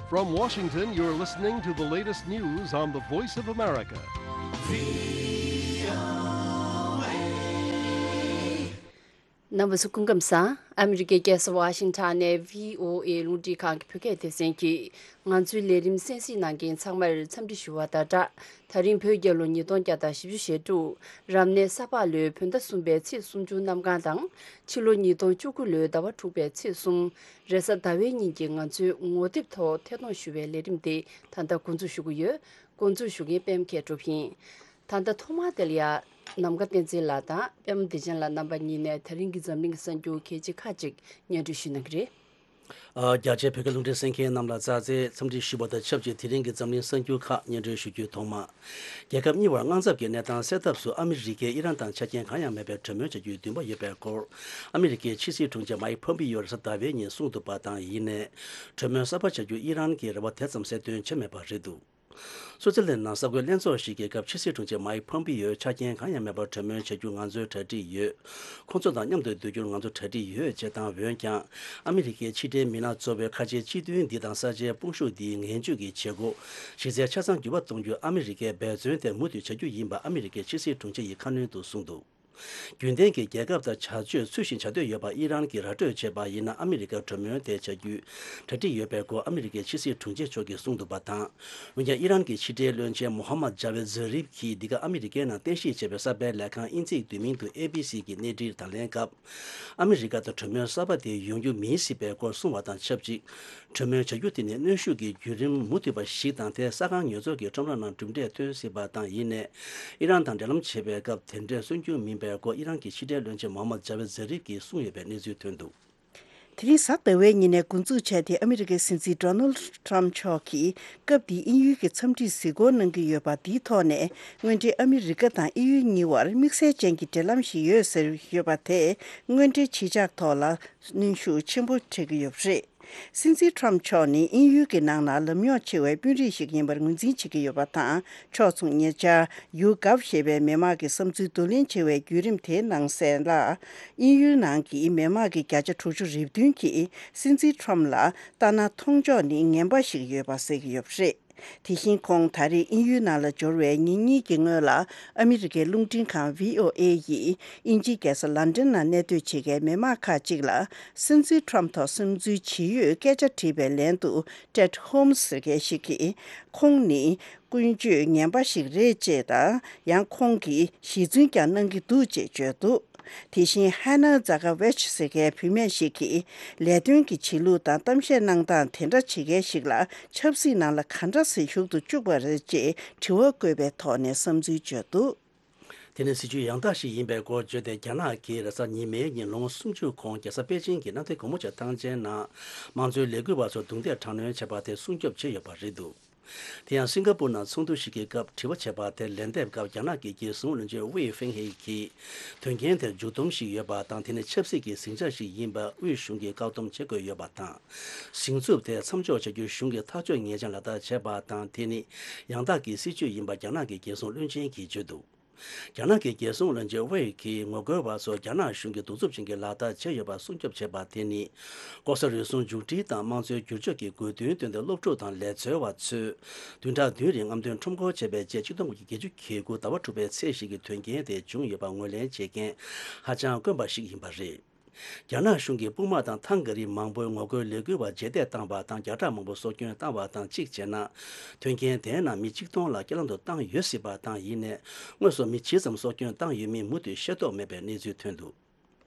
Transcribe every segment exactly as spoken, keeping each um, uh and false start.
From Washington, you're listening to the latest news on the Voice of America. རྣམ་པ་ཚོ་སྐུ་ཁམས་བཟང་། ཨ་མི་རི་ཀའི་རྒྱལ་ས་ཝ་ཤིང་ཊོན་ནས་བྷི་ཨོ་ཨེ་རླུང་འཕྲིན་ཁང་གི་བོད་སྐད་སྡེ་ཚན་གྱིས་ང་ཚོའི་ལས་རིམ་གསན་གཟིགས་གནང་མཁན་ཚང་མར་འཚམས་འདྲི་ཞུ་བ་དང་སྦྲགས། ད་རིང་བོད་རྒྱལ་ལོ་ཉིས་སྟོང་བརྒྱ་དང་བཞི་བཅུ་ཞེ་དྲུག་རབ་གནས་ས་ཕག་ལོའི་བོད་ཟླ་གསུམ་པའི་ཚེས་སུམ་ཅུ་གནམ་གང་དང་། ཕྱི་ལོ་ཉིས་སྟོང་བཅུ་དགུ་ལོའི་ཟླ་བ་དྲུག་པའི་ཚེས་གསུམ་རེས་གཟའ་ཟླ་བའི་ཉིན་གྱི་ང་ཚོའི་ངོ་དེབ་ཐོག་ཐད་གཏོང་ཞུ་བའི་ལས་རིམ་དེ་ད་ལྟ་འགོ་འཛུགས་ཞུ་གི་ཡོད། འགོ་འཛུགས་ཞུ་མཁན་པད་མ་མཁས་གྲུབ་ཡིན། ད་ལྟ་ཐོག་མར་དེ་ལ་ཡ། ནམ་མཁའ་བསྟན་འཛིན་ལགས་དང་པད་མ་བདེ་ཆེན་ལགས་རྣམ་པ་གཉིས་ནས་ད་རིང་གི་འཛམ་གླིང་གི་གསར་འགྱུར་གལ་ཆེ་ཁག་ཅིག་སྙན་སྒྲོན་ཞུ་གནང་གི་རེད། ཨ། རྒྱ་ཆེའི་བོད་སྐད་རླུང་འཕྲིན་གསན་མཁན་རྣམས་ལ་ཙག་ཙིག་འཚམས་འདྲི་ཞུ་བ་དང་ཆབས་ཅིག་དེ་རིང་གི་འཛམ་གླིང་གསར་འགྱུར་ཁག་སྙན་སྒྲོན་ཞུ་རྒྱུའི་ཐོག་མ། རྒྱལ་ཁབ་གཉིས་བར་དངངས་འཚབ་ཀྱི་གནས་སྟངས་སེལ་ཐབས་སུ་ཨ་མི་རི་ཀས་ཨི་རན་དང་ཆ་རྐྱེན་གང་ཡང་མེད་པའི་གྲོས་མོལ་བྱ་རྒྱུའི་འདུན་པ་ཡོད་པའི་སྐོར། ཨ་མི་རི་ཀའི་ཕྱི་སྲིད་དྲུང་ཆེ་མའིག་ཕོམ་པིའོ་རེས་གཟའ་ཟླ་བའི་ཉིན་གསུངས་འདུག་པ་དང་ཡིན་ནའི། གྲོས་མོལ་གསར་པ་བྱ་རྒྱུ་ཨི་རན་གྱིས་རེ་བ་དེ་ཙམ་གསལ་སྟོན་བྱས་མེད་པ་རེད་འདུག་སུའུ་ཙེར་ལན་ནང་གསར་འགོད་ལྷན་ཚོགས་ཤིག་གི་སྐབས་ཕྱི་སྲིད་དྲུང་ཆེ་མའིག་ཕོམ་པིའོས་ཆ་རྐྱེན་གང་ཡང་མེད་པར་གྲོས་མོལ་བྱ་རྒྱུར་ང་ཚོའི་གྲ་སྒྲིག་ཡོད། ཁོང་ཚོ་དང་མཉམ་དུ་སྡོད་རྒྱུར་ང་ཚོ་གྲ་སྒྲིག་ཡོད་ཅེས་དང་། འོན་ཀྱང་། ཨ་མི་རི་ཀའི་ཕྱི་འབྲེལ་མི་སྣ་གཙོ་བོས་ཁ་ཆེའི་སྤྱི་མཐུན་འདི་དང་ས་ཆའི་དཔུང་ཤུགས་འདིའི་ངན་ཇུས་ཀྱི་བྱེད་སྒོ་གཞི་རྩའི་ཆ་ཚང་འགྱུར་བ་གཏོང་རྒྱུར་ཨ་མི་རི་ཀས་འབད་བརྩོན་དེ་མུ་མཐུད་བྱ་རྒྱུ་ཡིན་པ་ཨ་མི་རི་ཀའི་ཕྱི་སྲིད་དྲུང་ཆེ་ཡིས་ཁ་སྣོན་དུ་གསུངས་འདུག་རྒྱུན་ལྡན་གྱི་རྒྱལ་ཁབ་དང་བྱ་སྤྱོད་ཚུལ་བཞིན་བྱ་འདོད་ཡོད་པ་ཨི་རན་གྱིས་ར་སྤྲོད་བྱས་པ་ཡིན་ན། ཨ་མི་རི་ཀ་གྲོས་མོལ་དེ་བྱ་རྒྱུའི་གྲ་སྒྲིག་ཡོད་པའི་སྐོར་ཨ་མི་རི་ཀའི་ཕྱི་སྲིད་དྲུང་ཆེ་མཆོག་གིས་གསུངས་འདུག་པ་དང་། འོན་ཀྱང་ཨི་རན་གྱི་ཕྱི་འབྲེལ་བློན་ཆེན་མོ་ཧམ་མད་ཇ་ཝེད་ཛ་རིབ་ཀྱིས་འདི་ག་ཨ་མི་རི་ཀའི་ནང་རྟེན་གཞི་བྱས་པའི་གསར་པའི་ལས་ཁང་དབྱིན་ཚིག་བསྡུས་མིང་དུ་ཨེ་བྷི་སི་གི་གནས་འཕྲིན་དང་ལེན་སྐབས། ཨ་མི་རི་ཀ་དང་གྲོས་མོལ་གསར་པ་དེ་ཡོང་རྒྱུ་མིན་སྲིད་པའི་སྐོར་གསུངས་པ་དང་ཆབས་ཅིག་གྲོས་མོལ་བྱ་རྒྱུ་དེ་ནི་གནོན་ཤུགས་ཀྱི་བརྒྱུད་རིམ་མུ་མཐུད་པ་ཞིག་དང་། དེ་ས་ཁང་ཉོ་ཚོང་གི་ཁྲོམ་ར་ནང་གྲུབ་འབྲས་ཐོན་སྲིད་པ་དང་། ཡིན་ནའི། ཨི་རན་དང་འབྲེལ་ལམ་བྱེད་པའི་སྐབས་དེ་འདྲས་སོན་རྒྱུ་མིན་པའི་སྐོར་ཨི་རན་གྱི་ཕྱི་འབྲེལ་བློན་ཆེན་མོ་ཧམ་མད་ཇ་ཝེད་ཛ་རིབ་ཀྱིས་གསུངས་ཡོད་པའི་གནས་ཚུལ་ཐོན་འདུག་དེ་རིང་གཟའ་ཟླ་བའི་ཉིན་ནས་འགོ་འཛུགས་བྱས་ཏེ། ཨ་མི་རི་ཀའི་སྲིད་འཛིན་ཌོ་ནལ་ཌི་ཊརམ་མཆོག་གིས་སྐབས་འདིའི་དབྱིན་ཡུལ་གྱི་འཚམས་འདྲིར་གཟིགས་སྐོར་གནང་གི་ཡོད་པ། འདིའི་ཐོག་ནས་དངོས་འབྲེལ་ཨ་མི་རི་ཀ་དང་དབྱིན་ཡུལ་གཉིས་བར་དམིགས་བསལ་ཅན་གྱི་འབྲེལ་ལམ་ཞིག་ཡོད་ཟེར་ཡོད་པ་དེ། དངོས་འབྲེལ་གཞིས་ཆགས་ཐོག་ལ་གནོན་ཤུགས་ཆེན་པོ་སྤྲད་ཀྱི་ཡོད་པ་རེད། སྲིད་འཛིན་ཊརམ་མཆོག་ནི་དབྱིན་ཡུལ་གྱི་ནང་ལ་ལམ་རྙོག་ཆེ་བའི་དཔོན་རིགས་ཤིག་ཡིན་པར་ངོས་འཛིན་བྱེད་ཀྱི་ཡོད་པ་དང་། ཕྱོགས་མཚུངས་ཉེ་ཆར་ཡུ་གབ་ཞེས་པའི་མི་དམངས་ཀྱི་བསམ་ཚུལ་བསྡུ་ལེན་བྱེད་པའི་བརྒྱུད་རིམ་དེའི་ནང་གསལ་ལ། དབྱིན་ཡུལ་ནང་གི་མི་དམངས་ཀྱི་བརྒྱ་ཆ་དྲུག་ཅུ་རེ་བདུན་གྱིས་སྲིད་འཛིན་ཊརམ་ལ་ལྟ་ན་མཐོང་ཕྱོགས་ནི་ངན་པ་ཞིག་ཡོད་པ་གསལ་གྱི་ཡོད་པ་རེད། དེ་བཞིན་ཁོང་ད་རེས་དབྱིན་ཡུལ་ནང་ལ་འབྱོར་བའི་ཉིན་གཉིས་ཀྱི་སྔོན་ལ། ཨ་མི་རི་ཀའི་རླུང་འཕྲིན་ཁང་བྷི་ཨོ་ཨེ་ཡིས་དབྱིན་ཇིའི་རྒྱལ་ས་ལན་ཌན་ནང་གནས་སྡོད་བྱེད་མཁན་མི་མང་ཁག་ཅིག་ལ། སྲིད་འཛིན་ཊརམ་ཐོག་བསམ་ཚུལ་ཇི་ཡོད་སྐད་ཆ་དྲིས་པའི་ལན་དུ། ཊེཌ་ཧོམ་སི་ཟེར་མཁན་ཞིག་གིས། ཁོང་ནི་ཀུན་སྤྱོད་ངན་པ་ཞིག་རེད་ཅེས་དང་། ཡང་ཁོང་གིས་ཞི་འཛུལ་ཀྱང་གནང་གི་འདུག་ཅེས་བརྗོད་འདུག་དེ་བཞིན་ཧ་ན་ཛ་ཀ་ཝེཆ་ཟེར་མཁན་བུད་མེད་ཞིག་གིས། ལས་དོན་གྱི་བྱེད་ལུགས་དང་གཏམ་བཤད་གནང་སྟངས་དེ་འདྲ་བྱེད་མཁན་ཞིག་ལ་ཆབ་སྲིད་ནང་ལ་ག་འདྲ་སེ་ཞུགས་ཏུ་བཅུག་པ་རེད་ཅེས་དྲི་བ་བཀོད་པའི་ཐོག་ནས་བསམ་ཚུལ་བརྗོད་འདུག་དེ་ནི་སྲིད་བྱུས་ཡང་དག་ཞིག་ཡིན་པའི་སྐོར་བརྗོད་དེ། རྒྱ་ནག་གིས་རེས་གཟའ་ཉི་མའི་ཉིན་ལོ་ངོ་སུམ་ཅུ་གོང་རྒྱལ་ས་པེ་ཅིང་གི་གནམ་བདེ་སྒོ་མོ་ཆེ་ཐང་ཆེན་ནང་དམངས་གཙོའི་ལས་འགུལ་བ་ཚོར་རྡུང་རྡེག་དྲག་གནོན་བྱས་པ་དེ་སྲུང་སྐྱོབ་བྱས་ཡོད་པ་རེད་འདུག་དེ་ཡང་སིང་ག་པུར་ནང་ཚོགས་འདུ་ཞིག་གི་སྐབས་དྲི་བ་བྱས་པ་དེར་ལན་འདེབས་སྐབས། རྒྱ་ནག་གི་རྒྱལ་སྲུང་བློན་ཆེན་ཝེ་ཧྥེང་ཧེ་གིས། དོན་རྐྱེན་དེར་མཇུག་སྡོམ་ཞིག་ཡོད་པ་དང་། དེ་ནི་ཆབ་སྲིད་ཀྱི་ཟིང་ཆ་ཞིག་ཡིན་པ་དབུས་གཞུང་གིས་བཀག་སྡོམ་བྱེད་དགོས་ཡོད་པ་དང་། ཟིང་འཚུབ་དེ་མཚམས་འཇོག་བྱ་རྒྱུར་གཞུང་གིས་ཐག་གཅོད་ངེས་ཅན་ལག་བསྟར་བྱས་པ་དང་། དེ་ནི་ཡང་དག་གི་སྲིད་བྱུས་ཡིན་པ་རྒྱ་ནག་གི་རྒྱལ་སྲུང་བློན་ཆེན་གྱིས་བརྗོད་འདུག་རྒྱ་ནག་གི་རྒྱལ་སྲུང་བློན་ཆེན་ཝེ་གིས་ངོ་རྒོལ་བ་ཚོར་རྒྱ་ནག་གཞུང་གིས་གདུག་རྩུབ་ཅན་གྱི་ལག་བསྟར་བྱས་ཡོད་པ་སྲུང་སྐྱོབ་བྱས་པ་དེ་ནི། ལྐོག་ཟ་རུལ་སུངས་མཇུག་སྒྲིལ་དང་དམངས་གཙོའི་བསྒྱུར་བཅོས་ཀྱི་དགོས་འདུན་བཏོན་ཏེ། སློབ་ཕྲུག་དང་ལས་འཚོལ་བ་ཚོས་བདུན་ཕྲག་བདུན་རིང་རྔམ་སྟོན་ཁྲོམ་སྐོར་བྱས་པའི་རྗེས། ཆིག་སྟོང་དགུ་བརྒྱ་བརྒྱད་ཅུ་གྱ་དགུ་ཟླ་བ་དྲུག་པའི་ཚེས་བཞི་གི་དོན་རྐྱེན་དེ་བྱུང་ཡོད་པ་ངོས་ལེན་བྱེད་མཁན་ཧ་ཅང་དཀོན་པ་ཞིག་ཡིན་པ་རེད། རྒྱ་ནག་གཞུང་གིས་དཔུང་དམག་དང་ཐང་ག་རི་མང་པོས་ངོ་རྒོལ་ལས་འགུལ་བ་རྗེས་འདེད་བཏང་བ་དང་། བརྒྱ་ཕྲག་མང་པོ་སྲོག་སྐྱོན་བཏང་བ་དང་། གཅིག་བྱས་ན། དོན་རྐྱེན་དེའི་ནང་མི་གཅིག་སྟོང་ལ་རྐྱེན་ལམ་དུ་བཏང་ཡོད་སྲིད་པ་དང་། ཡིན་ནའི། དངོས་སུ་མི་ཇི་ཙམ་སྲོག་སྐྱོན་བཏང་ཡོད་མིན་མུ་མཐུད་ཤེས་རྟོགས་མེད་པའི་གནས་ཚུལ་ཐོན་འདུག་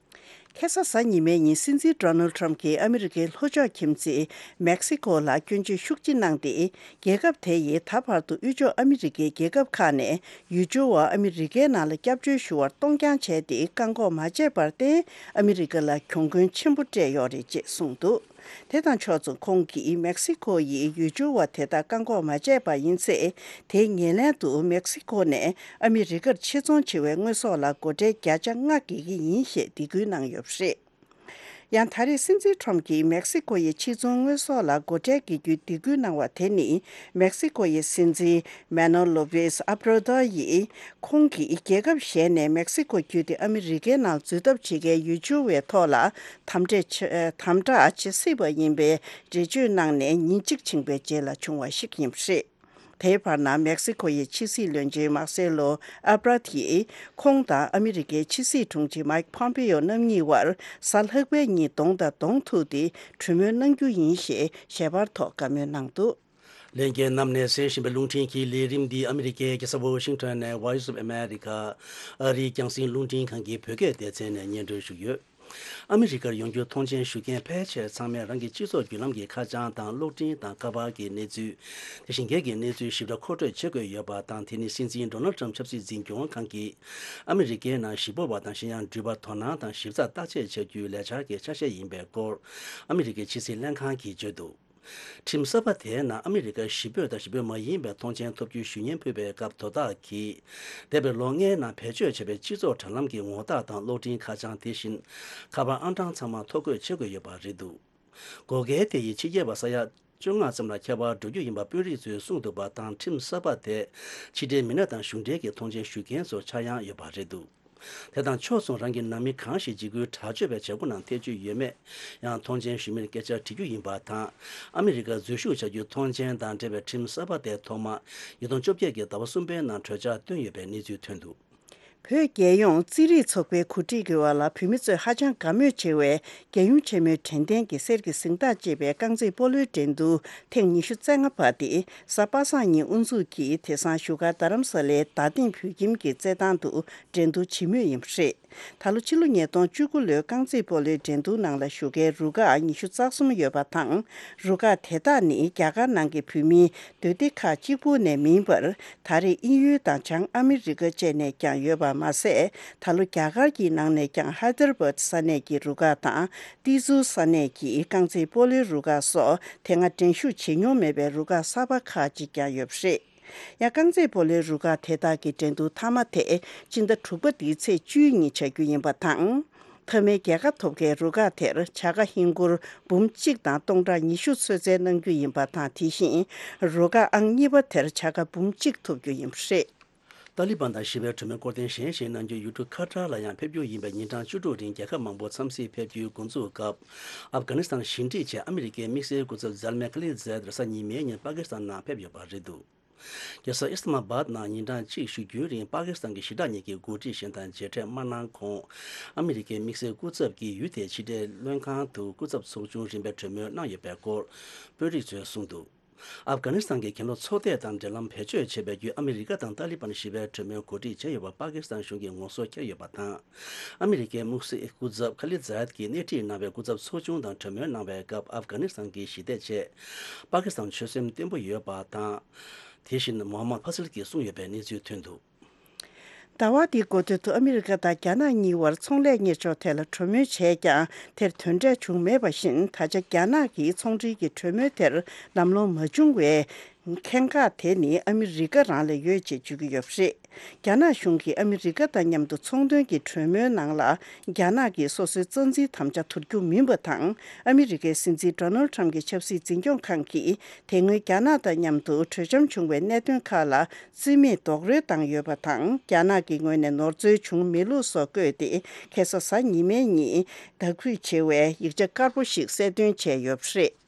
ཁ་སང་གཟའ་ཉི་མའི་ཉིན། སྲིད་འཛིན་ཌོ་ནལ་ཌི་ཊརམ་གྱིས་ཨ་མི་རི་ཀའི་ལྷོ་ཕྱོགས་ཁྱིམ་མཚེས་མེག་སི་ཀོ་ལ་སྐྱོན་བརྗོད་ཤུགས་ཆེ་གནང་སྟེ། རྒྱལ་ཁབ་དེ་ཡིས་ད་བར་དུ་དབུས་ཕྱོགས་ཨ་མི་རི་ཀའི་རྒྱལ་ཁབ་ཁག་ནས་ཡུལ་སྐྱོར་བ་ཨ་མི་རི་ཀའི་ནང་ལ་སྐྱབས་བཅོལ་ཞུ་བར་གཏོང་རྐྱང་བྱས་ཏེ། བཀག་འགོག་མ་བྱས་པར་བརྟེན། ཨ་མི་རི་ཀ་ལ་གྱོང་གུན་ཆེན་པོ་སྤྲད་ཡོད་རེད་ཅེས་གསུངས་འདུག་དེ་དང་ཕྱོགས་མཚུངས། ཁོང་གིས་མེག་སི་ཀོ་ཡིས་ཡུལ་སྐྱོར་བ་དེ་དག་བཀག་འགོག་མ་བྱས་པ་ཡིན་ཚེ། དེའི་ངོས་ལེན་དུ་མེག་སི་ཀོ་ནས་ཨ་མི་རི་ཀར་ཕྱིར་ཚོང་བྱེད་པའི་དངོས་ཟོག་ལ་སྒོ་ཁྲལ་བརྒྱ་ཆ་ལྔ་འགེལ་གྱི་ཡིན་ཞེས་སྡིགས་སྐུལ་གནང་ཡོད་པ་རེད། ཡང་ད་རེས་སྲིད་འཛིན་ཁྲོམ་གྱིས་མེག་སི་ཀོ་ཡི་ཕྱི་ཚོང་དངོས་ཟོག་ལ་སྒོ་ཁྲལ་འགེལ་རྒྱུའི་སྡིགས་སྐུལ་གནང་བ་དེ་ནི། མེག་སི་ཀོ་ཡི་སྲིད་འཛིན་མེ་ནོ་ལོ་པེས་ཨབ་ར་དོ་ཡིས། ཁོང་གིས་རྒྱལ་ཁབ་གཞན་ནས་མེག་སི་ཀོ་བརྒྱུད་དེ་ཨ་མི་རི་ཀའི་ནང་འཛུལ་ཐབས་བྱེད་མཁན་ཡུལ་ཕྱོགས་བའི་ཐོག་ལ་དམ་དྲག་བྱེད་དམ་དྲག་བྱེད་སྲིད་པ་ཡིན་པའི་འགྲེལ་བརྗོད་གནང་ནས་ཉིན་གཅིག་ཕྱིན་པའི་རྗེས་ལ་བྱུང་བ་ཞིག་ཡིན་པ་རེད། དེའི་བར་ན་མེག་སི་ཀོ་ཡི་ཕྱི་སྲིད་བློན་ཆེན་མཱ་སེ་ལོ་ཨབ་ར་ཐི་ཡིས་ཁོང་དང་ཨ་མི་རི་ཀའི་ཕྱི་སྲིད་དྲུང་ཆེ་མཱིག་ཕོམ་པེ་ཡོ་རྣམ་གཉིས་བར་གཟའ་ལྷག་པའི་ཉིན་གདོང་དང་གདོང་ཐུག་སྟེ་གྲོས་མོལ་གནང་རྒྱུ་ཡིན་ཞེས་ཞལ་པར་ཐོག་བཀའ་མོལ་གནང་འདུག། ལྷན་རྒྱས་རྣམས་ནས་གསན་བཞིན་པའི་རླུང་འཕྲིན་གྱི་ལས་རིམ་འདི་ཨ་མི་རི་ཀའི་རྒྱལ་ས་ཝོ་ཤིང་ཊོན་ནས་Voice of America ཨ་རིའི་རྒྱང་སྲིང་རླུང་འཕྲིན་ཁང་གི་བོད་སྐད་སྡེ་ཚན་ནས་སྙན་སྒྲོན་ཞུས་ཡོད། ཨ་མི་རི་ཀར་ཡོང་རྒྱུར་ཐོངས་མཆན་ཞུ་མཁན་ཕལ་ཆེར་ཚང་མས་རང་གི་སྤྱི་ཚོགས་བརྒྱུད་ལམ་གྱི་ཁ་བྱང་དང་གློག་འཕྲིན་དང་ཁ་པར་གྱི་གནས་ཚུལ། དེ་བཞིན་སྒེར་གྱི་གནས་ཚུལ་ཞིབ་ཕྲ་མཁོ་སྤྲོད་བྱེད་དགོས་ཡོད་པ་དང་། དེ་ནི་སྲིད་འཛིན་ཌོ་ནལ་ཊམ་ཆབ་སྲིད་འཛིན་སྐྱོང་ཁང་གིས་ཨ་མི་རི་ཀའི་ནང་གཞིས་སྤོ་བ་དང་གཞན་ཡང་འགྲུལ་པར་དོ་སྣང་དང་ཞིབ་ཚགས་བརྟག་དཔྱད་བྱ་རྒྱུའི་ལས་འཆར་གྱི་ཆ་ཤས་ཡིན་པའི་སྐོར་ཨ་མི་རི་ཀའི་ཕྱི་སྲིད་ལྷན་ཁང་གིས་བརྗོད་འདུག། ཁྲིམས་གསར་པ་དེའི་ནང་ཨ་མི་རི་ཀར་གཞིས་སྤོས་དང་གཞིས་སྤོས་མ་ཡིན་པའི་ཐོངས་མཆན་ཐོབ་རྒྱུའི་ཞུ་སྙན་ཕུལ་བའི་སྐབས་དོ་བདག་གིས། འདས་པའི་ལོ་ལྔའི་ནང་བེད་སྤྱོད་བྱས་པའི་སྤྱི་ཚོགས་དྲ་ལམ་གྱི་ངོ་རྟགས་དང་གློག་འཕྲིན་ཁ་བྱང་དེ་བཞིན་ཁ་པར་ཨང་གྲངས་ཚང་མ་ཐོ་འགོད་བྱེད་དགོས་ཡོད་པ་རེད་འདུག། འགོག་རྐྱེན་དེ་ཡིས་ཕྱི་རྒྱལ་བ་ས་ཡ་བཅོ་ལྔ་ཙམ་ལ་ཁྱད་པར་འགྲོ་རྒྱུ་ཡིན་པ་དཔོན་རིགས་ཚོས་གསུངས་འདུག་པ་དང་། ཁྲིམས་གསར་པ་དེས་ཕྱི་འབྲེལ་མི་སྣ་དང་གཞུང་འབྲེལ་གྱི་ཐོངས་མཆན་ཞུ་མཁན་ཚོར་ཆག་ཡང་ཡོད་པ་རེད་འདུག། དེ་དང་ཕྱོགས་མཚུངས་རང་གི་ནང་མི་གང་ཞིག་འཇིགས་སྐུལ་དྲག་སྤྱོད་པའི་བྱེད་སྒོ་ནང་ཐེ་བྱུས་ཡོད་མེད་ཡང་ཐོངས་མཆན་ཞུ་མིར་སྐད་ཆ་དྲི་རྒྱུ་ཡིན་པ་དང་། ཨ་མི་རི་ཀར་འཛུལ་ཞུགས་བྱ་རྒྱུའི་ཐོངས་མཆན་དང་འབྲེལ་བའི་ཁྲིམས་གསར་པ་དེ་ཐོག་མ་ཉིས་སྟོང་བཅོ་བརྒྱད་ཀྱི་ཟླ་བ་གསུམ་པའི་ནང་གྲོས་འཆར་བཏོན་ཡོད་པའི་གནས་ཚུལ་ཐོན་འདུག། བོད་རྒྱལ་ཡོངས་རྩིས་རིག་ཚོགས་པའི་གོ་སྒྲིག་གི་འོག་ལ་བོད་མི་ཚོས་ཧ་ཅང་དགའ་མོས་ཆེ་བའི་རྒྱལ་ཡུམ་ཆེན་མོའི་དྲན་རྟེན་གྱི་གསེར་གྱི་གཟེངས་རྟགས་ཅེས་པའི་རྐང་རྩེད་སྤོ་ལོའི་འགྲན་བསྡུར་ཐེངས་ཉི་ཤུ་རྩ་ལྔ་པ་དེ་གཟའ་པ་སངས་ཉིན་དབུ་འཛུགས་ཀྱིས་དེང་སང་བཞུགས་སྒར་རྡ་རམ་ས་ལའི་རྡ་སྟེང་བོད་ཁྱིམ་གྱི་རྩེད་ཐང་དུ་འགྲན་བསྡུར་བྱེད་མུས་ཡིན་པ་རེད། ད་ལོ་ཕྱི་ལོ་ཉིས་སྟོང་བཅུ་དགུ་ལོའི་རྐང་རྩེད་སྤོ་ལོའི་འགྲན་བསྡུར་ནང་ལ་ཞུགས་མཁན་རུ་ཁག་ཉི་ཤུ་རྩ་གསུམ་ཡོད་པ་དང་། རུ་ཁག་དེ་དག་ནི་རྒྱ་གར་ནང་གི་བོད་མིའི་སྡོད་སྡེ་ཁག་གཅིག་པུ་ནས་མིན་པར། ད་རེས་དབྱིན་ཡུལ་དང་བྱང་ཨ་མི་རི་ཀ་བཅས་ནས་ཀྱང་ཡོད་པ་མ་ཟད། ད་ལོ་རྒྱ་གར་གྱི་ནང་ནས་ཀྱང་ཧའི་དར་བཱད་ས་གནས་ཀྱི་རུ་ཁག་དང་ཏི་ཛུ་ས་གནས་ཀྱི་རྐང་རྩེད་སྤོ་ལོའི་རུ་ཁག་སོགས་དེ་སྔ་འགྲན་ཞུགས་བྱེད་མྱོང་མེད་པའི་རུ་ཁག་གསར་པ་ཁག་ཅིག་ཀྱང་ཡོད་པ་རེད། ཡང་རྐང་རྩེད་སྤོ་ལོའི་རུ་ཁག་དེ་དག་གི་འགྲན་བསྡུར་མཐའ་མ་དེ་སྤྱི་ཟླ་དྲུག་པ་འདིའི་ཚེས་བཅུའི་ཉིན་བྱ་རྒྱུ་ཡིན་པ་དང་། མཐའ་མའི་རྒྱལ་ཁ་ཐོབ་མཁན་རུ་ཁག་དེར་བྱ་དགའ་ཧིན་སྒོར་འབུམ་གཅིག་དང་སྟོང་ཕྲག་ཉི་ཤུ་ཚོད་བཙལ་གནང་རྒྱུ་ཡིན་པ་དང་། དེ་བཞིན་རུ་ཁག་ཨང་གཉིས་པ་དེར་བྱ་དགའ་འབུམ་གཅིག་ཐོབ་རྒྱུ་ཡིན་པ་རེད། ཏཱ་ལི་བན་དང་ཞི་བའི་གྲོས་མོལ་སྐོར་གཏན་གཞན་ཞིག་གནང་རྒྱུ་ཡུལ་གྲུ་ཁ་ཏར་ལ་ཡང་ཕེབས་རྒྱུ་ཡིན་པའི་ཉིན་གྲངས་བཅུ་དྲུག་རིང་རྒྱལ་ཁབ་མང་པོ་འཚམས་གཟིགས་ཕེབས་རྒྱུའི་འགོ་འཛུགས་སྐབས། ཨབ་གྷ་ནི་སི་ཐན་ཞི་འགྲིག་ཆེད་ཨ་མི་རི་ཀའི་དམིགས་བསལ་སྐུ་ཚབ་ཛལ་མེ་ཁ་ལི་ཛད་རེས་གཟའ་ཉི་མའི་ཉིན་པ་ཀི་སི་ཐན་ནང་ཕེབས་ཡོད་པ་རེད་འདུག། རྒྱལ་ས་ཨིས་ཏ་མ་བཱད་ནང་ཉིན་གྲངས་གཅིག་བཞུགས་རྒྱུའི་རིང་པ་ཀི་སི་ཐན་གྱི་ཞི་དྲག་གཉིས་ཀྱི་འགོ་ཁྲིད་གཞན་དང་མཇལ་འཕྲད་མ་གནང་གོང་། ཨ་མི་རི་ཀའི་དམིགས་བསལ་སྐུ་ཚབ་ཀྱིས་ཡུལ་དེའི་ཕྱི་འབྲེལ་བློན་ཁང་དུ་སྐུ་ཚབ་ཚོགས་ཆུང་རིམ་པའི་གྲོས་མོལ་གནང་ཡོད་པའི་སྐོར་དཔོན་རིགས་ཚོས་གསུངས་འདུག། ཨབ་གྷ་ནི་སི་ཐན་གྱི་གྱེན་ལོག་ཚོགས་སྡེ་དང་འབྲེལ་ལམ་བེད་སྤྱོད་བྱས་པའི་བརྒྱུད་ཨ་མི་རི་ཀ་དང་ཏཱ་ལི་བན་ཞི་བའི་གྲོས་མོལ་གོ་སྒྲིག་བྱས་ཡོད་པ་པ་ཀི་སི་ཐན་གཞུང་གིས་ངོ་སོ་བསྐྱར་ཡོད་པ་དང་། ཨ་མི་རི་ཀའི་དམིགས་བསལ་སྐུ་ཚབ་ཁ་ལི་ཛད་ཀྱིས་སྣེ་ཁྲིད་གནང་བའི་སྐུ་ཚབ་ཚོགས་ཆུང་དང་གྲོས་མོལ་གནང་བའི་སྐབས་ཨབ་གྷ་ནི་སི་ཐན་གྱི་ཞི་བདེ་ཆེད་པ་ཀི་སི་ཐན་ཆོད་སེམས་བརྟན་པོ་ཡོད་པ་དང་། དེ་བཞིན་མོ་ཧམ་མད་ཕ་སལ་གྱིས་གསུངས་ཡོད་པའི་གནས་ཚུལ་ཐོན་འདུག། ཟླ་བ་འདིའི་འགོ་སྟོད་དུ་ཨ་མི་རི་ཀ་དང་རྒྱ་ནག་གཉིས་བར་ཚོང་ལས་གཉེར་ཕྱོགས་ཐད་ལ་གྲོས་མོལ་བྱས་ཀྱང་དེར་དོན་འབྲས་བྱུང་མེད་པ་བཞིན། ད་ཆ་རྒྱ་ནག་གིས་ཚོང་འབྲེལ་གྱི་གྲོས་མོལ་དེར་ལམ་ལྷོང་མ་བྱུང་བའི་ཁེངས་སྐར་དེ་ནི་ཨ་མི་རི་ཀ་རང་ལ་ཡོད་ཅེས་བརྗོད་ཀྱི་ཡོད་པ་རེད། རྒྱ་ནག་གཞུང་གིས་ཨ་མི་རི་ཀ་དང་མཉམ་དུ་ཚོང་དོན་གྱི་གྲོས་མོལ་ནང་ལ་རྒྱ་ནག་གིས་སོ་སོའི་རྩ་འཛིན་དམ་བཅའ་དོར་རྒྱུ་མིན་པ་དང་། ཨ་མི་རི་ཀའི་སྲིད་འཛིན་ཌོ་ནལ་ཊམ་གྱི་ཆབ་སྲིད་འཛིན་སྐྱོང་ཁང་གིས་དེ་སྔོན་རྒྱ་ནག་དང་མཉམ་དུ་གྲོས་འཆམ་བྱུང་བའི་གནད་དོན་ཁག་ལ་རྩིས་མེད་རྡོག་རོལ་བཏང་ཡོད་པ་དང་། རྒྱ་ནག་གི་ངོས་ནས་ནོར་འཛོལ་བྱུང་མེད་ལུགས་སོགས་བཀོད་དེ། ཁ་སང་གཟའ་ཉི་མའི་ཉིན་དག་ཐེར་བྱེད་པའི་ཡིག་ཆ་དཀར་པོ་ཞིག་གསལ་སྟོན་བྱས་ཡོད་པ་རེད།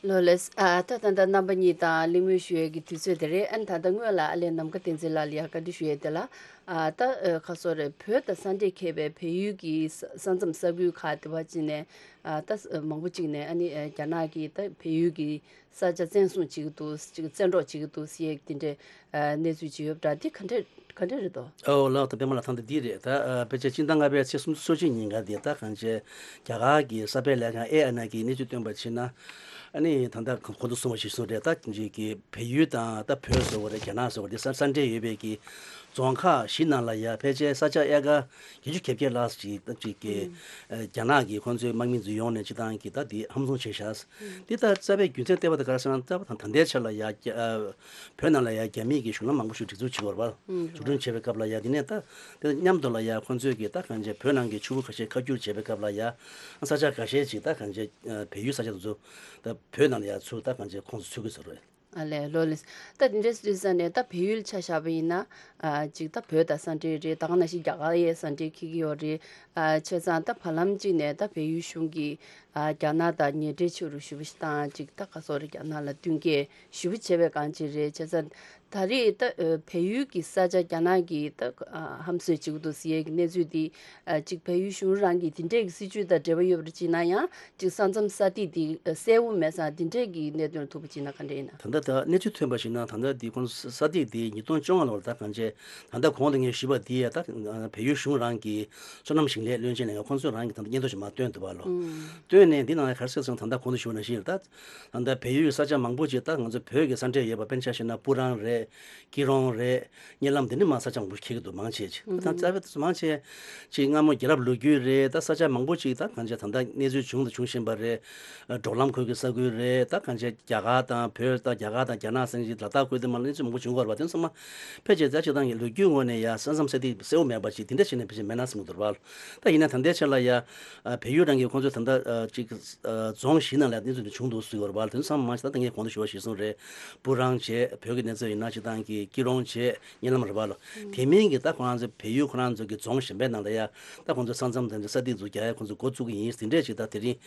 ལོ་ལེགས། ཨ། ད་ད་ལྟ་རྣམ་པ་གཉིས་དང་གླེང་མོལ་ཞུ་ཡས་ཀྱི་དུས་ཚོད་དེ་རེད། ཨ་ནི་ད་ལྟ་སྔོན་ལ་ཨ་ལས་ནམ་མཁའ་བསྟན་འཛིན་ལགས་ལ་ཡང་བཀའ་འདྲི་ཞུ་ཡས་དེ་ལ། ཨ། ད་ཨ་ཁ་སོ་རེད། བོད་དང་ས་འབྲེལ་མཁས་པའི་བལ་ཡུལ་གྱི་ས་ས་མཚམས་ས་ཁུལ་ཁག་དེ་བ་ཅིག་ནས། ཨ། ད་མང་པོ་ཅིག་ནས་ཨ་ནི་རྒྱ་ནག་གིས་ད་བལ་ཡུལ་གྱི་ས་ཆ་བཙན་བཟུང་བྱེད་ཀྱི་འདུག། ཅིག་བཙན་འཕྲོག་བྱེད་ཀྱི་འདུག་ཟེར་ཡས་དེ་འདྲའི་ཨ་གནས་ཚུལ་ཅིག་ཡོད་པ་འདྲ། འདི་ག་འདྲ་ག་འདྲ་རེད་དོ། ཨོ་ལགས། ད་པད་མ་ལགས། ད་འདི་འདི་རེད། ད་ཨ་ཕལ་ཆེར་སྤྱི་ཟླ་ལྔ་པའི་ཚེས་སུམ་ཅུ་སོ་གཅིག་ཉིན་ག་འདི་ད་གང་ཅི་རྒྱ་གར་གྱི་གསར་སྤེལ་ལས་ཁང་ཨེ་ཨེན་ཨའི་གིས་གནས་ཚུལ་བཏོན་པར་ཕྱིན་ན། ཨ་ནི་ད་ལྟ་གོང་དུ་གསུངས་པ་ཞིག་གསུངས་རེད། ད་ཅིག་གི་བལ་ཡུལ་དང་ད་བོད་ཟེར་བ་རེད། རྒྱ་ནག་ཟེར་བ་རེད། ས་ས་འབྲེལ་ཡོད་པའི་གི་རྫོང་ཁག་བཞི་ནང་ལ་ཡ་ཕལ་ཆེར་ས་ཆ་ཨེ་ཀར་བརྒྱད་ཅུ་གྱ་བརྒྱད་ལྷག་ཅིག་ད་ཅིག་གི་ཨ་རྒྱ་ནག་གི་ཁོང་ཚོའི་དམག་མི་ཚོ་ཡོང་ནས་སྤྱི་བཏང་གི་ད་དེ་ཧམ་བཟུང་བྱས་ཤག་འདི་ད་རྩ་བའི་རྒྱུ་མཚན་ལྟ་བ་ད་ག་རེ་ཟེར་ན། རྩ་བ་དང་ད་ལྟའི་ཆ་ལ་ཡ་རྒྱ་ཨ་བོད་ནང་ལ་ཡ་རྒྱ་མིའི་གི་གཞུང་ལམ་མང་པོ་ཞིག་སྒྲིག་འཛུགས་བྱེད་ཀྱི་ཡོད་རེད་པ། འཛུགས་སྐྲུན་བྱེད་པའི་སྐབས་ལ་ཡ་དེ་ནས་ད་དེ་མཉམ་དུ་ལ་ཡ་ཁོང་ཚོས་གི་ད་གང་ཅི་བོད་ནང་གི་ཆུ་བོ་ཁ་ཤས་ཁ་བསྒྱུར་བྱེད་པའི་སྐབས་ལ་ཡ་ས་ཆ་འགའ་ཤས་ཅིག་ད་གང་ཅི་བལ་ཡུལ་ས་ཆ་དེ་ཚོ་ད་བོད་ནང་ལ་ཡ་ཚུར་ད་གང་ཅི་ཁོངས་སུ་ཚུད་ཀྱི་ཡོད་རེད། ཨ་ལས་ལོ་ལེ། ད་དེ་འདྲའི་སྲིད་ས་ནས་ད་བལ་ཡུལ་ཆ་བཞག་པ་ཡིན་ན། ཨ་ཅིག་ད་བོད་དང་ས་འབྲེལ་རེད། ད་ག་ནང་བཞིན་རྒྱ་གར་ཡའི་ས་འབྲེལ་འཁེལ་གྱི་ཡོད་རེད། ཨ་བྱས་ཙང་ད་བར་ལམ་གཅིག་ནས་ད་བལ་ཡུལ་གཞུང་གིས་ཨ་རྒྱ་ནག་དང་ཉེ་འབྲེལ་ཆེ་རུ་ཞེ་པོ་ཞིག་བཏང་། ཅིག་ད་ག་སོག་རེད། རྒྱ་ནག་ལ་མདུན་སྐྱོད་ཞེ་པོ་བྱས་པའི་སྒང་ཅིག་རེད། བྱས་ཙང་ད་རེས་ད་ཨ་བལ་ཡུལ་གྱི་ས་ཆ་རྒྱ་ནག་གིས་ད་ཨ་ཧམ་བཟོས་བྱེད་ཀྱི་འདུག་ཟེར་ཡས་ཀྱི་གནས་ཚུལ་འདི། ཨ་ཅིག་བལ་ཡུལ་གཞུང་རང་གི་དེ་འདྲས་ཀྱི་སྲིད་ཇུས་དང་འབྲེལ་བ་ཡོད་པར་བྱས་ན་ཡང་། ཅིག་ས་མཚམས་ས་ཐིག་འདི་ཨ་གསལ་པོ་མེད་ཙང་། དེ་འདྲས་ཀྱི་གནད་དོན་ལ་ཐུག་པ་བྱས་ན་ག་འདྲས་ཡིན་ན། ད་ལྟ་ད་གནས་ཚུལ་ཐོན་པ་ཞིག་ན། ད་ལྟ་འདི་ཁོང་ས་ཐིག་འདི་ཉིས་སྟོང་བཅོ་ལྔ་ལོར་ད་གང་ཅི་ད་ལྟ་གོང་དུ་ངས་ཞུས་པ་འདི་ཡ་ད་བལ་ཡུལ་གཞུང་རང་གི་སོ་ནམ་ཞིང་ལས་བློན་ཆེན་ལས་ཁང་ཁོང་ཚོས་རང་གི་ད་ལྟ་སྙན་ཐོ་ཞིག་མར་བཏོན་འདུག་པ་ལོ། ཨུམ། བཏོན་ནས་འདི་ནང་ལ་ག་རེ་གསལ་སོང་། ད་ལྟ་གོང་དུ་ཞུས་པ་ནང་བཞིན་ད་ད་ལྟ་བལ་ཡུལ་གྱི་ས་ཆ་མང་པོ་ཅིག་ད་ང་ཚོ་བོད་ཀྱི་ས་འབྲེལ་ཡོད་པ། དཔེར་ན་ཆ་བཞག་ན་སྤུ་རང་རེད། སྐྱིད་རོང་རེད། གཉིད་ལམ་དེ་འདྲ་མར་ས་ཆ་མང་པོ་འཁེལ་གྱི་འདུག་མང་ཆེ་ཅིག་ཨུ་ད་ཧུམ། རྩ་བའི་མང་ཆེ་ཅིག་སྔ་མོ་རྒྱལ་རབས་ལོ་རྒྱུས་རེད། ད་ས་ཆ་མང་པོ་ཅིག་ད་གང་ཅི་ད་ལྟ་གནས་ཚུལ་བྱུང་དང་འབྱུང་བཞིན་པ་རེད། འབྲོག་ལམ་ཁུལ་གྱི་ས་ཁུལ་རེད། ད་གང་ཅི་རྒྱ་གར་དང་བོད་དང་རྒྱ་གར་དང་རྒྱ་ནག་ཟེར་གྱི་ལ་དྭགས་ཁུལ་དེ་མར་གནས་ཚུལ་མང་པོ་བྱུང་གི་ཡོད་རེད་པ། དེ་ཚང་མ་ཕལ་ཆེར་ད་སྤྱིར་བཏང་གི་ལོ་རྒྱུས་ངོས་ནས་ཡ་ས་མཚམས་ས་ཐིག་གསལ་པོ་མེད་པ་ཅིག་དེ་འདྲ་ཞིག་ནས་ཕལ་ཆེར་མེད་ན་བསམ་གྱི་འདུག་པ། ད་ཡིན་ན་ད་ལྟའི་ཆ་ལ་ཡ་བལ་ཡུལ་རང་གི་ཁོང་ཚོས་ད་ལྟ་ཅིག་རྫོང་བཞི་ནང་ལ་གནས་ཚུལ་འདི་བྱུང་འདུག་ཟེར་གྱི་ཡོད་རེད་པ། དེ་ཚང་མ་ད་ལྟ་ངས་གོང་དུ་ཞུ་བ་ཞིག་གསུངས་རེད། སྤུ་རང་བྱས། བོད་ཀྱི་གནས་ཚུལ་ཡིན་ན་སྤྱིར་བཏང་གི་སྐྱིད་རོང་བྱས། གཉིད་ལམ་རེད་པ་ལོ། དེ་མིན་གྱི་ད་ཁོ་རང་ཚོ་བལ་ཡུལ་ཁོ་རང་ཚོ་གི་རྫོང་གཞན་པའི་ནང་ལ་ཡ་ད་ཁོང་ཚོ་ས་མཚམས་དེ་ཚོ་ས་ཐིག་ཚོ་རྒྱག་ཡ་ཁོང་ཚོ་འགོ་བཙུགས་ཀྱི་ཡིན་ཟེར་དེ་འདྲས་ཅིག་ད་དེ་རིང་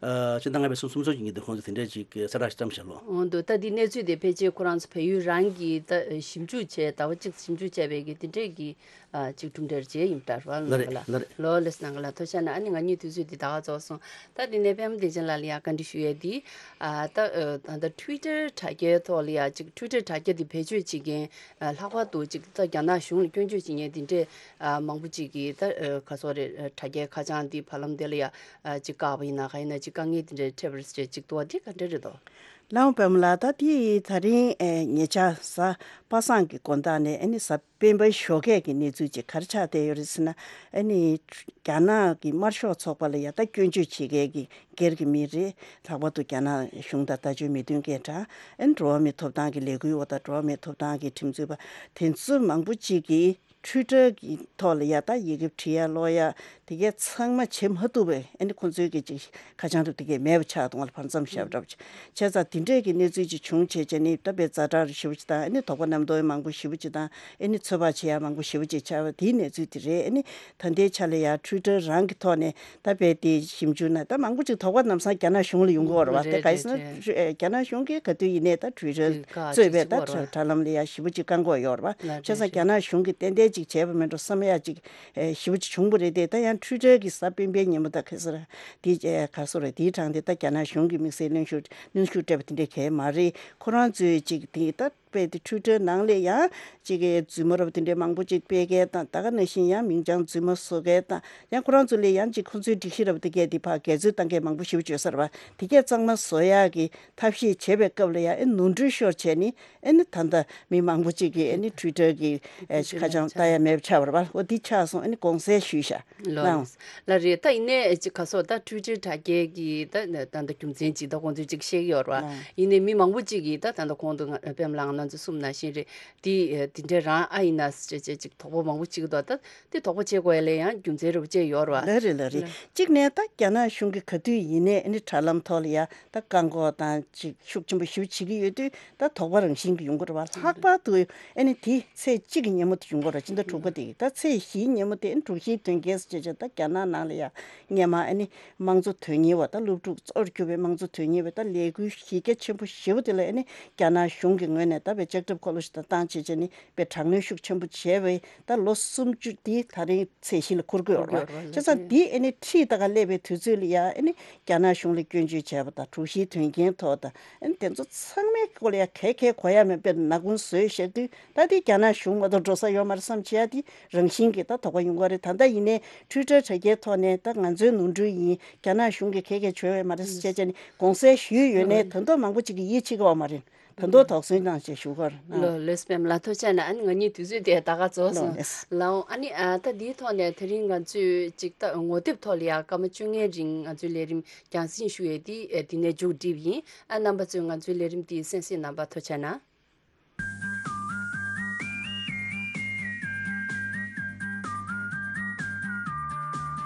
ཨ་ཕྱི་ཟླ་ལྔ་པའི་ཚེས་སུམ་ཅུ་ཉིན་དུ་ཁོང་ཚོ་དེ་འདྲས་ཅིག་གསལ་བསྒྲགས་ཤིག་བཀྲམ་བཞག་ལོ། འོ་འདུག་ད་འདི་གནས་ཚུལ་དེ་ཕལ་ཆེར་ཁོ་རང་ཚོ་བལ་ཡུལ་རང་གིས་ད་ཞིབ་འཇུག་བྱས། ཟླ་བ་གཅིག་ཞིབ་འཇུག་བྱས་པའི་གི་དེ་འདྲས་ཀྱི་ཨ་ཅིག་གྲུབ་འབྲས་རེད་ཅེས་ཡིན་པ་རེད་པ། ལ་རེད་ལ་རེད། ལོ་ལེ་སི་ནང་ག་ལ་ཐུགས་རྗེ་གནང་། ཨ་ནི་ང་གཉིས་དུས་ཚོད་འདི་ད་ག་རྫོགས་སོང་། ད་དེ་ནས་པད་མ་བདེ་ཆེན་ལགས་ལ་ཡ་བཀའ་འདྲི་ཞུ་ཡས་འདི། ཨ་ད་ཨ་ད་ལྟ་ཊུའི་ཊར་དྲ་རྒྱའི་ཐོག་ལ་ཡ་ཅིག་ཊུའི་ཊར་དྲ་རྒྱ་འདི་བེད་སྤྱོད་བྱེད་མཁན་ཨ་ལྷག་པར་དུ་ཅིག་ད་རྒྱ་ནག་གཞུང་ལ་སྐྱོན་བརྗོད་བྱེད་མཁན་འདི་འདྲས་ཨ་མང་པོ་ཅིག་གིས་ད་ཨ་ག་སོག་རེད། ཨ་དྲ་རྒྱའི་ཁ་བྱང་འདི་བར་ལམ་དེ་ལ་ཡ་ཨ་ཅིག་བཀག་པ་ཡིན་ན། ག་ཡིན་ན་ཅིག་དཀའ་ངལ་འདི་འདྲས་འཕྲད་པ་རེད་ཅེས་ཅིག་འདུག་པ། འདི་ག་འདྲས་རེད་དོ། ལགས་འོང་པད་མ་ལགས། ད་འདི་ད་རིང་ཨེ་ཉེ་ཆར་གཟའ་པ་སངས་ཀྱི་དགོང་དག་ནས་ཨ་ནི་གཟའ་སྤེན་པའི་ཞོགས་ཀས་ཀྱི་གནས་ཚུལ་ཅིག་ག་རེ་ཆགས་བསྡད་ཡོད་རེད་ཟེར་ན། ཨ་ནི་རྒྱ་ནག་གི་དམར་ཤོག་ཚོགས་པ་ལ་ཡ་ད་སྐྱོན་བརྗོད་བྱེད་མཁན་གྱི་སྒེར་གྱི་མི་རེད། ལྷག་པར་དུ་རྒྱ་ནག་གཞུང་དང་ལྟ་སྤྱོད་མི་མཐུན་མཁན་འདྲ། ཨ་ནི་འགྲོ་བ་མིའི་ཐོབ་ཐང་གི་ལས་འགུལ་བ་དང་འགྲོ་བ་མིའི་ཐོབ་ཐང་གི་ཁྲིམས་རྩོད་པ་དེ་ཚོ་མང་པོ་ཅིག་གིས་ཊུའི་ཊར་གྱི་ཐོག་ལ་ཡ་ད་ཡི་གེ་བྲིས་ཡ་ཀློག་ཡ་དེ་གས་ཚང་མ་བྱེད་མ་ཐུབ་པའི། ཨ་ནི་ཁོང་ཚོའི་གི་ཅིག་ཁ་བྱང་དུ་དེ་གས་མེད་པ་ཆགས་འདུག་བ་ལ། བར་མཚམས་བཞག་འདྲ་བ་ཅིག་བྱས་ཙང་། དེ་འདྲས་ཀྱི་གནས་ཚུལ་ཅིག་བྱུང་བྱས་བྱས་ནས་ད་དཔེ་ཛ་དྲག་ཞེ་པོ་ཅིག་དང་། ཨ་ནི་དོགས་པ་རྣམ་རྟོག་མང་པོ་ཞེ་པོ་ཅིག་དང་། ཨ་ནི་ཚོད་དཔག་བྱེད་ཡ་མང་པོ་ཞེ་པོ་ཅིག་ཆགས་པ་དེའི་གནས་ཚུལ་དེ་རེད། ཨ་ནི་ད་ལྟའི་ཆ་ལ་ཡ་ཊུའི་ཊར་རང་གི་ཐོག་ནས་ད་དཔེ་དེ་ཞིབ་འཇུག་ན་ད་མང་པོ་ཅིག་དོགས་པ་ལམ་སང་རྒྱ་ནག་གཞུང་ལ་ཡོང་གི་ཡོད་རེད་བ། དེ་རེད་ག་རེ་ཟེར་ན། རེད་རེད། རྒྱ་ནག་གཞུང་གིས་ག་དུས་ཡིན་ནའི་ད་ཊུའི་ཊར་གཙོས་པའི་ད་དྲ་ལམ་ལ་ཡ་ཞེ་པོ་ཅིག་བཀག་འགོག་ཡོད་རེད་བ། བྱས་ཙང་རྒྱ་ནག་གཞུང་གིས་ཏན་ཏན་ཅིག་བྱས་པ་མིན་འགྲོ་བསམ་ཡ་ཅིག་ཞེ་པོ་ཅིག་བྱུང་བ་རེད་དེ། ད་ཡང་ཊུའི་ཊར་གྱི་གཟའ་སྤེན་པའི་ཉིན་མོ་ད་ག་རེ་ཟེར། དེ་ག་རེ་ཟེར་རེད། དེའི་གྲངས་དེ་ད་རྒྱ་ནག་གཞུང་གི་དམིགས་བསལ་གནོན་ཤུགས་གནོན་ཤུགས་སྤྲད་པ་དེ་འདྲས་གང་ཡང་མ་རེད། ཁོ་རང་ཚོས་ཅིག་དེ་ད་དཔེ་དེ་ཊུའི་ཊར་ནང་ལ་ཡང་ཅིག་གི་རྫུན་མ་རབ་དེ་འདྲས་མང་པོ་ཅིག་སྤེལ་མཁན་དང་། ད་ག་ནང་བཞིན་ཡང་མིང་བྱང་རྫུན་མ་བཟོ་མཁན་དང་། ཡང་ཁོ་རང་ཚོ་ལ་ཡང་ཅིག་ཁོ་ཚོའི་སྒྲིག་གཞི་རབ་དེ་གས་དེ་ཕར་འགལ་འཛོལ་བཏང་མཁན་མང་པོ་ཞེ་པོ་ཅིག་ཡོད་ས་རེད་བ། དེ་གས་གཙང་མ་བཟོ་ཡག་གི་ཐབས་ཤེས་བྱེད་པའི་སྐབས་ལ་ཡང་ཨེ་ནོར་འཁྲུལ་ཤོར་བྱས་ནས། ཨེ་ནི་ད་ལྟ་མི་མང་པོ་ཅིག་གིས་ཨེ་ནི་ཊུའི་ཊར་གྱི་ཨེ་ཊུའི་ཊར་ཁ་བྱང་ལ་ལྟ་ཡ་མེད་པ་ཆགས་པ་རེད་བ། འོ་འདི་ཆགས་སོང་། ཨེ་ནི་དགོངས་སེལ་ཞུས་ཤག་ལོ། ལའང་། ལ་རེད། ད་ཡིན་ནའི་ཅིག་ག་སོགས་ད་ཊུའི་ཊར་དྲ་རྒྱའི་གི་ད་ད་ད་རྒྱུ་མཚན་ཅིག་ད་ཁོང་ཚོས་ཅིག་བཤད་ཀྱི་ཡོད་རེད་བ། ལའང་། ཡིན་ནའི་མི་མང་པོ་ཅིག་གིས་ད་ད་ལྟ་གོང་དུ་ང་པད་མ་ལགས་ང་ཚོ་གསུངས་ནང་བཞིན་རེད། འདི་འདི་འདྲ་རང་ཨ་ཡིན་ན་ཅེས་ཅེས་ཅིག་དོགས་པ་མང་པོ་ཅིག་འདུག་ད་འདི་དོགས་པ་བྱེད་དགོས་ཡ་ལ་ཡང་རྒྱུ་མཚན་རེ་བ་ཅིག་ཡོད་རེད་བ། ལ་རེད་ལ་རེད། ལ། གཅིག་ནས་ད་རྒྱ་ནག་གཞུང་གིས་ག་དུས་ཡིན་ནའི་ཨེ་ནི་དྲ་ལམ་ཐོག་ལ་ཡ་ད་བཀག་འགོག་དང་ཅིག་ཤུགས་ཆེན་པོ་ཞེ་པོ་བྱེད་ཀྱི་ཡོད་དུས། ད་དོགས་པ་རང་བཞིན་གྱི་ཡོང་གི་རེད་བ། ལྷག་པར་དུ་ཨེ་ནི་དེ་ཚེས་གཅིག་གི་ཉིན་མོ་དེ་ཡོང་གི་རེད། སྤྱི་ཟླ་དྲུག་པ་དེ་གི་ད་ཚེས་བཞིའི་ཉིན་མོ་དེ། ཨེ་ནི་དྲུག་བཞིའི་དོན་རྐྱེན་ཟེར་བྱས་བྱས་ད་རྒྱ་ནག་ནང་ལ་ཡ་སྔས་མ་ཨེ་ནི་དམངས་གཙོ་དོན་གཉེར་བ། ད་སློབ་ཕྲུག་གཙོར་གྱུར་པའི་དམངས་གཙོ་དོན་གཉེར་བ། ད་ལས་འགུལ་གཞི་རྒྱ་ཆེན་པོ་ཞེ་པོ་དེ་ལ་ཨེ་ནི་རྒྱ་ནག་གཞུང་གི་ངོས་ནས། ད་བའི་ལྕགས་ཁྲབ་འཁོར་ལོ་ཞིག་དང་བཏང་བྱས་བྱས་ནས་བའི་དྲག་གནོན་ཤུགས་ཆེན་པོ་བྱས་བའི་ད་ལོ་སུམ་ཅུ་འདི་ད་རིང་ཚད་གཞི་ལ་འཁུར་གྱི་ཡོད་རེད་བ། བྱས་ཙང་འདི་ཨ་ནི་ཁྲིད་ད་ག་སླེབས་པའི་དུས་ཚོད་ལ་ཡ་ཨ་ནི་རྒྱ་ནག་གཞུང་ལ་སྐྱོན་བརྗོད་བྱས་པ་དང་དྲུག་བཞིའི་དོན་རྐྱེན་ཐོག་དང་ཨ་ནི་དེ་ཚོ་ཚང་མའི་སྐོར་ལ་ཡ་ག་གེ་གོ་ཡ་མེད་པའི་ནག་ཁུང་བཟོས་བཞག་དུས། ད་དེ་རྒྱ་ནག་གཞུང་མ་གཏོགས་འགྲོ་ས་ཡོད་མ་རེད་བསམ་བྱས་ཡ་དེ་རང་བཞིན་གྱིས་ད་དོགས་པ་ཡོང་གི་རེད། ད་ལྟ་ཡིན་ནའི་ཊུའི་ཊར་དྲ་རྒྱའི་ཐོག་ནས་ད་ང་ཚོའི་ནོར་འཁྲུལ་ཡིན། རྒྱ་ནག་གཞུང་གིས་ག་གེ་བྱས་ཡོད་མ་རེད་ཟེར་བྱས་བྱས་ནས་དགོངས་སེལ་ཞུས་ཡོད་ནའི་ད་དུང་མང་པོ་ཅིག་གིས་ཡིད་ཆེས་ཀྱི་ཡོད་མ་རེད། ད་དུང་དོགས་ཟོན་གནང་ཞེས་ཞུ་གི་ཡོད་རེད། ལགས་ལགས་སོ་པད་མ་ལགས། ཐུགས་རྗེ་གནང་། ཨ་ནི་ང་གཉིས་དུས་ཚོད་དེ་ད་ག་རྫོགས་སོང་། ལགས་ལགས། ལགས་འོང་། ཨ་ནི་ཨ་ད་འདིའི་ཐོག་ནས་དེ་རིང་ང་ཚོས་ཅིག་ད་ངོ་དེབ་ཐོག་ལ་ཡང་སྐར་མ་བཅོ་ལྔའི་རིང་ང་ཚོའི་ལས་རིམ་རྒྱང་སྲིང་ཞུ་ཡས་དེ་ཨ་འདི་ནས་མཇུག་སྒྲིལ་ཡིན། ཨ་རྣམ་པ་ཚོས་ང་ཚོའི་ལས་རིམ་དེ་གསན་གཟིགས་གནང་བར་ཐུགས་རྗེ་གནང་།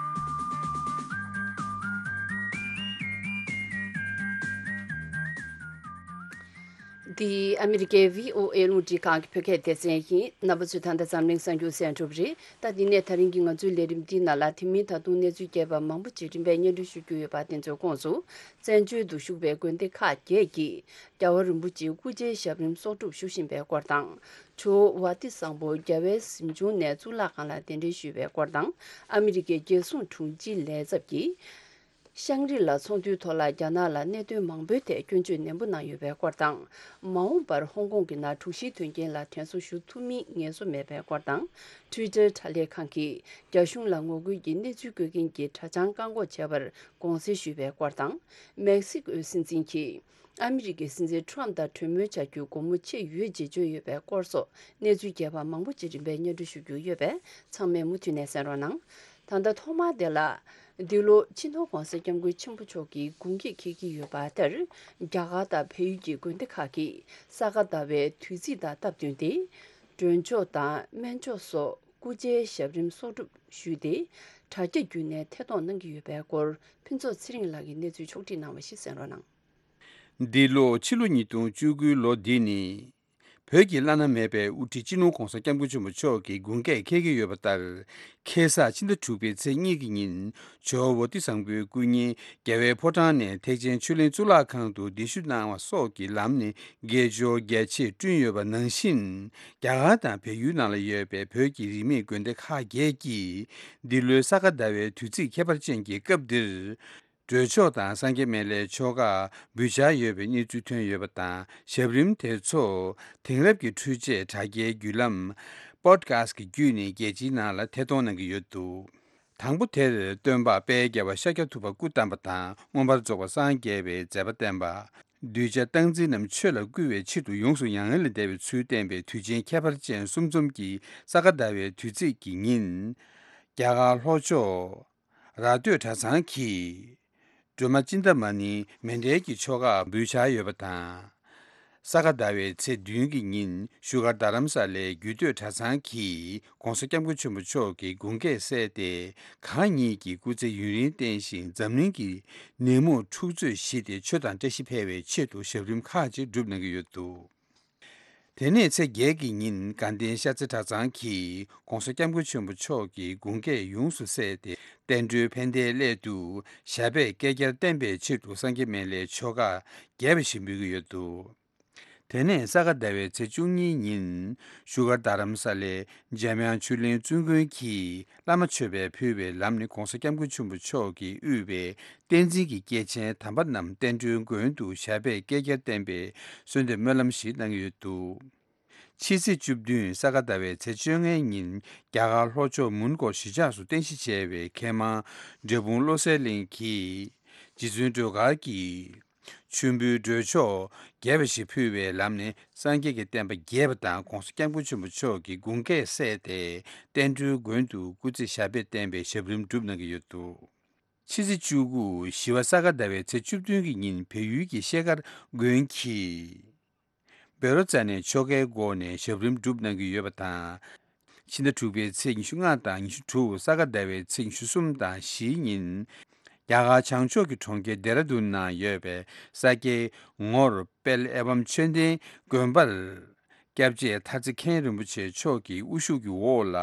འདི་ཨ་མི་རི་ཀའི་བྷི་ཨོ་ཨེ་རླུང་འཕྲིན་ཁང་གི་བོད་སྐད་སྡེ་ཚན་ཡིན། རྣམ་པ་ཚོས་ད་ལྟ་འཛམ་གླིང་གསར་འགྱུར་གསན་གྲུབ་རེད། ད་འདི་ནས་ད་རིང་གི་ང་ཚོའི་ལས་རིམ་འདིའི་ནང་ལ་དེ་མིན་ད་དུང་གནས་ཚུལ་རྒྱས་པ་མང་པོ་ཅིག་རིམ་པས་སྙན་སྒྲོན་ཞུ་རྒྱུ་ཡོད་པ་དེ་ཚོའི་ཁོངས་སུ། བཙན་བྱོལ་དུ་བཞུགས་པའི་དགོན་སྡེ་ཁག་བརྒྱད་ཀྱིས་རྒྱལ་བ་རིན་པོ་ཆེའི་སྐུ་ཕྱྭའི་ཞབས་རིམ་གསོག་སྒྲུབ་ཞུ་བཞིན་པའི་སྐོར་དང་། ཇོ་བོ་ཝ་ཏི་བཟང་པོ་རྒྱལ་བའི་གཟིམ་ཆུང་ནས་གཙུག་ལག་ཁང་ལ་གདན་འདྲེན་ཞུས་པའི་སྐོར་དང་། ཨ་མི་རི་ཀའི་རྒྱལ་སྲུང་དྲུང་ཆེའི་ལས་ཚབ་ཀྱིས་ཤང་རི་ལ་ཚོགས་འདུའི་ཐོག་ལ་རྒྱ་ནག་ལ་གནད་དོན་མང་པོའི་ཐད་སྐྱོན་བརྗོད་ནན་པོ་གནང་ཡོད་པའི་སྐོར་དང་། མ་འོངས་པར་ཧོང་ཀོང་གི་ནང་དྲུག་བཞིའི་དོན་རྐྱེན་ལ་དྲན་གསོ་ཞུ་ཐུབ་མིན་ངེས་སོ་མེད་པའི་སྐོར་དང་། ཊུའི་ཊར་དྲ་ལས་ཁང་གིས་རྒྱ་གཞུང་ལ་ངོ་རྒོལ་གྱི་གནས་ཚུལ་བཀོད་མཁན་གྱི་དྲ་བྱང་བཀག་འགོག་བྱས་པར་དགོངས་སེལ་ཞུས་པའི་སྐོར་དང་། མེག་སི་ཀོའི་སྲིད་འཛིན་གྱིས་ཨ་མི་རི་ཀའི་སྲིད་འཛིན་ཊརམ་དང་གྲོས་མོལ་བྱ་རྒྱུའི་སྒོ་མོ་ཕྱེ་ཡོད་ཅེས་བརྗོད་ཡོད་པའི་སྐོར་སོགས་གནས་ཚུལ་རྒྱས་པ་མང་པོ་ཅིག་རིམ་པས་སྙན་སྒྲོན་ཞུ་རྒྱུ་ཡོད་པས། ཚང་མས་མུ་མཐུད་ནས་གསན་རོགས་གནང་། ད་ལྟ་ཐོག་མར་དེ་ལ། འདི་ལོ་སྤྱི་ནོར་༧གོང་ས་༧སྐྱབས་མགོན་ཆེན་པོ་མཆོག་གི་དགུང་སྐེད་འཁེལ་གྱི་ཡོད་པ་ལྟར། རྒྱ་གར་དང་བལ་ཡུལ་གྱི་དགོན་སྡེ་ཁག་གིས་ས་ག་ཟླ་བའི་དུས་ཚིགས་དང་སྟབས་བསྟུན་ཏེ། མགྲོན་ཆོག་དང་སྨན་ཆོག་སོགས་སྐུ་ཕྱྭའི་ཞབས་རིམ་གསོག་སྒྲུབ་ཞུས་ཏེ། དྲ་རྒྱ་བརྒྱུད་ནས་ཐད་གཏོང་གནང་གི་ཡོད་པའི་སྐོར་ཕུན་ཚོགས་ཚེ་རིང་ལགས་ཀྱིས་གནས་ཚུལ་ཕྱོགས་བསྒྲིགས་གནང་བ་ཞིག་གསན་རོགས་གནང་། འདི་ལོ་ཕྱི་ལོ་ཉིས་སྟོང་བཅུ་དགུའི་ལོ་འདི་ནི། བོད་ཀྱི་བླ་ན་མེད་པའི་དབུ་ཁྲིད་སྤྱི་ནོར་༧གོང་ས་༧སྐྱབས་མགོན་ཆེན་པོ་མཆོག་གི་དགུང་སྐེད་འཁེལ་གྱི་ཡོད་པ་ལྟར། ཁ་སང་ཕྱི་ཟླ་དྲུག་པའི་ཚེས་གཉིས་ཀྱི་ཉིན། ཇོ་བོ་ཝ་ཏི་བཟང་པོའི་སྐུ་བརྙན་རྒྱལ་བའི་ཕོ་བྲང་ནས་ཐེག་ཆེན་ཆོས་གླིང་གཙུག་ལག་ཁང་དུ་གདན་ཞུ་གནང་བ་སོགས་ཀྱི་ལམ་ནས་དགེ་སྦྱོར་རྒྱ་ཆེར་བསྐྲུན་ཡོད་པ་ནང་བཞིན། རྒྱ་གར་དང་བལ་ཡུལ་ནང་ལ་ཡོད་པའི་བོད་ཀྱི་རིས་མེད་དགོན་སྡེ་ཁག་བརྒྱད་ཀྱིས། འདི་ལོའི་ས་ག་ཟླ་བའི་དུས་ཚིགས་ཁྱད་པར་ཅན་གྱི་སྐབས་འདིར། གྲོས་ཆོག་དང་སངས་རྒྱས་སྨན་བླའི་ཆོ་ག་འབུལ་འཆར་ཡོད་པའི་གནས་ཚུལ་ཐོན་ཡོད་པ་དང་། ཞབས་རིམ་དེ་ཚོ་དེང་རབས་ཀྱི་འཕྲུལ་ཆས་དྲ་རྒྱའི་བརྒྱུད་ལམ་པོ་ཌི་ཁ་སི་ཊི་གི་བརྒྱུད་ནས་རྒྱལ་སྤྱིའི་ནང་ལ་ཐད་གཏོང་གནང་གི་ཡོད་འདུག་དང་པོ་དེར་སྟོན་པ་དཔལ་རྒྱལ་བ་ཤཱཀྱ་ཐུབ་པ་སྐུ་བལྟམས་པ་དང་། མངོན་པར་རྫོགས་པར་སངས་རྒྱས་པའི་མཛད་པ་བསྟན་པ། གདུལ་བྱ་སྟངས་འཛིན་རྣམས་ཆོས་ལ་བསྐུལ་བའི་ཆེད་དུ་ཡོངས་སུ་མྱ་ངན་ལས་འདས་པའི་ཚུལ་བསྟན་པའི་དུས་ཆེན་ཁྱད་པར་ཅན་གསུམ་འཛོམས་ཀྱི་ས་ག་ཟླ་བའི་དུས་ཚིགས་ཀྱི་ཉིན། རྒྱ་གར་ལྷོ་ཕྱོགས། ར་སྟོད་གྲྭ་ཚང་གི་སྒྲོལ་མ་ཅིན་ཏ་མ་ནི་མཎྜལ་གྱི་ཆོ་ག་འབུལ་འཆར་ཡོད་པ་དང་། ས་ག་ཟླ་བའི་ཚེས་བདུན་གྱི་ཉིན་བཞུགས་སྒར་རྡ་རམ་ས་ལའི་རྒྱུད་སྟོད་གྲྭ་ཚང་གིས་༧གོང་ས་༧སྐྱབས་མགོན་ཆེན་པོ་མཆོག་གི་དགུང་སྐེད་གསལ་ཏེ། གང་ཉིད་ཀྱི་སྐུ་ཚེ་ཡུན་རིང་བརྟན་ཞིང་འཛམ་གླིང་གི་ནད་མུག་འཁྲུག་རྩོད་ཞི་སྟེ་ཆོས་དང་བཀྲ་ཤིས་འཕེལ་བའི་ཆེད་དུ་ཞབས་རིམ་ཁག་ཅིག་བསྒྲུབས་གནང་གི་ཡོད་འདུག་དེ་ནས་ཚེས་བརྒྱད་ཀྱི་ཉིན་དགའ་ལྡན་ཤར་རྩེ་གྲྭ་ཚང་གིས་༧གོང་ས་༧སྐྱབས་མགོན་ཆེན་པོ་མཆོག་གི་དགུང་སྐེད་ཡོངས་སུ་གསལ་ཏེ། བསྟན་འགྲོའི་ཕན་བདེའི་སླད་དུ་ཞབས་པད་བསྐལ་བརྒྱར་བརྟན་པའི་ཆེད་དུ་སངས་རྒྱས་སྨན་བླའི་ཆོ་ག་རྒྱས་པ་ཞིག་འབུལ་གྱི་ཡོད་འདུག་དེ་ནས་ས་ག་ཟླ་བའི་ཚེས་བཅུ་གཉིས་ཉིན་བཞུགས་སྒར་རྡ་རམ་ས་ལའི་འཇམ་དབྱངས་ཆོས་གླིང་བཙུན་དགོན་གྱིས་བླ་མ་མཆོད་པས་ཕུལ་བའི་ལམ་ནས་༧གོང་ས་༧སྐྱབས་མགོན་ཆེན་པོ་མཆོག་གིས་དབུས་པའི་བསྟན་འཛིན་གྱི་སྐྱེས་ཆེན་དམ་པ་རྣམས་བསྟན་འགྲོའི་མགོན་དུ་ཞབས་པད་བསྐལ་བརྒྱར་བརྟན་པའི་གསོལ་འདེབས་སྨོན་ལམ་ཞིག་གནང་གི་ཡོད་འདུག་ཕྱི་ཚེས་བཅུ་བདུན་ས་ག་ཟླ་བའི་ཚེས་བཅོ་ལྔའི་ཉིན་རྒྱ་གར་ལྷོ་ཕྱོགས་མོན་གྷོ་གཞིས་ཆགས་སུ་རྟེན་གཞི་བྱས་པའི་མཁས་མང་འབྲས་སྤུངས་བློ་གསལ་གླིང་གིས་རྗེ་བཙུན་སྒྲོལ་དཀར་གྱིས། མཆོད་འབུལ་སྒྲོལ་ཆོག་རྒྱས་པ་ཞིག་ཕུལ་བའི་ལམ་ནས་སངས་རྒྱས་ཀྱི་བསྟན་པ་རྒྱས་པ་དང་༧གོང་ས་༧སྐྱབས་མགོན་ཆེན་པོ་མཆོག་གི་དགུང་སྐེད་གསལ་ཏེ། བསྟན་འགྲོའི་མགོན་དུ་སྐུ་ཚེ་ཞབས་པད་བརྟན་པའི་ཞབས་རིམ་བསྒྲུབས་གནང་གི་ཡོད་འདུག་ཕྱི་ཚེས་བཅུ་དགུ་བཞི་པ་ས་ག་ཟླ་བའི་ཚེས་བཅུ་བདུན་གྱི་ཉིན་བལ་ཡུལ་གྱི་ཤེལ་དཀར་དགོན་གྱི་བཻ་རོ་ཙ་ནའི་ཆོ་གའི་སྒོ་ནས་ཞབས་རིམ་བསྒྲུབས་གནང་གི་ཡོད་པ་དང་། ཕྱི་ཟླ་དྲུག་པའི་ཚེས་ཉི་ཤུ་ལྔ་དང་ཉི་ཤུ་དྲུག་ས་ག་ཟླ་བའི་ཚེས་ཉི་ཤུ་གསུམ་དང་བཞིའི་ཉིན། རྒྱ་གར་བྱང་ཕྱོགས་ཀྱི་གྲོང་ཁྱེར་ལྡེ་ར་ལྡུན་ནང་ཡོད་པའི་ས་སྐྱའི་ངོར་དཔལ་ཨེ་བམ་ཆོས་ལྡན་དགོན་པར། སྐྱབས་རྗེ་ཐར་རྩེ་མཁན་རིན་པོ་ཆེ་མཆོག་གི་དབུ་བཞུགས་ཀྱི་འོག་ལ།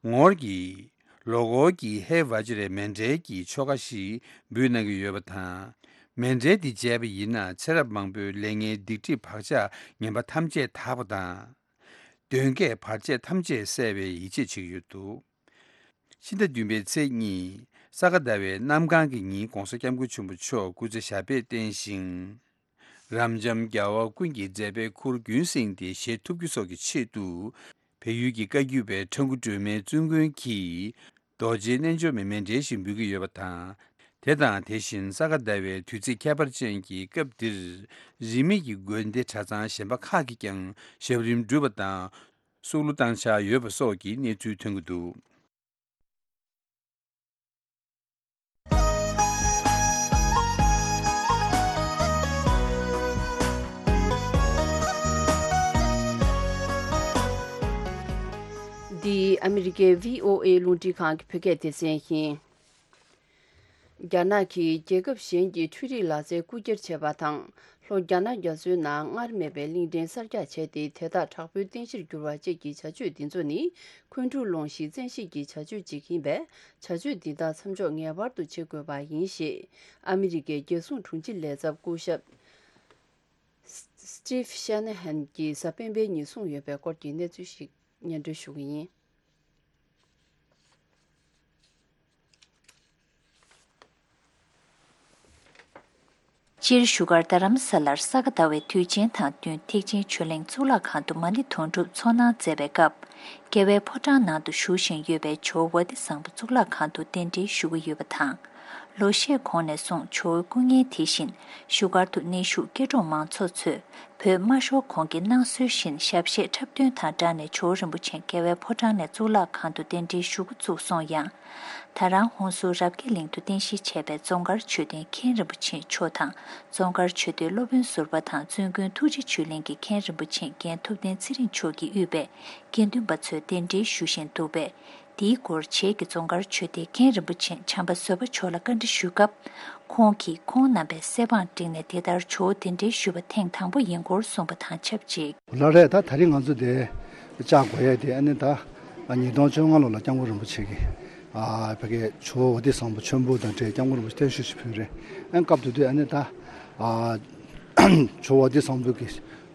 ངོར་གྱི་ལོ་འཁོར་གྱི་ཧེ་བ་ཇི་རའི་མཎྜལ་གྱི་ཆོ་ག་ཞིག་འབུལ་གནང་གི་ཡོད་པ་དང་། མཎྜལ་འདི་མཇལ་བ་ཡིན་ན་ཚེ་རབས་མང་པོའི་ལས་ངན་སྡིག་སྒྲིབ་བག་ཆགས་ངན་པ་ཐམས་ཅད་དག་པ་དང་། གདོན་བགེགས་བར་ཆད་ཐམས་ཅད་སེལ་བའི་ཡིད་ཆེས་བྱེད་ཀྱི་ཡོད་འདུག་ཕྱི་ཟླ་བདུན་པའི་ཚེས་གཉིས་ས་ག་ཟླ་བའི་གནམ་གང་གི་ཉིན་༸གོང་ས་༸སྐྱབས་མགོན་ཆེན་པོ་མཆོག་སྐུ་ཚེ་ཞབས་པད་བརྟན་ཞིང་། རབ་འབྱམས་རྒྱལ་བ་ཀུན་གྱི་མཛད་པའི་ཁུར་རྒྱུན་བསྲིངས་ཏེ་བཞེས་ཐུབ་རྒྱུ་སོགས་ཀྱི་ཆེད་དུ། བལ་ཡུལ་གྱི་བཀའ་བརྒྱུད་པའི་ཁྲ་འགུ་སྒྲོལ་མའི་བཙུན་དགོན་གྱིས་རྡོ་རྗེ་རྣལ་འབྱོར་མའི་མཎྜལ་ཞིག་འབུལ་གྱི་ཡོད་པ་དང་། དེ་དང་དེ་བཞིན་ས་ག་ཟླ་བའི་དུས་ཚིགས་ཁྱད་པར་ཅན་གྱི་སྐབས་འདིར། རིས་མེད་ཀྱི་དགོན་སྡེ་གྲྭ་ཚང་གཞན་པ་ཁག་གིས་ཀྱང་ཞབས་རིམ་བསྒྲུབས་པ་དང་། བསུ་གླུ་བཏང་འཆར་ཡོད་པ་སོགས་ཀྱི་གནས་ཚུལ་ཐོན་གྱི་འདུག་འདི་ཨ་མི་རི་ཀའི་བྷི་ཨོ་ཨེ་རླུང་འཕྲིན་ཁང་གི་བོད་སྐད་སྡེ་ཚན་ཡིན། རྒྱ་ནག་གིས་རྒྱལ་ཁབ་གཞན་གྱི་འཕྲུལ་རིག་ལག་རྩལ་རྐུ་འཁྱེར་བྱས་པ་དང་། ལྷོ་རྒྱ་ནག་རྒྱ་མཚོའི་ནང་སྔར་མེད་པའི་གླིང་ཕྲན་གསར་རྒྱག་བྱས་ཏེ། དེ་དག་དྲག་པོའི་རྟེན་གཞིར་གྱུར་བ་བཅས་ཀྱི་བྱ་སྤྱོད་འདི་ཚོ་ནི། འཁོན་འཁྲུག་སློང་གཞིའི་བཙན་ཤེད་ཀྱི་བྱ་སྤྱོད་ཅིག་ཡིན་པས། བྱ་སྤྱོད་འདི་དག་མཚམས་འཇོག་ངེས་པར་དུ་བྱེད་དགོས་པ་ཡིན་ཞེས། ཨ་མི་རི་ཀའི་རྒྱལ་སྲུང་དྲུང་ཆེ་ལས་ཚབ་སྐུ་ཞབས་Steve Shanahan གྱིས་གཟའ་སྤེན་པའི་ཉིན་གསུངས་ཡོད་པའི་སྐོར་གྱི་གནས་ཚུལ་ཞིག་སྙན་སྒྲོན་ཞུ་གི་ཡིན། སྤྱིར་བཞུགས་སྒར་རྡ་རམ་ས་ལར་ས་ག་ཟླ་བའི་དུས་ཆེན་དང་བསྟུན་ཐེག་ཆེན་ཆོས་གླིང་གཙུག་ལག་ཁང་དུ་མ་ཎི་དུང་སྒྲུབ་ཚོགས་གནང་མཛད་པའི་སྐབས། རྒྱལ་བའི་ཕོ་བྲང་ནང་དུ་བཞུགས་བཞིན་ཡོད་པའི་ཇོ་བོ་ཝ་ཏི་བཟང་པོ་གཙུག་ལག་ཁང་དུ་གདན་འདྲེན་ཞུ་གི་ཡོད་པ་དང་། ལོ་ཤས་གོང་ནས་བཟུང་ཇོ་བོའི་སྐུ་བརྙན་དེ་བཞིན་བཞུགས་སྒར་དུ་གནས་བཞུགས་སྐྱེ་འགྲོ་མང་ཚོགས་ཚོས་བོད་དམར་ཤོག་གོང་གི་གནང་སྲོལ་བཞིན་ཞབས་གཞས་འཁྲབ་སྟོན་དང་སྦྲགས་ནས་ཇོ་བོ་རིན་པོ་ཆེ་རྒྱལ་བའི་ཕོ་བྲང་ནས་གཙུག་ལག་ཁང་དུ་གདན་འདྲེན་ཞུ་འགོ་བཙུགས་སོང་ཡང་། ད་རང་ཧོན་སུར་རབ་རྒྱས་གླིང་དུ་རྟེན་གཞི་བྱས་པའི་རྫོང་དཀར་མཆོད་རྟེན་མཁན་རིན་པོ་ཆེ་མཆོག་དང་རྫོང་དཀར་ཆོས་སྡེའི་སློབ་དཔོན་ཟུར་པ་དང་བཙུན་དགོན་ཐུགས་རྗེ་ཆོས་གླིང་གི་མཁན་རིན་པོ་ཆེ་རྒན་ཐུབ་བསྟན་ཚེ་རིང་མཆོག་གིས་དབུས་པའི་དགེ་འདུན་པ་ཚོས་གདན་འདྲེན་ཞུ་བཞིན་འདུག་པས། དེའི་སྐོར་བྱེས་ཀྱི་རྫོང་དཀར་ཆོས་སྡེའི་མཁན་རིན་པོ་ཆེ་བྱམས་པ་བཟོད་པ་མཆོག་ལ་བཀའ་འདྲི་ཞུས་སྐབས། ཁོང་གིས་ཁོང་རྣམ་པས་གསལ་བསྒྲགས་བསྒྲིགས་ནས་དེ་ལྟར་ཇོ་བོ་གདན་འདྲེན་ཞུས་པ་ཐེངས་དང་པོ་ཡིན་སྐོར་གསུངས་པ་དང་ཆབས་ཅིག་ལགས་རེད། ད་ད་རིང་ང་ཚོ་དེ་བཅར་དགོས་ཡས་དེ་ཨ་ནི་ད་ཉིས་སྟོང་བཅོ་ལྔ་ལོ་ལ་སྐྱབས་མགོན་རིན་པོ་ཆེ་གིས་ཨ་ཕ་གིའི་ཇོ་བོ་ཝ་ཏི་བཟང་པོ་མཆོད་འབུལ་དང་འབྲེལ་སྐྱབས་མགོན་རིན་པོ་ཆེ་བརྟན་བཞུགས་ཤིག་ཕུལ་རེད། ཨ་སྐབས་དེ་དུས་ཨ་ནི་ད་ཨ་ཇོ་བོ་ཝ་ཏི་བཟང་པོ་གི་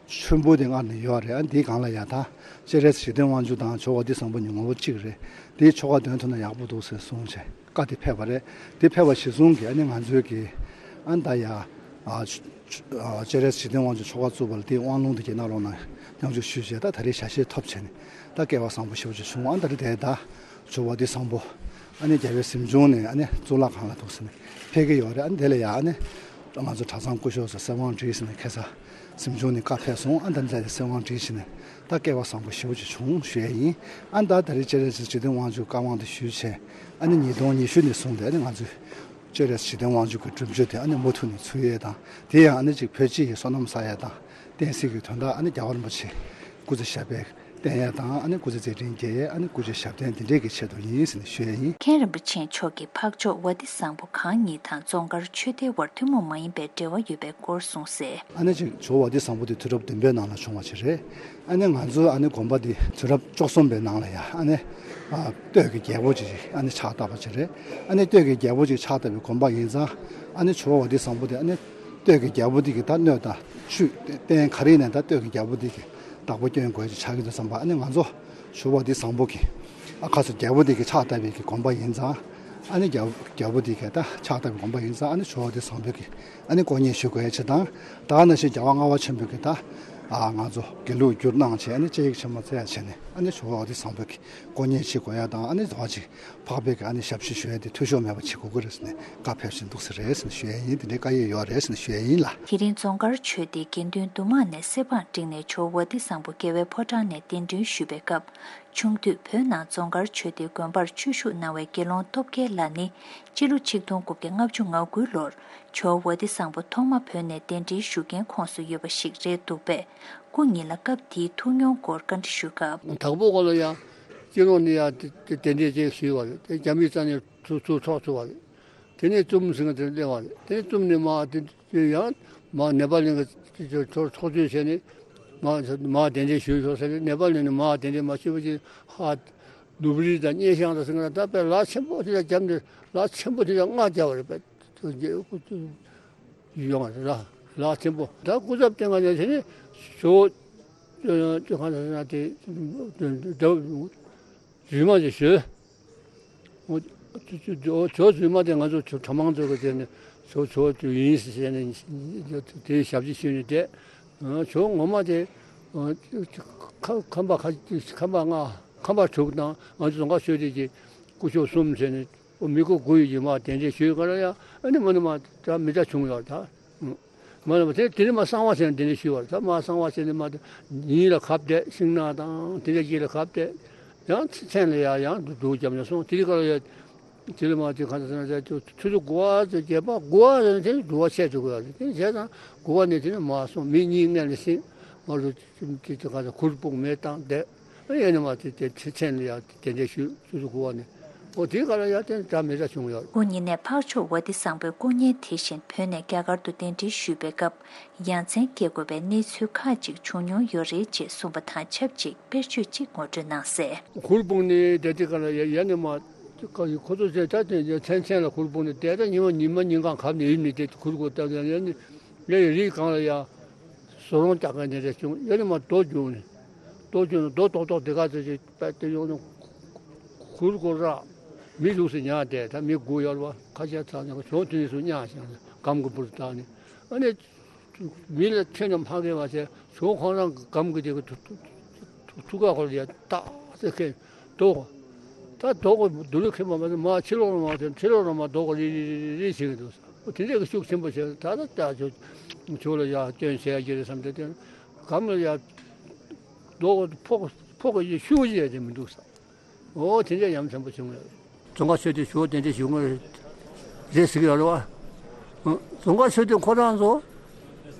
མཆོད་འབུལ་དེ་སྔར་ནས་ཡོད་རེད། ཨ་འདིའི་སྒང་ལ་ཡ་ད་སྤྱན་རས་གཟིགས་འཇིག་རྟེན་དབང་ཕྱུག་དང་ཇོ་བོ་ཝ་ཏི་བཟང་པོ་གཉིས་ངོ་བོ་གཅིག་རེད། དེའི་ཆོ་ག་འདོན་ཐུབ་ན་ཡག་པོ་འདུག་ཟེར་གསུངས་བྱས་བཀའ་དེ་ཕེབས་པ་རེད། དེ་ཕེབས་པ་གཞིར་བཟུང་གིས་ཨ་ནི་ང་ཚོའི་གི་ཨ་ནི་ད་ཡ་ཨ་ཆོ་ཨ་སྤྱན་རས་གཟིགས་འཇིག་རྟེན་དབང་ཕྱུག་ཆོ་ག་བཙུགས་པ་ལ་དེའི་དབང་ལུང་དེ་གྱེར་གནང་རོགས་གནང་སྙོམས་འཇུག་ཞུས་བྱས་ད་ད་རེས་ཞལ་བཞེས་ཐོབ་བྱས་ནས་ད་སྐལ་བ་བཟང་པོ་ཞེ་པོ་ཅིག་བྱུང་། ཨ་ནི་ད་རེས་དེ་ད་ཇོ་བོ་ཝ་ཏི་བཟང་པོ་ཨ་ནི་རྒྱལ་བའི་གཟིམ་ཆུང་ནས་ཨ་ནི་གཙུག་ལག་ཁང་ལ་འདུག་ཟེར་ནས་ཕེབས་ཀྱི་ཡོད་རེད། ཨ་ནི་དེ་ལ་ཡ་ཨ་ནི་ང་ཚོ་གྲྭ་ཚང་སྐུ་ཞབས་ཚོ་གསོལ་དབང་བྲིས་ཟེར་ནས་ཁ་སང་གཟིམ་ཆུང་ནས་བཀའ་ཕེབས་སོང་། ཨ་ནི་ད་ནི་ད་རེས་གསོལ་དབང་བྲིས་བྱས་ནས་ད་སྐལ་བ་བཟང་པོ་ཞེ་པོ་ཅིག་བྱུང་ཞུ་ཡས་ཡིན། ཨ་ནི་ད་ད་རེས་སྤྱན་རས་གཟིགས་འཇིག་རྟེན་དབང་ཕྱུག་བཀའ་དབང་དེ་ཞུས་བྱས་ཨ་ནི་ཉིས་སྟོང་ཉི་ཤུ་ནས་བཟུང་སྟེ་ཨ་ནི་ང་ཚོས་སྤྱན་རས་གཟིགས་འཇིག་རྟེན་དབང་ཕྱུག་གི་སྒྲུབ་མཆོད་དེ་ཨ་ནི་མུ་མཐུད་ནས་ཚུགས་ཡས་དང་། དེ་ཡང་ཨ་ནི་ཅིག་བོད་སྤྱི་ཡི་བསོད་ནམས་བསགས་ཡས་དང་བསྟན་སྲིད་ཀྱི་དོན་དག་ཨ་ནི་རྒྱལ་བ་རིན་པོ་ཆེ་སྐུ་ཚེ་ཞབས་པད་བརྟན་ཡས་དང་ཨ་ནི་སྐུ་ཚེ་མཛད་འཕྲིན་རྒྱས་ཡས་ཨ་ནི་སྐུ་ཚེ་ཞབས་བརྟན་དེ་འདྲས་ཀྱི་ཆེད་དུ་ཡིན་ཟེར་ནས་ཞུ་ཡས་ཡིན། མཁན་རིན་པོ་ཆེ་མཆོག་གིས་འཕགས་མཆོག་ཝ་ཏི་བཟང་པོ་གང་ཉིད་དང་རྫོང་དཀར་ཆོས་སྡེའི་དབར་ཐུན་མོང་མ་ཡིན་པའི་འབྲེལ་བ་ཡོད་པའི་སྐོར་གསུངས་གསལ། ཨ་ནི་ཅིག་ཇོ་བོ་ཝ་ཏི་བཟང་པོ་དེ་དུས་རབས་བདུན་པའི་ནང་ལ་བྱུང་བ་ཅིག་རེད། ཨ་ནི་ང་ཚོ་ཨ་ནི་དགོན་པ་འདི་དུས་རབས་བཅུ་གསུམ་པའི་ནང་ལ་ཡ་ཨ་ནི་ཨ་སྟོད་ཀྱི་རྒྱལ་པོ་ཅིག་ཨ་ནི་ཕྱག་བཏབ་པ་ཅིག་རེད། ཨ་ནི་སྟོད་ཀྱི་རྒྱལ་པོ་ཅིག་ཕྱག་བཏབ་པའི་དགོན་པ་ཡིན་ཙང་ཨ་ནི་ཇོ་བོ་ཝ་ཏི་བཟང་པོ་དེ་ཨ་ནི་སྟོད་ཀྱི་རྒྱལ་པོ་འདི་གི་ད་སྣོད་དང་བཅུད་རྟེན་ག་རེ་ཡིན་ནའི་ད་སྟོད་ཀྱི་རྒྱལ་པོ་འདི་གི་བདག་པོ་སྐྱོན་དགོས་ཅིག་ཆགས་ཀྱི་འདུག་བསམ་པ། ཨ་ནི་ང་ཚོ་ཇོ་བོ་ཝ་ཏི་བཟང་པོ་གི་ཨ་ཁ་སོ་རྒྱལ་པོ་འདི་གི་ཕྱག་བཏབ་པའི་གི་དགོན་པ་ཡིན་ཙང་ཨ་ནི་རྒྱལ་རྒྱལ་པོ་འདི་གི་ད་ཕྱག་བཏབ་པའི་དགོན་པ་ཡིན་ཙང་ཨ་ནི་ཇོ་བོ་ཝ་ཏི་བཟང་པོ་གི་ཨ་ནི་སྐུ་བརྙན་ཞུ་དགོས་ཡ་ཆེ་དང་། ད་ག་ནང་བཞིན་རྒྱལ་བ་ལྔ་པ་ཆེན་པོ་གི་ད་ཨ་ང་ཚོ་དགེ་ལུགས་བསྒྱུར་གནང་བྱས་ཨ་ནི་དཔྱད་ཡིག་ཆེན་མོ་བཙལ་ཡ་བྱས་ནས་ཨ་ནི་ཇོ་བོ་ཝ་ཏི་བཟང་པོ་གི་སྐུ་བརྙན་ཞིག་དགོས་ཡ་དང་ཨ་ནི་ཟླ་བ་གཅིག་འཕགས་པའི་གི་ཨ་ནི་ཞབས་ཕྱི་ཞུ་ཡ་དེ་འཐུས་ཤོར་མེད་པ་བྱེད་དགོས་ཀྱི་རེད་ཟེར་ནས་བཀའ་ཕེབས་བཞིན་འདུག་ཟེར་རེད་ཟེར་ནས་ཞུ་ཡ་ཡིན། དེ་འདྲའི་བཀའ་ཡིག་ཡོད་རེད་ཟེར་ནས་ཞུ་ཡ་ཡིན་ལ། དེ་རིང་རྫོང་དཀར་ཆོས་སྡེའི་དགེ་འདུན་འདུས་མང་ནས་གསེར་བང་བསྒྲིགས་ནས་ཇོ་བོ་ཝ་ཏི་བཟང་པོ་རྒྱལ་བའི་ཕོ་བྲང་ནས་གདན་འདྲེན་ཞུས་པའི་སྐབས། ཆུང་དུས་བོད་ནང་རྫོང་དཀར་ཆོས་སྡེའི་དགོན་པར་ཆོས་ཞུགས་གནང་བའི་དགེ་སློང་སྟོབས་རྒྱལ་ལགས་ནི་སྤྱི་ལོ་ཆིག་སྟོང་དགུ་བརྒྱ་ལྔ་བཅུ་ང་དགུའི་ལོར་ཇོ་བོ་ཝ་ཏི་བཟང་པོ་ཐོག་མ་བོད་ནས་གདན་འདྲེན་ཞུ་མཁན་ཁོངས་སུ་ཡོད་པ་ཞིག་རེད་འདུག་པས། སྐུ་ཉིད་ལ་སྐབས་དེའི་ཐུགས་མྱོང་སྐོར་བཀའ་འདྲི་ཞུས་སྐབས། དྭགས་པོ་ཁོ་ལ་ཡང་སྤྱི་ནོར་ནས་ཡང་དེ་དེ་གདན་འདྲེན་ཅིག་ཞུས་པ་རེད། དེ་རྒྱ་མིའི་རྩ་ནས་ཚུར་ཚུར་འཕྲོག་ཚུར་བ་རེད། དེ་ནས་ཙུམ་ཟེར་མཁན་དེར་སླེབས་པ་རེད། དེ་ནས་ཙུམ་ནས་མར་དེ་དེ་ཡང་མར་ནེ་པ་ལ་གི་ཚོགས་ཚོགས་ཆུང་བྱས་ནས་མར་མར་གདན་འདྲེན་ཞུས་ཤོག་ཟེར་ནས་ནེ་པ་ལ་ནས་མར་གདན་འདྲེན་མ་ཞུས་པ་ཅིག་ཧ་ནུབ་རི་དང་སྙེ་ཤང་དང་ཟེར་མཁན་ད་དཔེ་ལ་ཆེན་པོ་དེ་ལ་རྒྱབ་ནས་ལ་ཆེན་པོ་དེ་ལ་རྔ་རྒྱབ་པ་རེད་པས། ཡོང་བ་རེད་ལ། ལག་ཆེན་པོ། ད་སྐུ་ཚབ་བསྟེན་ག་ནས་དེ་ནས་ཞོ་ཅོ་ཅོ་གང་ཟེར་ན་དེ་རྫུན་མ་དེ་ཞོ། ཇོ་རྫུན་མ་དེ་ང་ཚོ་གྲྭ་མང་ཚོ་གི་དེ་ནས་ཇོ་ཇོ་ཡིན་ཟེར་ནས་དེའི་ཞབས་ཕྱི་ཞུས་ནས་བསྡད། ཇོ་ངོ་མ་དེ་ཁ་ཁམས་པ་ཁ་ཁམས་པ་ལྔ་ཁམས་པ་དྲུག་དང་ང་ཚོ་རྫོང་དཀར་ཆོས་སྡེ་གི་སྐུ་ཞབས་གསུམ་ཟེར་ནས་མི་སྐོར་དགུ་ཡོད་ཀྱི་མ་གདན་འདྲེན་ཞུས་ག་ལ་ཡ། ཨ་ནི་མ་ནི་མ་ད་མི་འདྲ་བྱུང་ཡོད་ད། མ་ལ་མ་དེ་དེ་ནི་མ་གསང་བ་བྱས་ནས་དེ་འདྲ་ཞུས་པ་རེད། ད་མ་གསང་བ་བྱས་ནས་མ་དེ་ཉིན་ལ་ཁ་བརྡས་ཤིང་ནགས་དང་དེ་འདྲ་གྱི་ལ་ཁ་བརྡས་ཡང་མཚན་ལ་ཡང་ཡང་འདུག་རྒྱབ་ནས་སོང་། དེ་རིང་ག་ལ་ཡ་དེ་ལ་མ་དེ་ག་ཚོད་ན་ཆུ་ཚོད་དགུ་པ་ཚོད་བརྒྱད་པ་དགུ་པ་ཚོད་དེ་དུ་བ་ཆད་འགྲོ་གི་ཡོད་རེད། དེ་བྱས་ཙང་དགུ་པ་ནས་དེ་ནི་མ་སོང་། མི་གཉིས་སྔོན་ལ་ཕྱིན་མ་རུ་དེ་དེ་ག་ཚོད་གུར་སྤུག་མེ་བཏང་བསྡད། ཨེ་ཡ་ནི་མ་དེ་དེ་མཚན་ལ་ཡ་དེ་འདྲ་ཞུས་ཆུ་ཚོད་དགུ་པ་ནས། ཨོ་དེའི་སྐབས་ལ་ཡ་དེ་འདྲ་མི་འདྲ་བྱུང་ཡོད། སྐུ་ཉིད་ནས་འཕགས་མཆོག་ཝ་ཏི་བཟང་པོའི་སྐུ་བརྙན་དེ་བཞིན་བོད་ནས་རྒྱ་གར་དུ་གདན་འདྲེན་ཞུས་པའི་སྐབས་ཡ་མཚན་སྐྱེ་དགོས་པའི་གནས་ཚུལ་ཁག་ཅིག་བྱུང་མྱོང་ཡོད་རེད་ཅེས་གསུངས་པ་དང་ཆབས་ཅིག་དཔེར་བརྗོད་ཅིག་ངོ་སྤྲོད་གནང་གསལ། གུར་སྤུངས་ནས་བསྡད་དེ་ག་ལ་ཡ་ཡ་ནི་མ་ཁོ་ཚོ་ཚེ་ད་དེ་མཚན་མཚན་ལ་གུར་སྤུངས་ནས་བསྡད། ད་ཉི་མ་ཉི་མ་ཉིན་གང་གབ་ནས་ཡིབ་ནས་བསྡད་དེ་གུར་གུར་བཏབ་ཡ་ནི་ཡ་ཡི་རིགས་གང་ལ་ཡ་བཟོ་རོང་རྒྱག་མཁན་དེ་འདྲ་བྱུང་། ཡ་ནི་མ་རྡོ་རྒྱུག་ནས་རྡོ་རྒྱུག་ནས་རྡོ་རྡོག་རྡོག་དེ་ག་ཚོད་ཅིག་པད་དེ་ཡོང་ནས་གུར་གུར་ར་མི་ལུགས་སུ་ཉལ་བསྡད། ད་མི་དགུ་ཡོད་རེད་བ། ཁ་ཤས་ཚང་ནས་གཞོགས་དེ་ནས་སུ་གཉའ་བཞག་ནས་སྒམ་གྱི་བུར་བཏགས་ནས་ཨ་ནི། མི་ལ་ཁྱོད་རྣམས་ཕ་གི་བ་ཟེར་ཞོག་ཁོང་རང་གི་སྒམ་གི་དེ་གི་ཐུ་ཐུ་ཐུ་ཐུ་ཀ་ཁོར་ཡ་ཏག་ཟེར་ཁེ་རྡོ། ད་རྡོ་གི་རྡོ་ལུ་ཁེ་མ་མ་ཟེར་མ་ཕྱི་ལོགས་ལ་མ་ཟེར་ཕྱི་ལོགས་ལ་མ་རྡོ་གི་རི་རི་རི་རི་བྱེད་གི་འདུག་ཟེར། དེ་འདྲས་གི་ཤུགས་ཆེན་པོ་བྱས་ད་ད་ད་ཆོ་ཆོ་ལ་ཡ་སྐྱོན་བྱས་ཡ་གི་རེད་བསམ་སྟེ་དེ་སྒམ་ལ་ཡ་རྡོ་གི་ཕོག་ཕོག་གི་ཤུགས་ཡ་དེ་མི་འདུག་ཟེར། ཨོ་དེ་འདྲ་ཡ་མཚན་པོ་བྱུང་ཡོད། རྫོང་དཀར་ཆོས་སྡེ་ཞུ་བ་དེ་འདྲ་ཞུ་ངོ་རེད་ཟེར་གི་ཡོད་རེད་བ། རྫོང་དཀར་ཆོས་སྡེ་ཁོ་རང་ཚོ་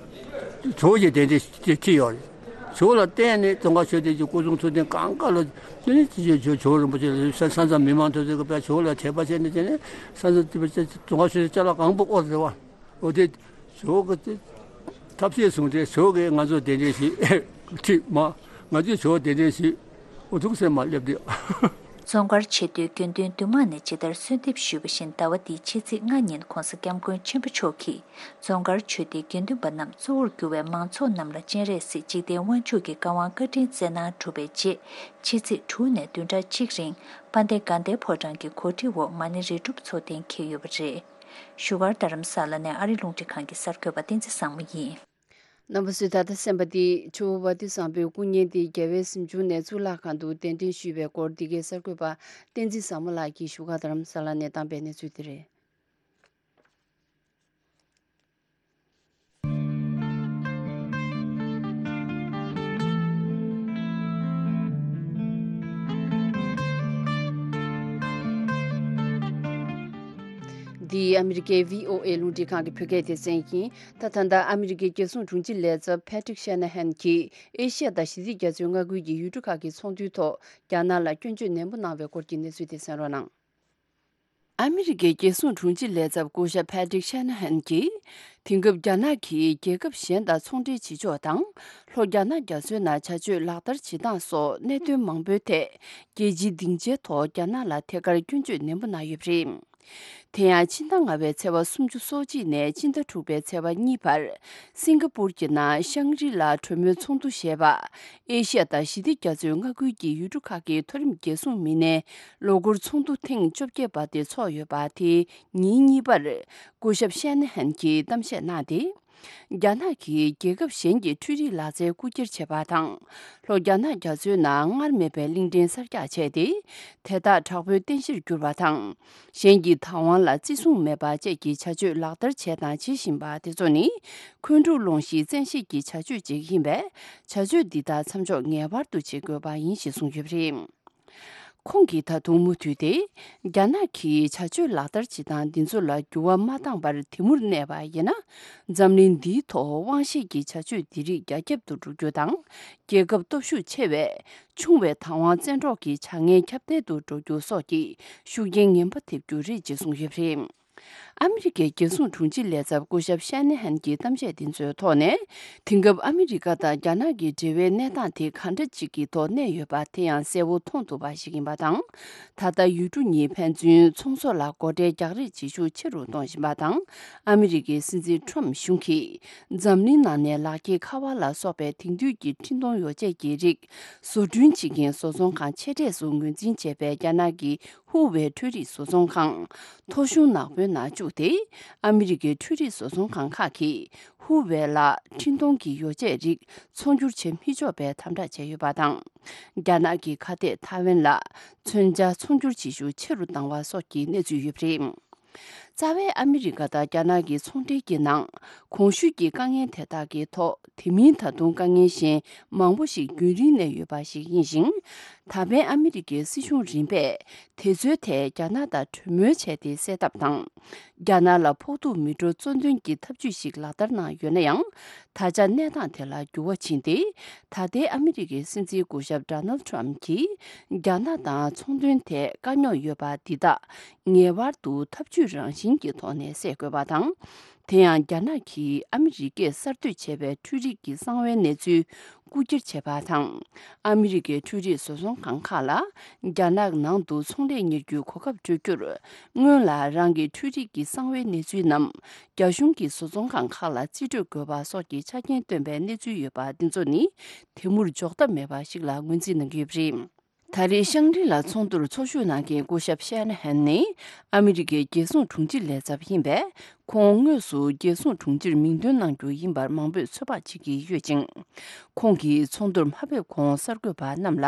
ཇོ་བོ་རྗེ་གདན་འདྲེན་ཅིག་ཡོད་རེད། ཇོ་བོ་ལ་བརྟེན་ནས་རྫོང་དཀར་ཆོས་སྡེ་གི་སྐུ་གསུང་ཐུགས་རྟེན་གང་ག་ལ་དེ་ནི་ཇོ་ཇོ་རིན་པོ་ཆེ་ལ་ས་ས་མཚམས་མི་མང་ཐོས་ཚོད་ཀྱི་པའི་ཇོ་བོ་ལ་དད་པ་བྱས་ནས་དེ་ནས་ས་ས་རྫོང་དཀར་ཆོས་སྡེ་ཅ་ལག་གང་པོ་ཨོ་རེད་བ། ཨོ་དེ་ཇོ་བོ་གི་ཐབས་ཤེས་བཟུང་སྟེ་ཇོ་བོ་གིས་ང་ཚོ་གདན་འདྲེན་ཞིག་ཁྲིད་མ་ང་ཚོས་ཇོ་བོ་གདན་འདྲེན་ཞིག་འུ་ཐུག་སེ་མ་སླེབས་དུས། རྫོང་དཀར་ཆེས་མཐོའི་དགེ་འདུན་འདུས་མང་ནས་ཇི་ལྟར་གསོལ་འདེབས་ཞུས་པ་བཞིན་ཟླ་བ་འདིའི་ཕྱི་ཚེས་ལྔ་ཉིན་༸གོང་ས་༸སྐྱབས་མགོན་ཆེན་པོ་མཆོག་གིས་རྫོང་དཀར་ཆོས་སྡེའི་དགེ་འདུན་པ་རྣམས་གཙོ་བོར་གྱུར་བའི་མང་ཚོགས་རྣམས་ལ་སྤྱན་རས་གཟིགས་འཇིག་རྟེན་དབང་ཕྱུག་གི་བཀའ་དབང་བཀའ་དྲིན་སྩལ་གནང་གྲུབ་པའི་རྗེས་ཕྱི་ཚེས་དྲུག་ནས་བདུན་ཕྲག་གཅིག་རིང་དཔལ་ལྡན་དགའ་ལྡན་ཕོ་བྲང་གི་གོ་སྒྲིག་འོག་མ་ཎི་རེ་སྒྲུབ་ཚོགས་ཐེངས་འཁེལ་ཡོད་པ་རེད། བཞུགས་སྒར་རྡ་རམ་ས་ལ་ནས་ཨ་རི་རླུང་འཕྲིན་ཁང་གི་གསར་འགོད་པ་བསྟན་འཛིན་བཟང་མོ་ཡིན། རྣམ་པ་ཚོས་ད་ལྟ་གསན་པ་འདི་ཇོ་བོ་ཝ་ཏི་བཟང་པོའི་སྐུ་བརྙན་དེ་རྒྱལ་བའི་གཟིམ་ཆུང་ནས་གཙུག་ལག་ཁང་དུ་གདན་འདྲེན་ཞུས་པའི་སྐོར་འདི་གའི་གསར་འགོད་པ་བསྟན་འཛིན་བཟང་མོ་ལགས་ཀྱིས་བཞུགས་སྒར་རྡ་རམ་ས་ལ་ནས་བཏང་པའི་གནས་ཚུལ་དེ་རེད། འདི་ཨ་མི་རི་ཀའི་བྷི་ཨོ་ཨེ་རླུང་འཕྲིན་ཁང་གི་བོད་སྐད་སྡེ་ཚན་ཡིན། ད་ད་ལྟ་ཨ་མི་རི་ཀའི་རྒྱལ་སྲུང་དྲུང་ཆེ་ལས་ཚབ་Patrick Shanahan གྱིས་ཨེ་ཤི་ཡ་དང་ཞི་བདེ་རྒྱ་མཚོའི་མངའ་ཁུལ་གྱི་ཡུལ་གྲུ་ཁག་གི་ཚོགས་འདུའི་ཐོག་རྒྱ་ནག་ལ་སྐྱོན་བརྗོད་ནན་པོ་གནང་བའི་སྐོར་གྱི་གནས་ཚུལ་དེ་གསན་རོགས་གནང་། ཨ་མི་རི་ཀའི་རྒྱལ་སྲུང་དྲུང་ཆེ་ལས་ཚབ་སྐུ་ཞབས་Patrick Shanahan གྱིས། དེང་སྐབས་རྒྱ་ནག་གིས་རྒྱལ་ཁབ་གཞན་དང་ཚོང་འབྲེལ་བྱེད་ཕྱོགས་དང་། ལྷོ་རྒྱ་ནག་རྒྱ་མཚོའི་ནང་བྱ་སྤྱོད་ལག་བསྟར་བྱེད་སྟངས་སོགས་གནད་དོན་མང་པོའི་ཐད། རྒྱལ་སྤྱིའི་སྡིངས་ཆའི་ཐོག་རྒྱ་ནག་ལ་ཐད་ཀར་སྐྱོན་བརྗོད་ནན་པོ་གནང་ཡོད་པ་རེད། དེ་ཡང་ཕྱི་ཟླ་ལྔ་པའི་ཚེས་པ་སོ་གཅིག་ནས་ཕྱི་ཟླ་དྲུག་པའི་ཚེས་པ་གཉིས་བར། སིང་ག་པུར་གྱི་ནང་ཤང་རི་ལ་གྲོས་མོལ་ཚོགས་འདུ་ཞེས་པ། ཨེ་ཤི་ཡ་དང་ཞི་བདེ་རྒྱ་མཚོའི་མངའ་ཁུལ་གྱི་ཡུལ་གྲུ་ཁག་གི་མཐོ་རིམ་རྒྱལ་སྲུང་མི་སྣའི་ལོ་འཁོར་ཚོགས་འདུ་ཐེངས་བཅོ་བརྒྱད་པ་དེ་འཚོགས་ཡོད་པ་དེའི་ཉིན་གཉིས་པར། སྐུ་ཞབས་ཤན་ཧན་གྱིས་གཏམ་བཤད་གནང་སྟེ། རྒྱ་ནག་གིས་རྒྱལ་ཁབ་གཞན་གྱི་འཕྲུལ་རིག་ལག་རྩལ་རྐུ་འཁྱེར་བྱས་པ་དང་། ལྷོ་རྒྱ་ནག་རྒྱ་མཚོའི་ནང་སྔར་མེད་པའི་གླིང་ཕྲན་གསར་རྒྱག་བྱས་ཏེ། དེ་དག་དྲག་པོའི་རྟེན་གཞིར་གྱུར་པ་དང་། གཞན་གྱི་བདག་དབང་ལ་བརྩི་སྲུང་མེད་པ་བཅས་ཀྱི་བྱ་སྤྱོད་ལག་བསྟར་བྱས་དང་བྱེད་བཞིན་པ་དེ་ཚོ་ནི། འཁོན་འཁྲུག་སློང་གཞིའི་བཙན་ཤེད་ཀྱི་བྱ་སྤྱོད་ཅིག་ཡིན་པས། བྱ་སྤྱོད་འདི་དག་མཚམས་འཇོག་ངེས་པར་དུ་བྱེད་དགོས་པ་ཡིན་ཞེས་གསུངས་ཡོད་པ་རེད། ཁོང་གིས་ད་དུང་མུ་མཐུད་དེ། རྒྱ་ནག་གིས་བྱ་སྤྱོད་ལག་བསྟར་བྱེད་སྟངས་འདི་ཚོ་ལ་འགྱུར་བ་མ་བཏང་བར་དེ་མུར་གནས་པ་ཡིན་ན། འཛམ་གླིང་འདིའི་ཐོག་དབང་ཤེད་ཀྱི་བྱ་སྤྱོད་འདི་རིགས་རྒྱ་ཁྱབ་ཏུ་འགྲོ་རྒྱུ་དང་། རྒྱལ་ཁབ་སྟོབས་ཤུགས་ཆེ་བས། ཆུང་བའི་བདག་དབང་བཙན་འཕྲོག་གི་བྱ་ངན་ཁྱབ་གདལ་དུ་འགྲོ་རྒྱུ་སོགས་ཀྱི་ཤུགས་རྐྱེན་ངན་པ་ཐེབས་རྒྱུ་རེད་ཅེས་གསུངས་ཡོད་པ་རེད། ཨ་མི་རི་ཀའི་རྒྱལ་སྲུང་དྲུང་ཆེ་ལས་ཚབ་སྐུ་ཞབས་ཤན་ནེ་ཧན་གྱི་གཏམ་བཤད་འདི་ཚོའི་ཐོག་ནས། དེང་སྐབས་ཨ་མི་རི་ཀ་དང་རྒྱ་ནག་གི་འབྲེལ་བའི་གནས་སྟངས་དེ་ག་འདྲ་ཅིག་གི་ཐོག་གནས་ཡོད་པ་དེ་ཡང་གསལ་བོ་མཐོང་ཐུབ་པ་ཞིག་ཡིན་པ་དང་། ད་ལྟ་ཡུལ་གྲུ་གཉིས་ཕན་ཚུན་ཚོང་ཟོག་ལ་སྒོ་ཁྲལ་རྒྱག་རེས་བྱེད་ཤུགས་ཆེ་རུ་གཏོང་བཞིན་པ་དང་། ཨ་མི་རི་ཀའི་སྲིད་འཛིན་ཁྲོམ་གཞུང་གིས་འཛམ་གླིང་ནང་ནས་ལག་འཁྱེར་ཁ་པར་ལ་སོགས་པའི་དེང་དུས་ཀྱི་འཕྲིན་གཏོང་ཡོ་བྱད་ཀྱི་རིགས་བཟོ་སྐྲུན་བྱེད་མཁན་བཟོ་ཚོང་ཁང་ཆེ་གྲས་སུ་ངོས་འཛིན་བྱས་པའི་རྒྱ་ནག་གི་ཧུ་ཝེ་འཕྲུལ་རིག་བཟོ་ཚོང་ཁང་། ཐོ་གཞུང་ནག་པོའི་ནང་བཅུག་སྟེ། ཨ་མི་རི་ཀའི་འཕྲུལ་རིག་བཟོ་ཚོང་ཁང་ཁག་གིས་ཧུ་ཝེ་ལ་འཕྲིན་གཏོང་གི་ཡོ་བྱད་རིགས་ཚོང་སྒྱུར་བྱེད་མི་ཆོག་པའི་དམ་དྲག་བྱས་ཡོད་པ་དང་། རྒྱ་ནག་གི་ཁ་གཏད་ཐའེ་ཝན་ལ་མཚོན་ཆ་ཚོང་སྒྱུར་བྱེད་ཤུགས་ཆེ་རུ་བཏང་བ་སོགས་ཀྱི་གནས་ཚུལ་ཡོད་པ་རེད། རྩ་བའི་ཨ་མི་རི་ཀ་དང་རྒྱ་ནག་གི་ཚོང་འབྲེལ་གྱི་ནང་གོང་ཞུས་ཀྱི་དཀའ་ངལ་དེ་དག་གི་ཐོག་དེ་མིན་ད་དུང་དཀའ་ངལ་གཞན་མང་པོ་ཞིག་རྒྱུན་རིང་གནས་ཡོད་པ་ཞིག་ཡིན་ཞིང་། ད་ཕན་ཨ་མི་རི་ཀའི་སྲིད་གཞུང་རིམ་པས་དེ་ཚོའི་ཐད་རྒྱ་ནག་དང་གྲོས་མོལ་བྱས་ཏེ་སེལ་ཐབས་དང་། རྒྱ་ནག་ལ་ཕོག་ཐུག་མི་འགྲོ་གཙོ་འདོན་གྱི་ཐབས་ཇུས་ཤིག་ལག་བསྟར་གནང་ཡོད་ན་ཡང་། ད་ཆ་གནས་སྟངས་དེ་ལ་འགྱུར་བ་ཕྱིན་ཏེ། ད་ལྟའི་ཨ་མི་རི་ཀའི་སྲིད་འཛིན་སྐུ་ཞབས་ཌོ་ནལ་ཊམ་གྱིས་རྒྱ་ནག་དང་ཚོང་དོན་ཐད་དཀའ་རྙོག་ཡོད་པ་འདི་དག་ངེས་པར་དུ་ཐབས་ཇུས་རང་བཞིན་གྱི་ཐོག་ནས་སེལ་དགོས་པ་དང་། དེ་ཡང་རྒྱ་ནག་གིས་ཨ་མི་རི་ཀས་གསར་གཏོད་བྱས་པའི་འཕྲུལ་རིག་གི་གསང་བའི་གནས་ཚུལ་རྐུ་འཁྱེར་བྱས་པ་དང་། ཨ་མི་རི་ཀའི་འཕྲུལ་རིག་བཟོ་ཚོང་ཁང་ཁག་ལ་རྒྱ་ནག་ནང་དུ་ཚོང་ལས་གཉེར་རྒྱུའི་གོ་སྐབས་སྤྲོད་རྒྱུར། སྔོན་ལ་རང་གི་འཕྲུལ་རིག་གི་གསང་བའི་གནས་ཚུལ་རྣམས་རྒྱ་གཞུང་གི་བཟོ་ཚོང་ཁང་ཁག་ལ་རྩིས་སྤྲོད་དགོས་པ་སོགས་ཀྱི་ཆ་རྐྱེན་བཏོན་པའི་གནས་ཚུལ་ཡོད་པ་འདི་ཚོ་ནི་དེ་མུར་འཇོག་ཐབས་མེད་པ་ཞིག་ལ་ངོས་འཛིན་གནང་གི་ཡོད་པ་རེད། ད་རེས་ཤང་རི་ལ་ཚོགས་འདུར་ཚོགས་ཞུགས་གནང་མཁན་སྐུ་ཞབས་ཤན་ཧན་ནི་ཨ་མི་རི་ཀའི་རྒྱལ་སྲུང་དྲུང་ཆེ་ལས་ཚབ་ཡིན་པས། ཁོང་དངོས་སུ་རྒྱལ་སྲུང་དྲུང་ཆེར་མིང་འདོན་གནང་རྒྱུ་ཡིན་པར་མང་པོས་ཚོད་དཔག་བྱེད་ཀྱི་ཡོད་ཅིང་། ཁོང་གིས་ཚོགས་འདུར་མ་ཕེབས་གོང་གསར་འགོད་པ་རྣམས་ལ།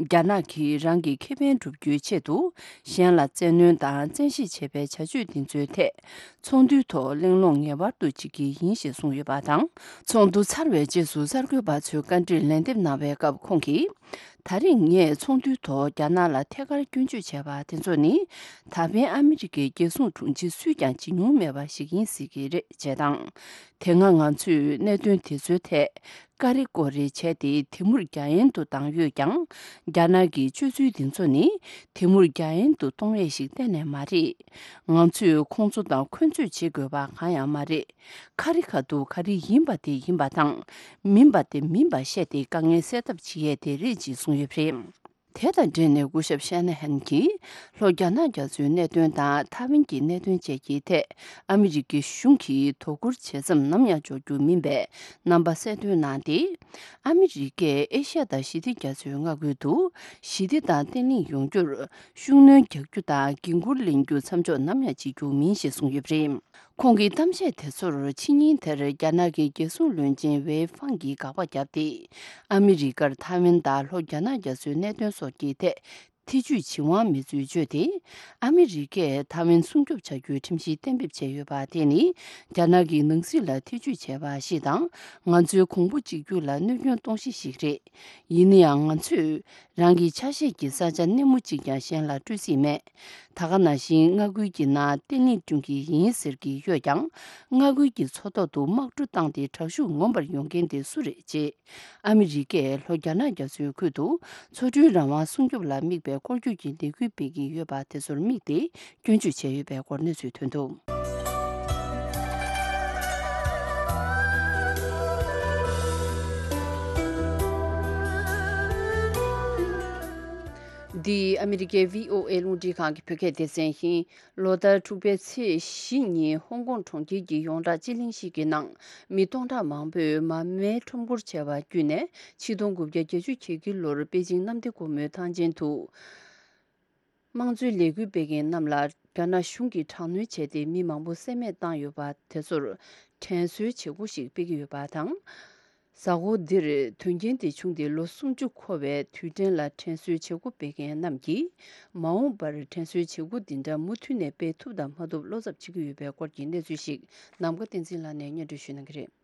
རྒྱ་ནག་གིས་རང་གི་ཁེ་ཕན་བསྒྲུབ་རྒྱུའི་ཆེད་དུ་གཞན་ལ་བཙན་གནོན་དང་བཙན་ཤེད་བྱེད་པའི་བྱ་སྤྱོད་འདི་ཚོའི་ཐད། ཚོགས་འདུའི་ཐོག་གླེང་སློང་ངེས་པར་དུ་བྱེད་ཀྱི་ཡིན་ཞེས་གསུངས་ཡོད་པ་དང་། ཚོགས་འདུ་ཚར་བའི་རྗེས་སུ་གསར་འགོད་པ་ཚོའི་བཀའ་འདྲིར་ལན་འདེབས་གནང་བའི་སྐབས་ཁོང་གིས། ད་རེས་ངས་ཚོགས་འདུའི་ཐོག་རྒྱ་ནག་ལ་ཐད་ཀར་སྐྱོན་བརྗོད་བྱས་པ་དེ་ཚོ་ནི། ད་ཕན་ཨ་མི་རི་ཀའི་རྒྱལ་སྲུང་དྲུང་ཆེ་སུས་ཀྱང་བྱེད་མྱོང་མེད་པ་ཞིག་ཡིན་སྲིད་ཀྱི་རེད་ཅེས་དང་། དེ་སྔ་ང་ཚོས་གནད་དོན་དེ་ཚོའི་ཐད་ཀ་རེ་ཀོ་རེ་བྱས་ཏེ་དེ་མུར་རྒྱ་ཡན་དུ་བཏང་ཡོད་ཀྱང་། རྒྱ་ནག་གི་སྤྱོད་ཚུལ་འདི་ཚོ་ནི་དེ་མུར་རྒྱ་ཡན་དུ་གཏོང་ཡས་ཤིག་གཏན་ནས་མ་རེད། ང་ཚོས་ཁོང་ཚོ་དང་འཁོན་རྩོད་བྱེད་དགོས་པ་གང་ཡང་མ་རེད། ཁ་རི་ཁ་ཐུག་ག་རེ་ཡིན་པ་དེ་ཡིན་པ་དང་། མིན་པ་དེ་མིན་པ་བཤད་དེ་དཀའ་ངལ་སེལ་ཐབས་བྱེད་ཡས་དེ་རེད་ཅེས་གསུངས་ཡོད་པ་རེད། དེ་དང་འབྲེལ་ནས་སྐུ་ཞབས་ཤན་ཧན་གྱིས། ལྷོ་རྒྱ་ནག་རྒྱ་མཚོའི་གནད་དོན་དང་ཐའེ་ཝན་གྱི་གནད་དོན་བཅས་ཀྱི་ཐད། ཨ་མི་རི་ཀའི་གཞུང་གིས་དོ་ཁུར་བྱེད་མཚམས་ནམ་ཡང་འཇོག་རྒྱུ་མིན་པའི་རྣམ་པ་གསལ་སྟོན་གནང་སྟེ། ཨ་མི་རི་ཀས་ཨེ་ཤ་ཡ་དང་ཞི་བདེ་རྒྱ་མཚོའི་མངའ་ཁུལ་དུ་ཞི་བདེ་དང་བརྟན་ལྷིང་ཡོང་རྒྱུར་ཤུགས་སྣོན་རྒྱག་རྒྱུ་དང་འགན་འཁུར་ལེན་རྒྱུ་མཚམས་འཇོག་ནམ་ཡང་བྱེད་རྒྱུ་མིན་ཞེས་གསུངས་ཡོད་པ་རེད། ཁོང་གི་གཏམ་བཤད་དེ་ཚོར་ཕྱི་ཉིན་དེར་རྒྱ་ནག་གི་རྒྱལ་སྲུང་བློན་ཆེན་ཝེ་ཧྥང་གིས་དགག་པ་བརྒྱབ་སྟེ། ཨ་མི་རི་ཀར་ཐའེ་ཝན་དང་ལྷོ་རྒྱ་ནག་རྒྱ་མཚོའི་གནད་དོན་སོགས་ཀྱི་ཐད་ཐེ་ཇུས་བྱེད་དབང་མེད་ཚུལ་བརྗོད་དེ། ཨ་མི་རི་ཀས་ཐའེ་ཝན་སྲུང་སྐྱོབ་བྱ་རྒྱུའི་ཁྲིམས་གཞི་གཏན་འབེབས་བྱས་ཡོད་པ་དེ་ནི་རྒྱ་ནག་གི་ནང་སྲིད་ལ་ཐེ་ཇུས་བྱས་པ་ཞིག་དང་། ང་ཚོའི་གོང་བུ་གཅིག་གྱུར་ལ་གནོད་སྐྱོན་གཏོང་གཞི་ཞིག་རེད། ཡིན་ན་ཡང་ང་ཚོས། རང་གི་ཆ་ཤས་ཀྱི་ས་ཆ་སྣེ་མོ་གཅིག་ཀྱང་གཞན་ལ་སྤྲོད་སྲིད་མེད། ད་ག་ནང་བཞིན་མངའ་ཁུལ་གྱི་ནང་བརྟན་ལྷིང་བསྐྲུན་གྱི་ཡིན་ཟེར་གྱི་ཡོད་ཀྱང་། མངའ་ཁུལ་གྱི་མཚོ་ཐོག་ཏུ་དམག་གྲུ་བཏང་སྟེ་དྲག་ཤུགས་ངོམ་པར་ཡོང་མཁན་དེ་སུ་རེད་ཅེས། ཨ་མི་རི་ཀས་ལྷོ་རྒྱ་ནག་རྒྱ་མཚོའི་ཁུལ་དུ་མཚོ་གྲུའི་རང་དབང་སྲུང་སྐྱོབ་ལ་དམིགས་པའི་སྐོར་སྐྱོད་ཀྱི་ལས་འགུལ་སྤེལ་གྱི་ཡོད་པ་དེ་ཚོར་དམིགས་ཏེ་སྐྱོན་བརྗོད་བྱས་ཡོད་པའི་སྐོར་གནས་ཚུལ་ཐོན་འདུག། འདི་ཨ་མི་རི་ཀའི་བྷི་ཨོ་ཨེ་རླུང་འཕྲིན་ཁང་གི་བོད་སྐད་སྡེ་ཚན་ཡིན། ལོ་ལྟར་འཁྲུག་པའི་ཚེས་བཞི་ཉིན་ཧོང་ཀོང་གྲོང་ཁྱེར་གྱི་ཡོངས་གྲགས་སྤྱི་གླིང་ཞིག་གི་ནང་མི་སྟོང་ཕྲག་མང་པོས་མ་རྨོས་ཁྲོམ་སྐོར་བྱས་པ་བརྒྱུད་ནས་ཆིག་སྟོང་དགུ་བརྒྱ་བརྒྱད་ཅུ་གྱ་དགུ་ལོར་པེ་ཅིང་གནམ་བདེ་སྒོ་མོའི་ཐང་ཆེན་དུ། དམངས་གཙོའི་ལས་འགུལ་སྤེལ་མཁན་རྣམས་ལ་རྒྱ་ནག་གཞུང་གིས་དྲག་གནོན་བྱས་ཏེ་མི་མང་པོ་བསད་རྨས་བཏང་ཡོད་པ་དེ་ཚོར་དྲན་གསོའི་བྱེད་སྒོ་ཞིག་སྤེལ་གྱི་ཡོད་པ་དང་། གཟའ་འཁོར་འདིར་དོན་རྐྱེན་དེ་བྱུང་སྟེ་ལོ་སུམ་ཅུ་འཁོར་བའི་དུས་དྲན་ལ་དྲན་གསོའི་བྱེད་སྒོ་སྤེལ་མཁན་རྣམས་ཀྱིས་མ་འོངས་པར་དྲན་གསོའི་བྱེད་སྒོ་འདི་འདྲ་མུ་མཐུད་ནས་སྤེལ་ཐུབ་དང་མ་ཐུབ་བློ་འཚབ་བྱེད་ཀྱི་ཡོད་པའི་སྐོར་གྱི་གནས་ཚུལ་ཞིག་ནམ་མཁའ་བསྟན་འཛིན་ལགས་ནས་སྙན་སྒྲོན་ཞུ་གནང་གི་རེད།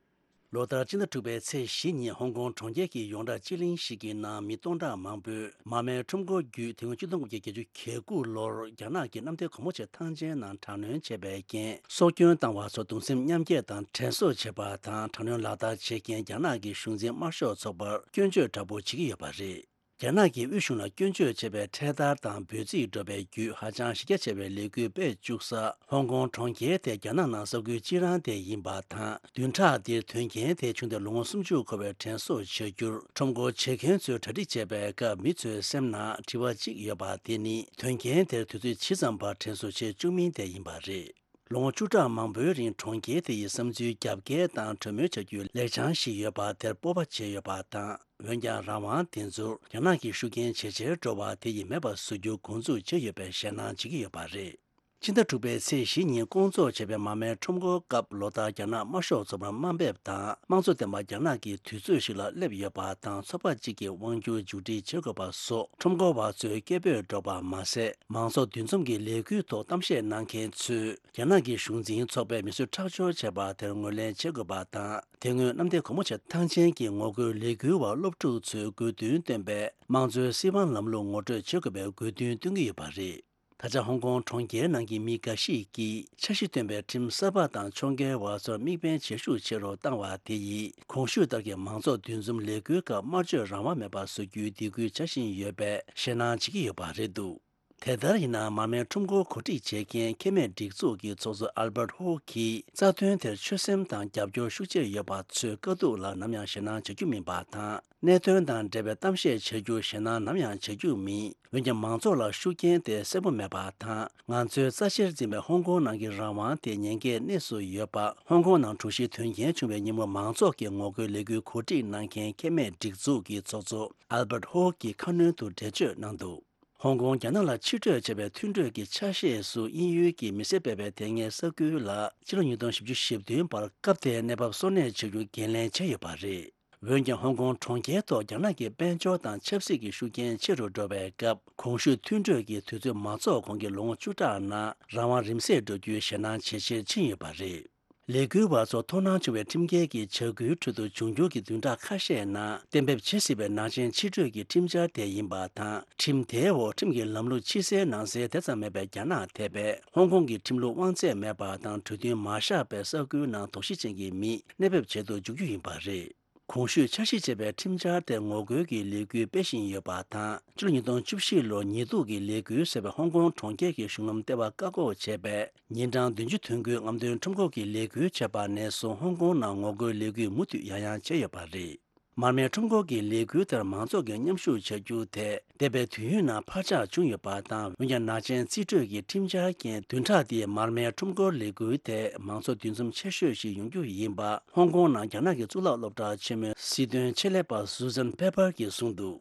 ལོ་ལྟར་སྤྱི་ཟླ་དྲུག་པའི་ཚེས་བཞི་ཉིན་ཧོང་ཀོང་གྲོང་ཁྱེར་གྱི་ཡོངས་གྲགས་སྤྱི་གླིང་ཞིག་གི་ནང་མི་སྟོང་ཕྲག་མང་པོས་མ་རྨོས་ཁྲོམ་སྐོར་བརྒྱུད་དེ་སྔོན་ཆིག་སྟོང་དགུ་བརྒྱ་གྱ་དགུ་ལོར་རྒྱ་ནག་གི་གནམ་བདེ་སྒོ་མོ་ཆེ་ཐང་ཆེན་ནང་དྲག་གནོན་བྱས་པའི་རྐྱེན་སྲོག་སྐྱོན་བཏང་བ་ཚོར་གདུང་སེམས་མཉམ་སྐྱེད་དང་དྲན་གསོ་བྱེད་པ་དང་དྲག་གནོན་ལག་བསྟར་བྱེད་མཁན་རྒྱ་ནག་གི་གཞུང་འཛིན་དམར་ཤོག་ཚོགས་པར་སྐྱོན་བརྗོད་དྲག་པོ་བྱེད་ཀྱི་ཡོད་པ་རེད། རྒྱ་ནག་གིས་དབུས་གཞུང་ལ་སྐྱོན་བརྗོད་བྱས་པའི་འཕྲེད་དར་དང་འབོད་ཚིག་སྒྲོག་པའི་བརྒྱུད་ཧ་ཅང་གཞི་རྒྱ་ཆེ་བའི་ལས་འགུལ་སྤེལ་བཅུག་ས་ཧོང་ཀོང་གྲོང་ཁྱེར་དེ་རྒྱ་ནག་ནང་ས་ཁུལ་གཅིག་རང་དེ་ཡིན་པ་དང་། བདུན་ཕྲག་འདིར་དོན་རྐྱེན་དེ་བྱུང་སྟེ་ལོ་ངོ་སུམ་ཅུ་འཁོར་བའི་དྲན་གསོ་བྱ་རྒྱུར་ཁྲོམ་སྐོར་བྱེད་མཁན་ཚོས་གྲ་སྒྲིག་བྱེད་པའི་སྐབས། མི་ཚོའི་སེམས་ནང་དྲི་བ་གཅིག་ཡོད་པ་དེ་ནི། དོན་རྐྱེན་དེར་དུས་ཚོད་ཇི་ཙམ་བར་དྲན་གསོ་བྱེད་བཅུག་མིན་དེ་ཡིན་པ་རེད། ལོ་ངོ་བཅུ་ཕྲག་མང་པོའི་རིང་གྲོང་ཁྱེར་དེ་ཡི་བསམ་ཚུལ་རྒྱབ་འགལ་དང་གྲོས་མོལ་བྱ་རྒྱུའི་ལེགས་བྱང་ཞིག་ཡོད་པ་དེར་སྤོབས་པ་བྱས་ཡོད་པ་དང་། འོན་ཀྱང་རང་དབང་དེ་ཚོར་རྒྱ་ནག་གི་ཤུགས་རྐྱེན་ཇེ་ཆེར་འགྲོ་བ་དེ་ཡིས་མེད་པ་བཟོ་རྒྱུ་འགོ་འཛུགས་བྱས་ཡོད་པའི་ཞེད་སྣང་བྱེད་ཀྱི་ཡོད་པ་རེད། ཕྱི་ཟླ་དྲུག་པའི་ཚེས་བཞི་ཉིན་སྐོང་ཚོགས་བྱས་པའི་མར་མེའི་ཁྲོམ་སྐོར་སྐབས། ལོ་ལྟར་རྒྱ་ནག་དམར་ཤོག་ཚོགས་པར་དམའ་འབེབས་དང་དམངས་གཙོ་ལྡན་པ་རྒྱ་ནག་གི་དུས་ཚོད་ཞིག་ལ་སླེབས་ཡོད་པ་དང་། ཚོགས་པ་གཅིག་གི་དབང་སྒྱུར་མཇུག་སྒྲིལ་བྱེད་དགོས་པ་སོགས་ཁྲོམ་སྐོར་བ་ཚོས་སྐད་འབོད་སྒྲོག་པ་མ་ཟད། མང་ཚོགས་འདུ་འཛོམས་ཀྱི་ལས་འགུལ་ཐོག་གཏམ་བཤད་གནང་མཁན་ཚོས། རྒྱ་ནག་གི་གཞུང་འཛིན་ཚོགས་པས་མི་གསོད་ཁྲག་སྦྱོར་བྱས་པ་དེར་ངོས་ལེན་བྱེད་དགོས་པ་དང་། དེ་སྔོན་གནམ་བདེ་སྒོ་མོ་ཆེ་ཐང་ཆེན་གྱི་ངོ་རྒོལ་ལས་འགུལ་བ་སློབ་ཕྲུག་ཚོས་དགོས་འདུན་བཏོན་པའི་དམངས་གཙོའི་སྲིད་དབང་ལམ་ལུགས་ངོ་སྤྲོད་བྱེད་དགོས་པའི་དགོས་འདུན་བཏོན་གྱི་ཡོད་པ་རེད། ད་ཆ་ཧོང་ཀོང་གྲོང་ཁྱེར་ནང་གི་མི་འགའ་ཞིག་གིས་འཆར་གཞི་བཏོན་པའི་ཁྲིམས་གསར་པ་དང་ཕྱོགས་འགལ་བ་ཚོར་དམིགས་འབེན་ཇེ་ཤུགས་ཆེ་རུ་བཏང་བ་དེ་ཡིས། གོང་ཞུས་ལྟར་གྱི་མང་ཚོགས་འདུ་འཛོམས་ལས་འགུལ་སྐབས་དམར་གཅོད་རང་དབང་མེད་པ་བཟོ་རྒྱུའི་སྡིགས་སྐུལ་བྱ་བཞིན་ཡོད་པའི་ཞེད་སྣང་བྱེད་ཀྱི་ཡོད་པ་རེད་འདུག་དེ་ལྟར་ཡིན་ན། མར་མེའི་ཁྲོམ་སྐོར་གོ་སྒྲིག་བྱེད་མཁན་ཁེ་མེད་སྒྲིག་འཛུགས་ཀྱི་ཚོགས་གཙོ་ཨལ་བྷར་ཧོ་གིས། རྩ་དོན་དེར་ཆོད་སེམས་དང་རྒྱབ་སྐྱོར་ཤུགས་ཆེར་ཡོད་པ་ཚོས་དཀའ་སྡུག་ལ་ནམ་ཡང་ཞེད་སྣང་བྱ་རྒྱུ་མིན་པ་དང་། གནད་དོན་དང་འབྲེལ་བའི་གཏམ་བཤད་བྱ་རྒྱུར་ཞེད་སྣང་ནམ་ཡང་བྱ་རྒྱུ་མིན། འོན་ཀྱང་། མང་ཚོགས་ལ་ཤུགས་རྐྱེན་དེ་གསལ་པོ་མེད་པ་དང་། ང་ཚོའི་རྩ་ཆེར་འཛིན་པའི་ཧོང་ཀོང་ནང་གི་རང་དབང་དེ་ཉེན་ཁའི་གནས་སུ་ཡོད་པ། ཧོང་ཀོང་ནང་དྲུག་བཞིའི་དོན་རྐྱེན་བྱུང་བའི་ཉིན་མོར་མང་ཚོགས་ཀྱི་ངོ་རྒོལ་ལས་འགུལ་གོ་སྒྲིག་གནང་མཁན་ཁེ་མེད་སྒྲིག་འཛུགས་ཀྱི་ཚོགས་གཙོ་ཨལ་བྷར་ཧོ་གིས་ཁ་སྣོན་དུ་འགྲེལ་བརྗོད་གནང་འདུག་ཧོང་ཀོང་རྒྱ་ནག་ལ་ཕྱིར་སྤྲོད་བྱས་པའི་མཐུན་གྲོས་ཀྱི་ཆ་ཤས་སུ། དབྱིན་ཡུལ་གྱི་མི་སེར་སྤེལ་བའི་དེ་སྔའི་ས་ཁུལ་ལ་ཕྱི་ལོ་ཉིས་སྟོང་བཞི་བཅུ་ཞེ་བདུན་བར་སྐབས་དེའི་གནས་བབ་སོར་གནས་བྱ་རྒྱུ་འགན་ལེན་བྱས་ཡོད་པ་རེད། འོན་ཀྱང་། ཧོང་ཀོང་གྲོང་ཁྱེར་ཐོག་རྒྱ་ནག་གི་དཔལ་འབྱོར་དང་ཆབ་སྲིད་ཀྱི་ཤུགས་རྐྱེན་ཆེ་རུ་འགྲོ་བའི་སྐབས། གོང་ཞུས་མཐུན་གྲོས་ཀྱི་དུས་ཚོད་མ་རྫོགས་གོང་གི་ལོ་ངོ་བཅུ་ཕྲག་ནང་རང་དབང་རིམ་ཟད་འགྲོ་རྒྱུའི་ཞེད་སྣང་ཇེ་ཆེར་ཕྱིན་ཡོད་པ་རེད། ལས་འགུལ་བ་ཚོར་དོ་སྣང་བྱུང་བའི་ཁྲིམས་འགལ་གྱི་བྱ་འགུལ་ཁྲོད་དུ་འབྱུང་འགྱུར་གྱི་བདུན་ཕྲག་ཁ་ཤས་ནང་གཏན་འབེབས་བྱེད་སྲིད་པའི་ནག་ཅན་ཕྱིར་སྤྲོད་ཀྱི་ཁྲིམས་འཆར་དེ་ཡིན་པ་དང་། ཁྲིམས་དེའི་འོག་ཁྲིམས་ཀྱི་ལམ་ལུགས་ཕྱི་གསལ་ནང་གསལ་དེ་ཙམ་མེད་པའི་རྒྱ་ནག་དེ་བས་ཧོང་ཀོང་གི་ཁྲིམས་ལུགས་དབང་ཚད་མེད་པ་དང་། གྲོས་མཐུན་མ་བཞག་པའི་ས་ཁུལ་ནང་དོགས་གཞི་ཅན་གྱི་མི་གནས་སྤོས་བྱེད་དུ་འཇུག་རྒྱུ་ཡིན་པ་རེད། གོང་ཞུས་འཆར་གཞི་བྱས་པའི་ཁྲིམས་འཆར་དེར་ངོ་རྒོལ་གྱི་ལས་འགུལ་སྤེལ་བཞིན་ཡོད་པ་དང་། ཕྱི་ལོ་ཉིས་སྟོང་བཅུ་བཞི་ལོར་ཉེས་འཛུགས་ཀྱི་ལས་འགུལ་ཟེར་བའི་ཧོང་ཀོང་གྲོང་ཁྱེར་གྱི་གཞུང་ལམ་ལྟེ་བ་བཀག་འགོག་བྱས་པའི་ཉིན་གྲངས་བདུན་ཅུ་དོན་དགུའི་རྔམ་སྟོན་ཁྲོམ་སྐོར་གྱི་ལས་འགུལ་བྱས་པ་ནས་བཟུང་། ཧོང་ཀོང་ནང་ངོ་རྒོལ་ལས་འགུལ་མུ་མཐུད་ཡང་ཡང་བྱས་ཡོད་པ་རེད། མར་མེའི་ཁྲོམ་སྐོར་གྱི་ལས་འགུལ་དེར་མང་ཚོགས་ཀྱིས་མཉམ་ཞུགས་བྱ་རྒྱུ་དེ་འདས་པའི་དུས་ཡུན་ནང་འཕར་ཆག་བྱུང་ཡོད་པ་དང་། འོན་ཀྱང་། ནག་ཅན་རྩིས་སྤྲོད་ཀྱི་ཁྲིམས་འཆར་རྐྱེན་བདུན་ཕྲག་འདིའི་མར་མེའི་ཁྲོམ་སྐོར་ལས་འགུལ་དེ་མང་ཚོགས་འདུ་འཛོམས་ཆེ་ཤོས་ཤིག་ཡོང་རྒྱུ་ཡིན་པ། ཧོང་ཀོང་ནང་རྒྱ་ནག་གི་གཙུག་ལག་སློབ་གྲྭ་ཆེན་མོའི་སྲིད་དོན་ཆེད་ལས་པ་Susan Pepper གྱིས་གསུངས་འདུག་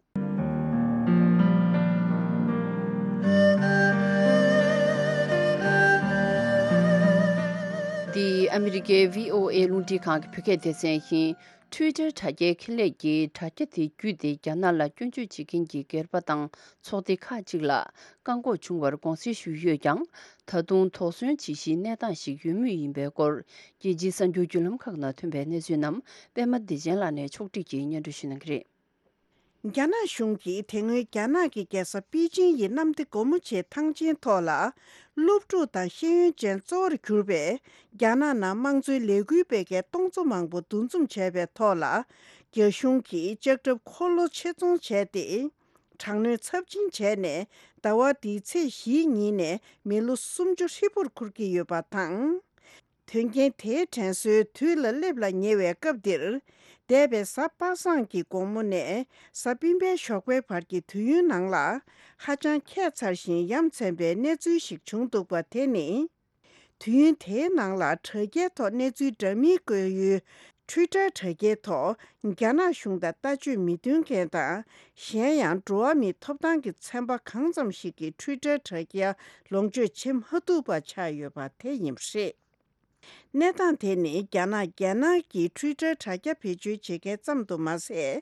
འདི་ཨ་མི་རི་ཀའི་བྷི་ཨོ་ཨེ་རླུང་འཕྲིན་ཁང་གི་བོད་སྐད་སྡེ་ཚན་ཡིན། Twitter་དྲ་རྒྱའི་ཁེ་ལས་ཀྱིས་དྲ་རྒྱ་དེ་བརྒྱུད་དེ་རྒྱ་ནག་ལ་སྐྱོན་བརྗོད་བྱེད་མཁན་གྱི་སྒེར་པ་དང་ཚོགས་སྡེ་ཁག་ཅིག་ལ་བཀག་འགོག་བྱུང་བར་དགོངས་སེལ་ཞུས་ཡོད་ཀྱང་། ད་དུང་དོགས་ཟོན་བྱེད་གཞིའི་གནས་སྟངས་ཤིག་ཡོད་མུས་ཡིན་པའི་སྐོར། རྒྱལ་སྤྱིའི་གསར་འགྱུར་བརྒྱུད་ལམ་ཁག་ནང་ཐོན་པའི་གནས་ཚུལ་རྣམས་པད་མ་བདེ་ཆེན་ལགས་ནས་ཕྱོགས་བསྒྲིགས་ཀྱིས་སྙན་སྒྲོན་ཞུ་གནང་གི་རེད། རྒྱ་ནག་གཞུང་གིས་དེ་སྔོན་རྒྱ་ནག་གི་རྒྱལ་ས་པེ་ཅིང་ཡི་གནམ་བདེ་སྒོ་མོ་ཆེའི་ཐང་ཆེན་ཐོག་ལ། སློབ་ཕྲུག་དང་ཤེས་ཡོན་ཅན་གཙོ་བོར་གྱུར་པའི་རྒྱ་ནག་ནང་དམངས་གཙོའི་ལས་འགུལ་སྤེལ་མཁན་སྟོང་ཚོ་མང་པོ་འདུ་འཛོམས་བྱས་པའི་ཐོག་ལ། རྒྱ་གཞུང་གིས་ལྕགས་ཁྲབ་འཁོར་ལོ་ཆེད་རྫོང་བྱས་ཏེ། དྲག་གནོན་ཚབས་ཆེན་བྱས་ནས། ཟླ་བ་འདིའི་ཚེས་བཞིའི་ཉིན་ནས་མི་ལོ་སུམ་ཅུ་ཧྲིལ་པོར་འཁུར་གྱི་ཡོད་པ་དང་། དོན་རྐྱེན་དེའི་དྲན་གསོའི་དུས་ལ་སླེབས་ལ་ཉེ་བའི་སྐབས་འདིར། འདས་པའི་གཟའ་པ་སངས་ཀྱི་དགོང་མོ་ནས་གཟའ་སྤེན་པའི་ཞོགས་པའི་བར་གྱི་དུས་ཡུན་ནང་ལ། ཧ་ཅང་ཁྱད་མཚར་ཞིང་ཡ་མཚན་པའི་གནས་ཚུལ་ཞིག་བྱུང་འདུག་པ་དེ་ནི། དུས་ཡུན་དེའི་ནང་ལ་དྲ་རྒྱའི་ཐོག་གནས་ཚུལ་འདྲ་མིན་བཀོད་ཡུལ་Twitter་དྲ་རྒྱའི་ཐོག་རྒྱ་ནག་གཞུང་དང་ལྟ་སྤྱོད་མི་མཐུན་མཁན་དང་། གཞན་ཡང་འགྲོ་བ་མིའི་ཐོབ་ཐང་གི་ཚན་པ་གང་ཙམ་ཞིག་གིས་Twitter་དྲ་རྒྱ་ལོངས་སྤྱོད་བྱེད་མ་ཐུབ་པ་ཆགས་ཡོད་པ་དེ་ཡིན་པ་རེད། གནས་སྟངས་དེ་ནི་རྒྱ་ནག་རྒྱལ་ནང་གི་Twitter་དྲ་རྒྱ་བེད་སྤྱོད་བྱེད་མཁན་ཙམ་དུ་མ་ཟད།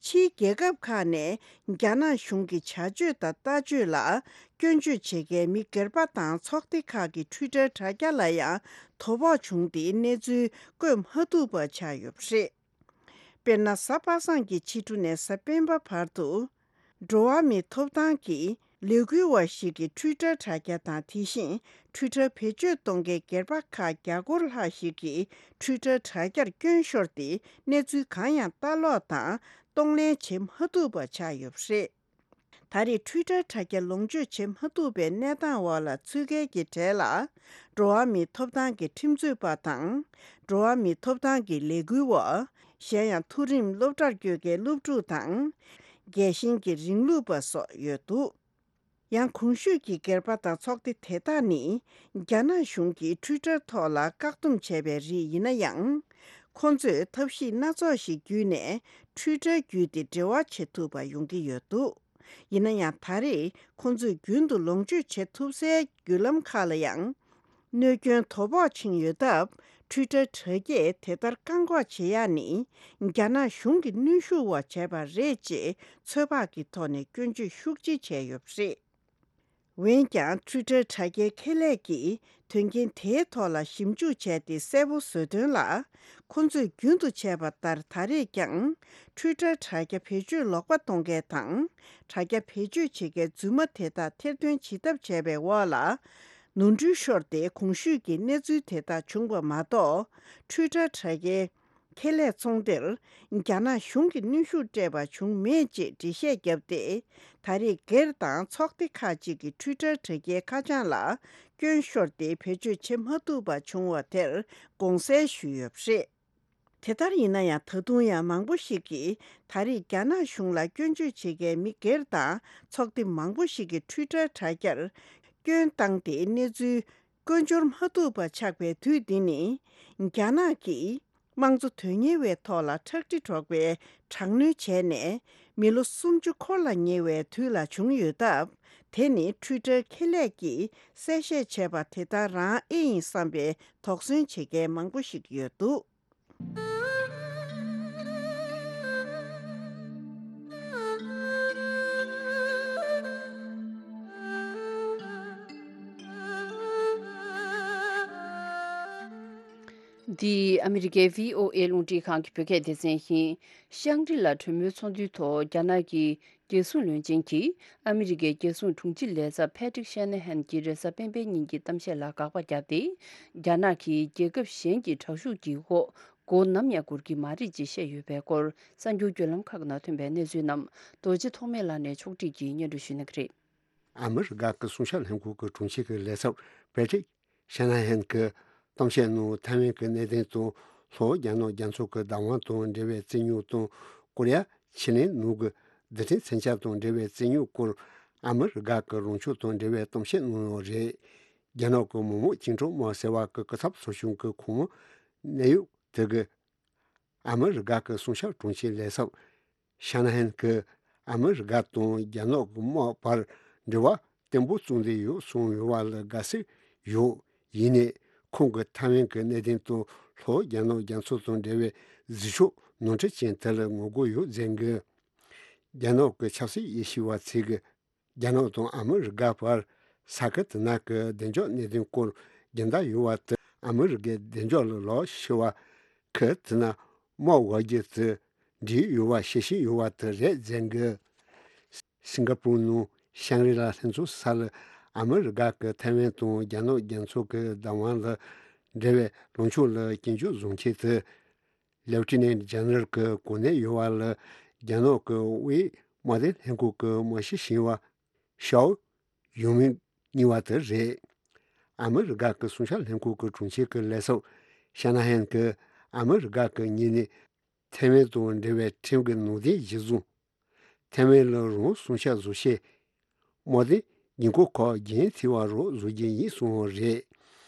ཕྱིའི་རྒྱལ་ཁབ་ཁག་ནས་རྒྱ་ནག་གཞུང་གི་བྱ་སྤྱོད་དང་ལྟ་སྤྱོད་ལ་སྐྱོན་བརྗོད་བྱེད་མཁན་མི་སྒེར་པ་དང་ཚོགས་སྡེ་ཁག་གི་Twitter་དྲ་རྒྱ་ལ་ཡང་དོ་ཕོག་བྱུང་སྟེ་གནས་ཚུལ་བཀོད་མ་ཐུབ་པ་ཆགས་ཡོད་པ་རེད། དཔེར་ན། གཟའ་པ་སངས་ཀྱི་ཕྱི་དྲོ་ནས་གཟའ་སྤེན་པ་བར་དུ། འགྲོ་བ་མིའི་ཐོབ་ཐང་གི་ལས་འགུལ་བ་ཞིག་གི་Twitter་དྲ་རྒྱ་དང་། དེ་བཞིན་Twitter་བེད་སྤྱོད་གཏོང་མཁན་སྒེར་པ་ཁག་བརྒྱ་སྐོར་ལྷག་ཞིག་གིས་Twitter་དྲ་རྒྱར་སྐྱོན་ཤོར་ཏེ། གནས་ཚུལ་གང་ཡང་ལྟ་ཀློག་དང་། གཏོང་ལེན་བྱེད་མ་ཐུབ་པ་ཆགས་ཡོད་པ་རེད། ད་རེས་ཊུའི་ཊར་དྲ་རྒྱ་ལོངས་སྤྱོད་བྱེད་མ་ཐུབ་པའི་གནས་སྟངས་འོག་ལ་ཚུད་མཁན་གྱི་གྲས་ལ། འགྲོ་བ་མིའི་ཐོབ་ཐང་གི་ཁྲིམས་རྩོད་པ་དང་། འགྲོ་བ་མིའི་ཐོབ་ཐང་གི་ལས་འགུལ་བ། གཞན་ཡང་མཐོ་རིམ་སློབ་གྲྭར་བསྐྱོད་མཁན་སློབ་ཕྲུག་དང་། རྒྱལ་ཞེན་གྱི་རིང་ལུགས་པ་སོགས་ཡོད་འདུག་ཡང་གོང་ཞུས་ཀྱི་སྒེར་པ་དང་ཚོགས་སྡེ་དེ་དག་ནི། རྒྱ་ནག་གཞུང་གིས་ཊུའི་ཊར་ཐོག་ལ་བཀག་སྡོམ་བྱས་པའི་རིགས་ཡིན་ན་ཡང་། ཁོ་ཚོས་ཐབས་ཤེས་སྣ་ཚོགས་ཤིག་བརྒྱུད་ནས་ཊུའི་ཊར་བརྒྱུད་དེ་འབྲེལ་བ་བྱེད་ཐུབ་པ་ཡོང་གི་ཡོད་འདུག་ཡིན་ན་ཡང་ད་རེས་ཁོ་ཚོས་རྒྱུན་དུ་ལོངས་སྤྱོད་བྱེད་ཐུབ་སའི་བརྒྱུད་ལམ་ཁག་ལ་ཡང་། གནོད་སྐྱོན་དོ་ཕོག་ཕྱིན་ཡོད་སྟབས། ཊུའི་ཊར་དྲ་རྒྱས་དེ་ལྟར་བཀག་འགོག་བྱེད་ཡག་ནི། རྒྱ་ནག་གཞུང་གི་གནོན་ཤུགས་འོག་བྱས་པ་རེད་ཅེས་ཚོད་དཔག་གི་ཐོག་ནས་སྐྱོན་བརྗོད་ཤུགས་ཆེ་བྱས་ཡོད་པ་རེད། འོན་ཀྱང་ཊུའི་ཊར་དྲ་རྒྱའི་ཁེ་ལས་ཀྱིས་དོན་རྐྱེན་དེའི་ཐོག་ལ་ཞིབ་འཇུག་བྱས་ཏེ་གསལ་པོ་བཟོས་དོན་ལ། ཁོ་ཚོས་རྒྱུན་དུ་བྱས་པ་ལྟར་ད་རེས་ཀྱང་ཊུའི་ཊར་དྲ་རྒྱ་བེད་སྤྱོད་ལོག་པ་གཏོང་མཁན་དང་། དྲ་རྒྱ་བེད་སྤྱོད་བྱེད་མཁན་རྫུན་མ་དེ་དག་ཐེར་འདོན་བྱེད་ཐབས་བྱས་པའི་འོག་ལ། ནོར་འཁྲུལ་ཤོར་ཏེ་གོང་ཞུས་ཀྱི་གནས་ཚུལ་དེ་དག་བྱུང་བ་མ་གཏོགས། ཊུའི་ཊར་དྲ་རྒྱའི་ཁེ་ལས་ཚོང་སྡེར་རྒྱ་ནག་གཞུང་གིས་གནོན་ཤུགས་སྤྲད་པ་བྱུང་མེད་ཅེས་འགྲེལ་བཤད་བརྒྱབ་སྟེ། ད་རེས་སྒེར་དང་ཚོགས་སྡེ་ཁག་ཅིག་གིས་ཊུའི་ཊར་དྲ་རྒྱའི་ཁ་བྱང་ལ་སྐྱོན་ཤོར་ཏེ་བེད་སྤྱོད་བྱེད་མ་ཐུབ་པ་བྱུང་བ་དེར་དགོངས་སེལ་ཞུས་ཡོད་པ་རེད། དེ་ལྟར་ཡིན་ན་ཡང་ད་དུང་ཡང་མང་པོ་ཞིག་གིས་ད་རེས་རྒྱ་ནག་གཞུང་ལ་སྐྱོན་བརྗོད་བྱེད་མཁན་མི་སྒེར་དང་ཚོགས་སྡེ་མང་པོ་ཞིག་གིས་ཊུའི་ཊར་དྲ་རྒྱར་སྐྱོན་བཏང་སྟེ་གནས་ཚུལ་བཀོད་འབྱོར་མ་ཐུབ་པ་ཆགས་པའི་དུས་འདི་ནི། རྒྱ་ནག་གིས་དམངས་གཙོ་དོན་གཉེར་བའི་ཐོག་ལ་ཁྲག་དྲི་སྒྲོག་པའི་དྲག་གནོན་བྱས་ནས་མི་ལོ་སུམ་ཅུ་འཁོར་ལ་ཉེ་བའི་དུས་ལ་བྱུང་ཡོད་སྟབས། དེ་ནི་ཊུའི་ཊར་ཁེ་ལས་ཀྱིས་གསལ་བཤད་བྱས་པ་དེ་ལྟར་རང་ཨེ་ཡིན་བསམ་པའི་དོགས་ཟོན་བྱེད་མཁན་མང་པོ་ཞིག་ཡོད་འདུག་འདི་ཨ་མི་རི་ཀའི་བྷི་ཨོ་ཨེ་རླུང་འཕྲིན་ཁང་གི་བོད་སྐད་སྡེ་ཚན་ཡིན། ཤང་རི་ལ་གྲོས་མོལ་ཚོགས་འདུའི་ཐོག་རྒྱ་ནག་གི་རྒྱལ་སྲུང་བློན་ཆེན་གྱིས་ཨ་མི་རི་ཀའི་རྒྱལ་སྲུང་དྲུང་ཆེ་ལས་ཚབ་ཕེ་ཏྲིག་ཤེ་ན་ཧན་གྱིས་རེས་གཟའ་སྤེན་པའི་ཉིན་གྱི་གཏམ་བཤད་ལ་དགག་པ་བརྒྱབ་སྟེ། རྒྱ་ནག་གིས་རྒྱལ་ཁབ་གཞན་གྱི་དྲག་ཤུགས་ཀྱི་འོག་མགོ་ནམ་ཡང་སྒུར་གྱི་མ་རེད་ཅེས་བཤད་ཡོད་པའི་སྐོར་གསར་འགྱུར་བརྒྱུད་ལམ་ཁག་ནང་ཐོན་པའི་གནས་ཚུལ་རྣམས་རྡོ་རྗེ་ཐོགས་མེད་ལགས་ནས་ཕྱོགས་སྒྲིག་གིས་སྙན་སྒྲོན་ཞུ་གནང་གི་རེད། ཨ་མི་རི་ཀ་གི་སྲུང་སྐྱོབ་ལྷན་ཁང་གི་དྲུང་ཆེ་གི་ལས་ཚབ་ཕེ་ཏྲིག་ཤ་ན་ཧན་གྱིས་གཏམ་བཤད་ནང་ཐའེ་ཝན་གྱི་གནད་དོན་དང་། ལྷོ་རྒྱ་ནག་རྒྱ་མཚོ་གི་བདག་དབང་དང་འབྲེལ་བའི་རྩོད་རྙོག་དང་། ཀོ་རི་ཡ་ཕྱེད་གླིང་ནང་གི་རྡུལ་ཕྲན་མཚོན་ཆ་དང་འབྲེལ་བའི་རྩོད་རྙོག་སྐོར། ཨ་མི་རི་ཀ་གི་རང་ཕྱོགས་དང་འབྲེལ་བའི་གཏམ་བཤད་གནང་ཡོད་རེད། རྒྱ་ནག་གི་མི་དམངས་བཅིངས་འགྲོལ་དམག་ཟེར་བ་གི་སྐུ་ཚབ་ཚོགས་ཆུང་གི་ཁོངས་མི་གནད་ཡོད་དེ་གིས། ཨ་མི་རི་ཀ་གི་སྲུང་སྐྱོབ་དྲུང་ཆེ་ལས་ཚབ་ཤ་ན་ཧན་གྱིས་ཨ་མི་རི་ཀ་དང་རྒྱ་ནག་གི་དམག་བར་འབྲེལ་བ་བརྟན་པོ་བཙུགས་བསྡད་ཡོད་གསུངས་ཡོད་པ་ལ་དགའ་བསུ་ཡོད། ཡིན་ནའི་ཁོང་གིས་ཐའེ་ཝན་གྱི་གནད་དོན་དང་ལྷོ་རྒྱ་ནག་རྒྱ་མཚོ་དང་འབྲེལ་བའི་འཛིང་ཕྱོགས་ནོར་འཁྲུལ་ཅན་དེ་ལ་ངོ་རྒོལ་ཡོད་ཟེར་གི། རྒྱ་ནག་གི་ཆབ་སྲིད་དབྱེ་ཞིབ་པ་ཚོས་གི། རྒྱ་ནག་དང་ཨ་མི་རི་ཀ་བར་ས་ཁུལ་དེ་ན་གི་བདེ་འཇགས་གནད་དོན་སྐོར་རྒྱུན་ལྡན་ཡོད་པ་དེ་ཨ་མི་རི་ཀའི་བདེ་འཇགས་ལ་ལོག་ཤོར་བ། ཁུལ་དེ་ན་དམག་དབང་སྒྱུར་དེ་འགྲིག་ཡོད་པ་ཤེས་བཞིན་ཡོད་པ་དེ་རེད་ཟེར་གི། སིང་ག་པུར་ནང་ཤང་རི་ལ་ལྷན་ཚོགས་ས་ལ་ཨ་མི་རི་ཀ་གི་ཐའེ་ཝན་དང་རྒྱ་ནག་རྒྱ་མཚོ་གི་བདག་དབང་ལ་འབྲེལ་བའི་ལངས་ཕྱོགས་ལ་སྐྱོན་བརྗོད་བཟོ་མཁན་དེ། ལེབ་ཊི་ནན་ཇེ་ནེ་རལ་གྱི་གོ་གནས་ཡོད་པ་ལ་རྒྱ་ནག་གི་དབུས་དམག་དོན་ལྷན་ཁང་གི་དམག་སྤྱི་ཞིག་པ་ཤའོ་ཡུང་མིང་གཉིས་པ་དེ་རེད། ཨ་མི་རི་ཀ་གི་སྲུང་སྐྱོབ་ལྷན་ཁང་གི་དྲུང་ཆེ་གི་ལས་ཚབ་ཤ་ན་ཧན་གྱིས་ཨ་མི་རི་ཀ་གི་ངོས་ནས་ཐའེ་ཝན་དང་འབྲེལ་བའི་ཁྲིམས་ཀྱི་ནང་དོན་གཞིར་བཟུང་། ཐའེ་ཝན་ལ་རང་སྲུང་སྐྱོབ་བཟོ་ཆེད། དམག་དོན་ཉེན་ཁ་ཁག་རྒྱུན་མཐུད་པ་རོགས་བཟོ་རྒྱུ་ཡིན་གསུངས་པ་རེད།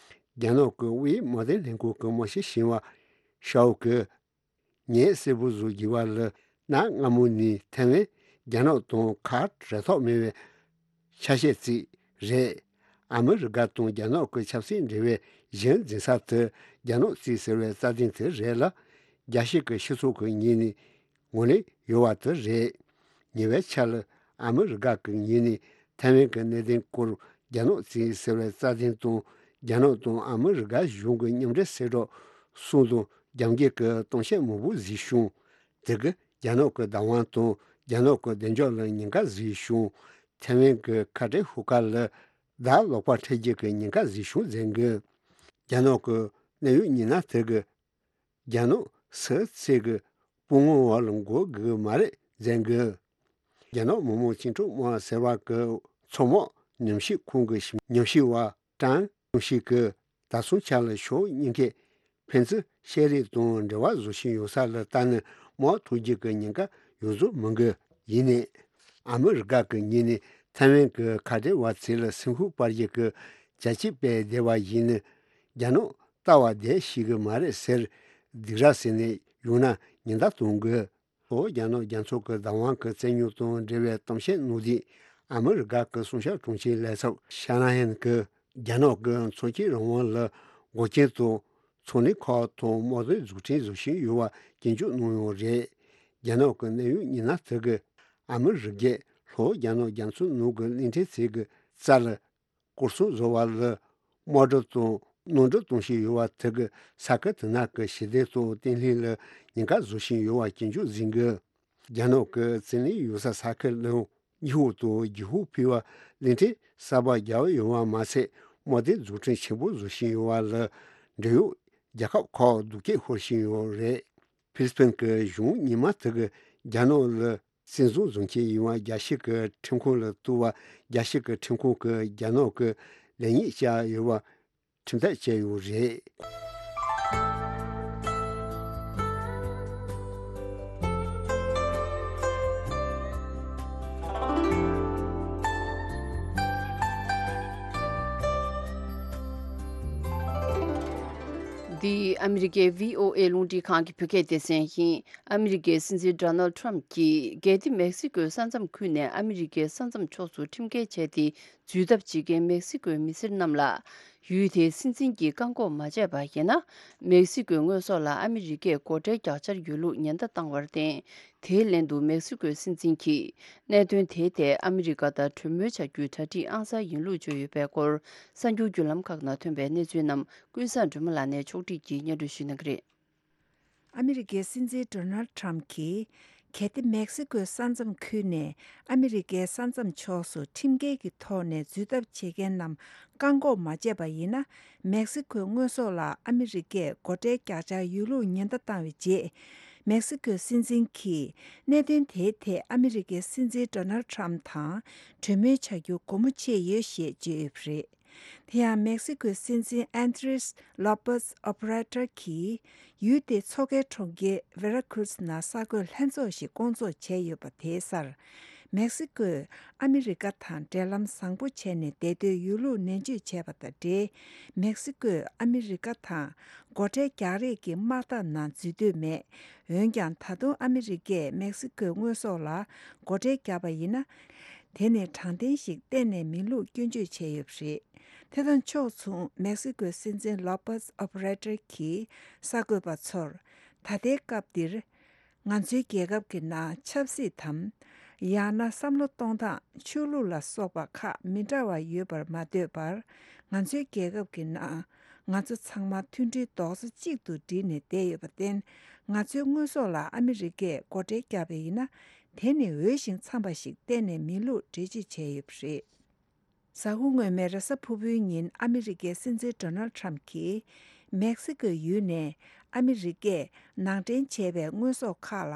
རྒྱ་ནག་གི་དབུས་དམག་དོན་ལྷན་ཁང་གི་དམག་སྤྱི་ཞིག་པ་ཤའོ་གིས། ངས་གསལ་པོ་བཟོ་དགོས་པ་ལ་གནའ་སྔ་མོ་ནས་ཐའེ་ཝན་རྒྱ་ནག་དང་ཁ་བྲལ་ཐབས་མེད་པའི་ཆ་ཤས་ཅིག་རེད། ཨ་མི་རི་ཀ་དང་རྒྱ་ནག་གི་ཆབ་སྲིད་འབྲེལ་བའི་གཞི་འཛིན་ས་དེ་རྒྱ་ནག་གཙོས་ཟེར་བའི་རྩ་དོན་དེ་རེད་ལ། རྒྱལ་སྤྱི་གི་སྤྱི་ཚོགས་ཀྱི་ངོས་ནས་ངོས་ལེན་ཡོད་པ་དེ་རེད། ཉེ་བའི་ཆར་ལ་ཨ་མི་རི་ཀ་གི་ངོས་ནས་ཐའེ་ཝན་གྱི་གནད་དོན་སྐོར་རྒྱ་ནག་གཙོས་ཟེར་བའི་རྩ་དོན་དང་། རྒྱ་ནག་དང་ཨ་མི་རི་ཀ་གཞུང་གི་མཉམ་འབྲེལ་གསལ་བསྒྲགས་གསུམ་དང་རྒྱབ་འགལ་གྱི་གཏམ་བཤད་མང་པོ་བཟོས་བྱུང་། དེ་གིས་རྒྱ་ནག་གི་བདག་དབང་དང་རྒྱ་ནག་གི་བདེ་འཇགས་ལ་ཉེན་ཁ་བཟོས་བྱུང་། ཐའེ་ཝན་གྱི་ཁ་བྲལ་ཤོག་ཁ་ལ་བདག་ལོག་པ་འཕྲད་རྒྱུ་གི་ཉེན་ཁ་བཟོས་བྱུང་ཟེར་གི། རྒྱ་ནག་གི་གནད་ཡོད་མི་སྣ་དེ་གིས། རྒྱ་ནག་སུ་གཅིག་གི་དཔུང་དམག་འོག་ལ་འགོ་དགོས་ཀྱི་མ་རེད་ མཛད་འགོ། རྒྱ་ནག་མི་དམངས་བཅིངས་འགྲོལ་དམག་ཟེར་བ་གི་ཚོགས་མང་ཉམས་ཞིབ་ཁང་གི་ཉམས་ཞིབ་པ་ཀྲང་ཀྲུང་ཞི་གིས་ད་སོང་ཆ་ལ་ཕྱོགས་གཉིས་ཀས་ཕན་ཚུན་བཤད་རེས་དང་འབྲེལ་བ་བཟོ་བཞིན་ཡོད་ས་ལ་ལྟ་ན་དམག་འཐུ་རྒྱུ་གི་ཉེན་ཁ་ཡོད་བཟོ་མི་འགོ། ཡིན་ནའི་ཨ་མི་རི་ཀ་གི་ངོས་ནས་ཐའེ་ཝན་གི་ཁ་བྲལ་བ་ཚོ་ལ་སེམས་ཤུགས་སྤར་རྒྱུ་གི་བྱ་སྤྱོད་སྤེལ་བསྡད་པ་ཡིན་ན་རྒྱ་ནག་ལྟ་བ་བསྡད་ཤེས་གི་མ་རེད་ཟེར། སྡིགས་ར་ཟེར་ནས་ཡོང་ན་ཉེན་བརྡ་གཏོང་དགོས། ལྷོ་རྒྱ་ནག་རྒྱ་མཚོ་གི་བདག་དབང་གི་བཙན་ཉོ་དང་འབྲེལ་བའི་གཏམ་བཤད་གནང་དུས་ཨ་མི་རི་ཀ་གི་གསུང་བཤད་དྲུང་ཆེ་ལས་ཚབ་ཤ་ན་ཧན་གྱིས་རྒྱ་ནག་གི་མཚོན་ཆའི་རང་དབང་ལ་འགོག་རྐྱེན་དང་ཚོང་ལས་ཁག་དང་དམག་དོན་རྫུ་འཕྲུལ་བཟོ་བཞིན་ཡོད་པ་སྐྱོན་བརྗོད་གནང་ཡོད་རེད། རྒྱ་ནག་གི་གནད་ཡོད་ཉི་ན་དེ་གི་ཨ་མི་རི་ཀས་ལྷོ་རྒྱ་ནག་རྒྱ་མཚོ་ནང་གི་གླིང་ཕྲན་ཚོ་གི་རྩ་ལ་སྐོར་སྲུང་བཟོ་བ་ལ་དམག་སྒྲུབ་དང་གནམ་གྲུ་གཏོང་བཞིན་ཡོད་པ་དེ་གིས་ས་ཁུལ་དེ་ནང་གི་ཞི་བདེ་དང་བརྟན་ལྷིང་ལ་ཉེན་ཁ་བཟོ་བཞིན་ཡོད་པ་སྐྱོན་བརྗོད་གཟིགས་འགོ། རྒྱ་ནག་གི་བཙན་གནོན་ཡོད་ས་ས་ཁུལ་ལ་ཉི་ཧོང་དང་ཇི་ཧོང་ཕུད་པའི་གླིང་ཕྲན་གསར་པ་རྒྱག་ཡོད་པ་མ་ཟད་དམག་དོན་རྫུ་འཕྲུལ་ཆེན་པོ་བཟོ་བཞིན་ཡོད་པ་ལ་འབྲེལ་ཡོད་རྒྱལ་ཁབ་ཁག་སྡུག་སྐད་ཤོར་བཞིན་ཡོད་རེད། ཧྥི་ལི་པིན་གྱི་གཞུང་ཉི་མ་དེ་གིས་རྒྱ་ནག་ལ་བཙན་བཟུང་བཟུང་མཁན་ཡིན་པ་རྒྱལ་སྤྱི་གི་ཁྲིམས་ཁང་ལ་གཏུག་པ། རྒྱལ་སྤྱི་གི་ཁྲིམས་ཁང་གིས་རྒྱ་ནག་གི་ལེགས་ཉེས་བཅར་ཡོད་པ་ཁྲིམས་ཐག་བཅད་ཡོད་རེད། འདི་ཨ་མི་རི་ཀའི་བྷི་ཨོ་ཨེ་རླུང་འཕྲིན་ཁང་གི་བོད་སྐད་སྡེ་ཚན་ཡིན། ཨ་མི་རི་ཀའི་སྲིད་འཛིན་ཌོ་ནལ་ཊམ་གྱིས་གལ་ཏེ་མེག་སི་ཀོའི་ས་མཚམས་ཁུལ་ནས་ཨ་མི་རི་ཀའི་ས་མཚམས་ཕྱོགས་སུ་ཁྲིམས་འགལ་བྱས་ཏེ་འཛུལ་ཐབས་བྱེད་མཁན་མེག་སི་ཀོའི་མི་སེར་རྣམས་ལ། ཡུལ་དེའི་སྲིད་འཛིན་གྱིས་བཀག་འགོག་མ་བྱས་པ་ཡིན་ན། མེག་སི་ཀོའི་དངོས་ཟོག་ལ་ཨ་མི་རི་ཀས་སྒོ་ཁྲལ་རྒྱག་འཆར་ཡོད་ལུགས་ཉེན་བརྡ་བཏང་བར་བརྟེན། དེའི་ལན་དུ་མེག་སི་ཀོའི་སྲིད་འཛིན་གྱིས་གནད་དོན་དེའི་ཐད་ཨ་མི་རི་ཀ་དང་གྲོས་མོལ་བྱ་རྒྱུའི་གྲ་སྒྲིག་ཨང་གསར་ཡིན་ལུགས་བརྗོད་ཡོད་པའི་སྐོར། གསར་འགྱུར་བརྒྱུད་ལམ་ཁག་ནང་ཐོན་པའི་གནས་ཚུལ་རྣམས་ཀུན་བཟང་སྒྲོལ་མ་ལགས་ནས་ཕྱོགས་སྒྲིག་གིས་སྙན་སྒྲོན་ཞུ་གནང་གི་རེད། ཨ་མི་རི་ཀའི་སྲིད་འཛིན་ཌོ་ནལ་ཊམ་གྱིས། གལ་ཏེ་མེག་སི་ཀོའི་ས་མཚམས་ཁུལ་ནས་ཨ་མི་རི་ཀའི་ས་མཚམས་ཕྱོགས་སུ་ཁྲིམས་འགལ་གྱི་ཐོག་ནས་འཛུལ་ཐབས་བྱེད་མཁན་རྣམས་བཀག་འགོག་མ་བྱས་པ་ཡིན་ན། མེག་སི་ཀོའི་དངོས་ཟོག་ལ་ཨ་མི་རི་ཀས་སྒོ་ཁྲལ་རྒྱག་འཆར་ཡོད་ལུགས་ཉེན་བརྡ་བཏང་བའི་རྗེས། མེག་སི་ཀོའི་སྲིད་འཛིན་གྱིས་གནད་དོན་དེའི་ཐད་ཨ་མི་རི་ཀའི་སྲིད་འཛིན་ཌོ་ནལ་ཊམ་དང་གྲོས་མོལ་བྱ་རྒྱུ་སྒོ་མོ་ཕྱེ་ཡོད་ཞེས་བརྗོད་ཡོད་པ་རེད། དེ་ཡང་མེག་སི་ཀོའི་སྲིད་འཛིན་ཨན་དྲེས་ལོ་པེས་ཨོ་བྷ་ར་ཏར་གྱིས་ཡུལ་དེའི་མཚོ་ཁའི་གྲོང་ཁྱེར་ཝེ་ར་ཁུ་རུས་ནང་གསར་འགོད་ལྷན་ཚོགས་ཤིག་བསྐོང་ཚོགས་བྱས་ཡོད་པ་དེའི་སར། མེག་སི་ཀོས་ཨ་མི་རི་ཀ་དང་འབྲེལ་ལམ་བཟང་པོ་བྱས་ནས་བསྡད་འདོད་ཡོད་ལུགས་ནན་བརྗོད་བྱས་པ་དང་འབྲེལ། མེག་སི་ཀོས་ཨ་མི་རི་ཀ་དང་སྒོ་ཁྲལ་རྒྱག་རེས་ཀྱི་དམག་འཐབ་ནང་འཛུལ་འདོད་མེད། འོན་ཀྱང་ད་དུང་ཨ་མི་རི་ཀས་མེག་སི་ཀོའི་དངོས་ཟོག་ལ་སྒོ་ཁྲལ་བརྒྱབ་པ་ཡིན་ན། དེ་ནི་དྲང་བདེན་ཞིག་གཏན་ནས་མིན་ལུགས་སྐྱོན་བརྗོད་བྱས་ཡོད་པ་རེད། དེ་དང་ཕྱོགས་མཚུངས་མེག་སི་ཀོའི་སྲིད་འཛིན་ལོ་པེས་ཨོ་བྷ་ར་ཏར་གྱིས་གསར་འགོད་པ་ཚོར། ད་ལྟའི་སྐབས་འདིར། ང་ཚོའི་རྒྱལ་ཁབ་ཀྱི་ནང་ཆབ་སྲིད་དམ། ཡང་ན་བསམ་བློ་གཏོང་སྟངས། ཆོས་ལུགས་ལ་སོགས་པ་ཁག་མི་འདྲ་བ་ཡོད་པར་མ་ལྟོས་པར། ང་ཚོའི་རྒྱལ་ཁབ་ཀྱི་ནང་ང་ཚོ་ཚང་མ་མཐུན་སྒྲིལ་རྡོག་རྩ་གཅིག་ཏུ་བསྒྲིལ་ནས་བསྡད་ཡོད་པར་བརྟེན། ང་ཚོའི་དངོས་ཟོག་ལ་ཨ་མི་རི་ཀས་སྒོ་ཁྲལ་བརྒྱབ་པ་ཡིན་ན། དེ་ནི་འོས་ཤིང་འཚམས་པ་ཞིག་གཏན་ནས་མིན་ལུགས་འགྲེལ་བརྗོད་བྱས་ཡོད་པ་རེད། གཟའ་འཁོར་སྔོན་མའི་རེས་གཟའ་ཕུར་བུའི་ཉིན་ཨ་མི་རི་ཀའི་སྲིད་འཛིན་ཌོ་ནལ་ཁྲམ་གྱིས། མེག་སི་ཀོའི་ཡུལ་ནས་ཨ་མི་རི་ཀས་ནང་འདྲེན་བྱས་པའི་དངོས་ཟོག་ཁག་ལ་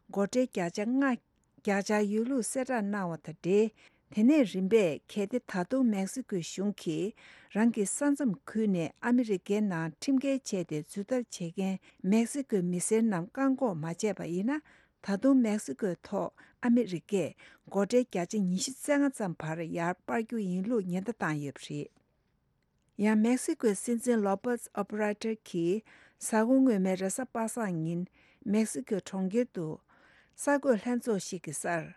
སྒོ་ཁྲལ་བརྒྱ་ཆ་ལྔ་རྒྱག་འཆར་ཡོད་ལུགས་གསལ་བསྒྲགས་གནང་བ་དང་འབྲེལ། དེ་ནས་རིམ་པས་གལ་ཏེ་ད་དུང་མེག་སི་ཀོའི་གཞུང་གིས་རང་གི་ས་མཚམས་ཁུལ་ནས་ཨ་མི་རི་ཀའི་ནང་ཁྲིམས་འགལ་བྱས་ཏེ་འཛུལ་ཐབས་བྱེད་མཁན་མེག་སི་ཀོའི་མི་སེར་རྣམས་བཀག་འགོག་མ་བྱས་པ་ཡིན་ན། ད་དུང་མེག་སི་ཀོའི་ཐོག་ཨ་མི་རི་ཀས་སྒོ་ཁྲལ་བརྒྱ་ཆ་ཉི་ཤུ་རྩ་ལྔ་ཙམ་བར་ཡར་སྤར་རྒྱུ་ཡིན་ལུགས་ཉེན་བརྡ་བཏང་ཡོད་པ་རེད། ཡང་མེག་སི་ཀོའི་སྲིད་འཛིན་ལོ་པེས་ཨོ་བྷ་ར་ཏར་གྱིས་གཟའ་འཁོར་སྔོན་མའི་རེས་གཟའ་པ་སངས་ཉིན་མེག་སི་ཀོའི་གྲོང་ཁྱེར་དུ་གསར་འགོད་ལྷན་ཚོགས་ཤིག་གི་སར།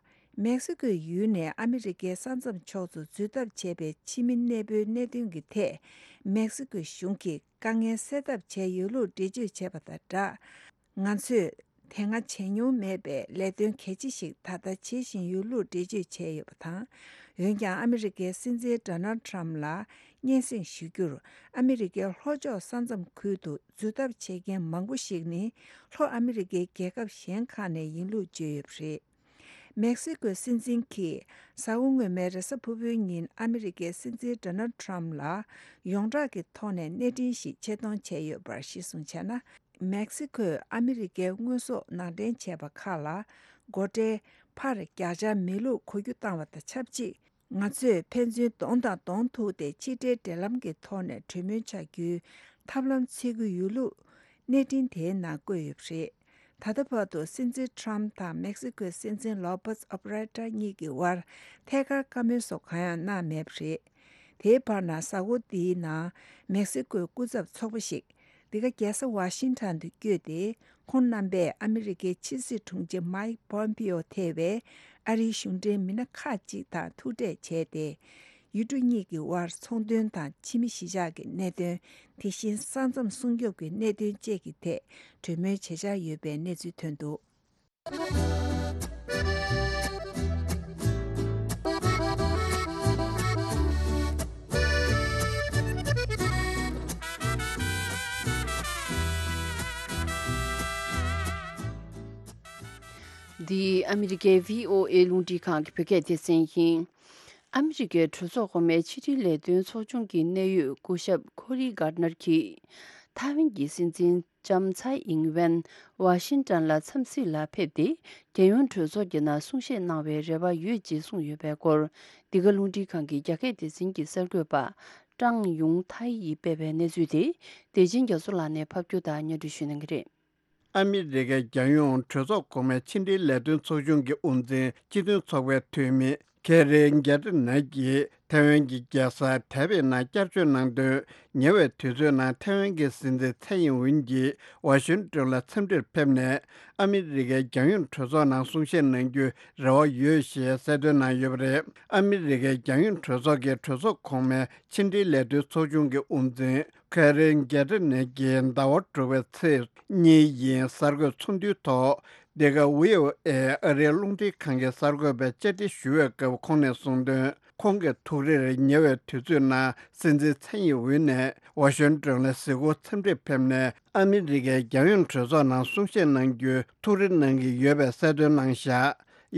མེག་སི་ཀོའི་ཡུལ་ནས་ཨ་མི་རི་ཀའི་ས་མཚམས་ཕྱོགས་སུ་འཛུལ་ཐབས་བྱས་པའི་ཕྱི་མི་གནས་སྤོའི་གནད་དོན་གྱི་ཐད། མེག་སི་ཀོའི་གཞུང་གིས་དཀའ་ངལ་སེལ་ཐབས་བྱས་ཡོད་ལུགས་འགྲེལ་བརྗོད་བྱས་པ་དང་སྦྲགས། ང་ཚོས་དེ་སྔ་བྱས་མྱོང་མེད་པའི་ལས་དོན་གལ་ཆེ་ཞིག་ད་ལྟ་བྱེད་བཞིན་ཡོད་ལུགས་འགྲེལ་བརྗོད་བྱས་ཡོད་པ་དང་། འོན་ཀྱང་ཨ་མི་རི་ཀའི་སྲིད་འཛིན་ཌོ་ནལ་ཁྲམ་ལ་སྙན་སེང་ཞུ་རྒྱུར། ཨ་མི་རི་ཀའི་ལྷོ་ཕྱོགས་ས་མཚམས་ཁུལ་དུ་འཛུལ་ཐབས་བྱེད་མཁན་མང་པོ་ཞིག་ནི་ལྷོ་ཨ་མི་རི་ཀའི་རྒྱལ་ཁབ་གཞན་ཁག་ནས་ཡིན་ལུགས་བརྗོད་ཡོད་པ་རེད། མེག་སི་ཀོའི་སྲིད་འཛིན་གྱིས་གཟའ་འཁོར་སྔོན་མའི་རེས་གཟའ་ཕུར་བུའི་ཉིན་ཨ་མི་རི་ཀའི་སྲིད་འཛིན་ཌོ་ནལ་ཁྲམ་ལ་ཡོངས་གྲགས་ཀྱི་ཐོག་ནས་གནས་འཕྲིན་ཞིག་ཆེད་གཏོང་བྱས་ཡོད་པར་གཞི་བཟུང་བྱས་ན། མེག་སི་ཀོས་ཨ་མི་རི་ཀའི་དངོས་ཟོག་ནང་འདྲེན་བྱས་པ་ཁག་ལ་ སྒོ་ཁྲལ་ཕར་རྒྱག་འཆར་མེད་ལུགས་གོ་རྒྱུ་བཏང་བ་དང་ཆབས་ཅིག་ང་ཚོས་ཕན་ཚུན་གདོང་དང་གདོང་ཐུག་སྟེ་ཕྱི་འབྲེལ་འབྲེལ་ལམ་གྱི་ཐོག་ནས་གྲོས་མོལ་བྱ་རྒྱུའི་ཐབས་ལམ་འཚོལ་གྱི་ཡོད་ལུགས་གནས་འཕྲིན་དེའི་ནང་བཀོད་ཡོད་པ་རེད། ད་ལྟ་བར་དུ་སྲིད་འཛིན་ཊམ་དང་མེག་སི་ཀོའི་སྲིད་འཛིན་ལོ་པེས་ཨོབ་ར་ཏྲ་གཉིས་ཀྱི་དབར་ཐད་ཀར་བཀའ་མོལ་སོགས་གང་ཡང་གནང་མེད་པ་རེད། དེའི་བར་ན་གཟའ་འཁོར་འདིའི་ནང་མེག་སི་ཀོའི་སྐུ་ཚབ་ཚོགས་པ་ཞིག་འདི་ག་རྒྱལ་ས་ཝ་ཤིང་ཊོན་དུ་བསྐྱོད་དེ། ཁོང་རྣམ་པས་ཨ་མི་རི་ཀའི་ཕྱི་སྲིད་དྲུང་ཆེ་མའིག་པོམ་པིའོ་ཐེ་བའི་ཨ་རིའི་གཞུང་འབྲེལ་མི་སྣ་ཁག་ཅིག་དང་ཐུག་འཕྲད་བྱས་ཏེ། ཡུལ་གྲུ་གཉིས་ཀྱི་དབར་ཚོང་དོན་དང་ཕྱི་མི་གཞིས་ཆགས་ཀྱི་གནད་དོན། དེ་བཞིན་ས་མཚམས་སྲུང་སྐྱོབ་ཀྱི་གནད་དོན་བཅས་ཀྱི་ཐད་གྲོས་མོལ་བྱེད་འཆར་ཡོད་པའི་གནས་ཚུལ་ཐོན་འདུག་འདི་ཨ་མི་རི་ཀའི་བྷི་ཨོ་ཨེ་རླུང་འཕྲིན་ཁང་གི་བོད་སྐད་སྡེ་ཚན་ཡིན། ཨ་མི་རི་ཀའི་གྲོས་ཚོགས་གོང་མའི་ཕྱི་དྲིལ་ལས་དོན་ཚོགས་ཆུང་གི་གནད་ཡོད་སྐུ་ཞབས་ཁོ་རི་གྷར་ནར་གྱིས། ཐའེ་ཝན་གྱི་སྲིད་འཛིན་ལྕམ་ཚའེ་ཨིང་ཝེན་ཝ་ཤིང་ཏོན་ལ་འཚམས་གཟིགས་ལ་ཕེབས་ཏེ། རྒྱལ་ཡོངས་གྲོས་ཚོགས་ཀྱི་ནང་གསུང་བཤད་གནང་བའི་རེ་བ་ཡོད་ཅེས་གསུངས་ཡོད་པའི་སྐོར། འདི་ག་རླུང་འཕྲིན་ཁང་གི་རྒྱ་སྐད་སྡེ་ཚན་གྱི་གསར་འགོད་པ་ཀྲང་ཡུང་ཐའེ་ཡིས་སྤེལ་བའི་གནས་ཚུལ་དེ། བདེ་ཆེན་རྒྱ་མཚོ་ལགས་ནས་ཕབ་སྒྱུར་དང་སྙན་སྒྲོན་ཞུ་གནང་གི་རེད། ཨ་མི་རི་ཀའི་རྒྱལ་ཡོངས་གྲོས་ཚོགས་གོང་མའི་ཕྱི་འབྲེལ་ལས་དོན་ཚོགས་ཆུང་གི་དབུ་འཛིན་སྤྱི་མཐུན་ཚོགས་པའི་འཐུས་མི་ཁེ་རི་གེ་ཏི་ནེ་གིས་ཐའེ་ཝན་གྱི་རྒྱལ་ས་དའེ་པེ་ནང་བསྐྱར་བཅོས་གནང་དོན། ཉེ་བའི་དུས་ཚོད་ནང་ཐའེ་ཝན་གྱི་སྲིད་འཛིན་ཚའེ་ཡིན་ཝུན་གྱིས་ཝ་ཤིང་ཏོན་ལ་འཚམས་འདྲིར་ཕེབས་ནས། ཨ་མི་རི་ཀའི་རྒྱལ་ཡོངས་གྲོས་ཚོགས་ནང་གསུང་བཤད་གནང་རྒྱུའི་རེ་བ་ཡོད་ཞེས་གསལ་སྟོན་གནང་ཡོད་པ་རེད། ཨ་མི་རི་ཀའི་རྒྱལ་ཡོངས་གྲོས་ཚོགས་ཀྱི་གྲོས་ཚོགས་གོང་མའི་ཕྱི་འབྲེལ་ལས་དོན་ཚོགས་ཆུང་གི་དབུ་འཛིན་ཁེ་རིན་གེ་ཏི་ནེ་གིས་ཟླ་བ་དྲུག་པའི་ཚེས་གཉིས་ཡིན་གསར་འགོད་ཚོགས་འདུའི་ཐོག་འདི་ག་ཝི་ཨོ་ཨེ་ཨ་རིའི་རླུང་འཕྲིན་ཁང་གི་གསར་འགོད་པས་བཅར་འདྲི་ཞུ་བའི་སྐབས་ཁོང་ནས་གསུངས་དོན། ཁོང་གི་ཐུགས་རེར་ཉེ་བའི་དུས་ཚོད་ནང་སྲིད་འཛིན་ཚའེ་ཡིན་ཝུན་ནས་ཝ་ཤིང་ཏོན་ལ་གཟིགས་སྐོར་འཚམས་འདྲིར་ཕེབས་ནས་ཨ་མི་རི་ཀའི་རྒྱལ་ཡོངས་གྲོས་ཚོགས་ནང་གསུང་བཤད་གནང་རྒྱུའི་ཐུགས་རེ་གནང་གི་ཡོད་པའི་གསལ་སྟོན་གནང་བཞག་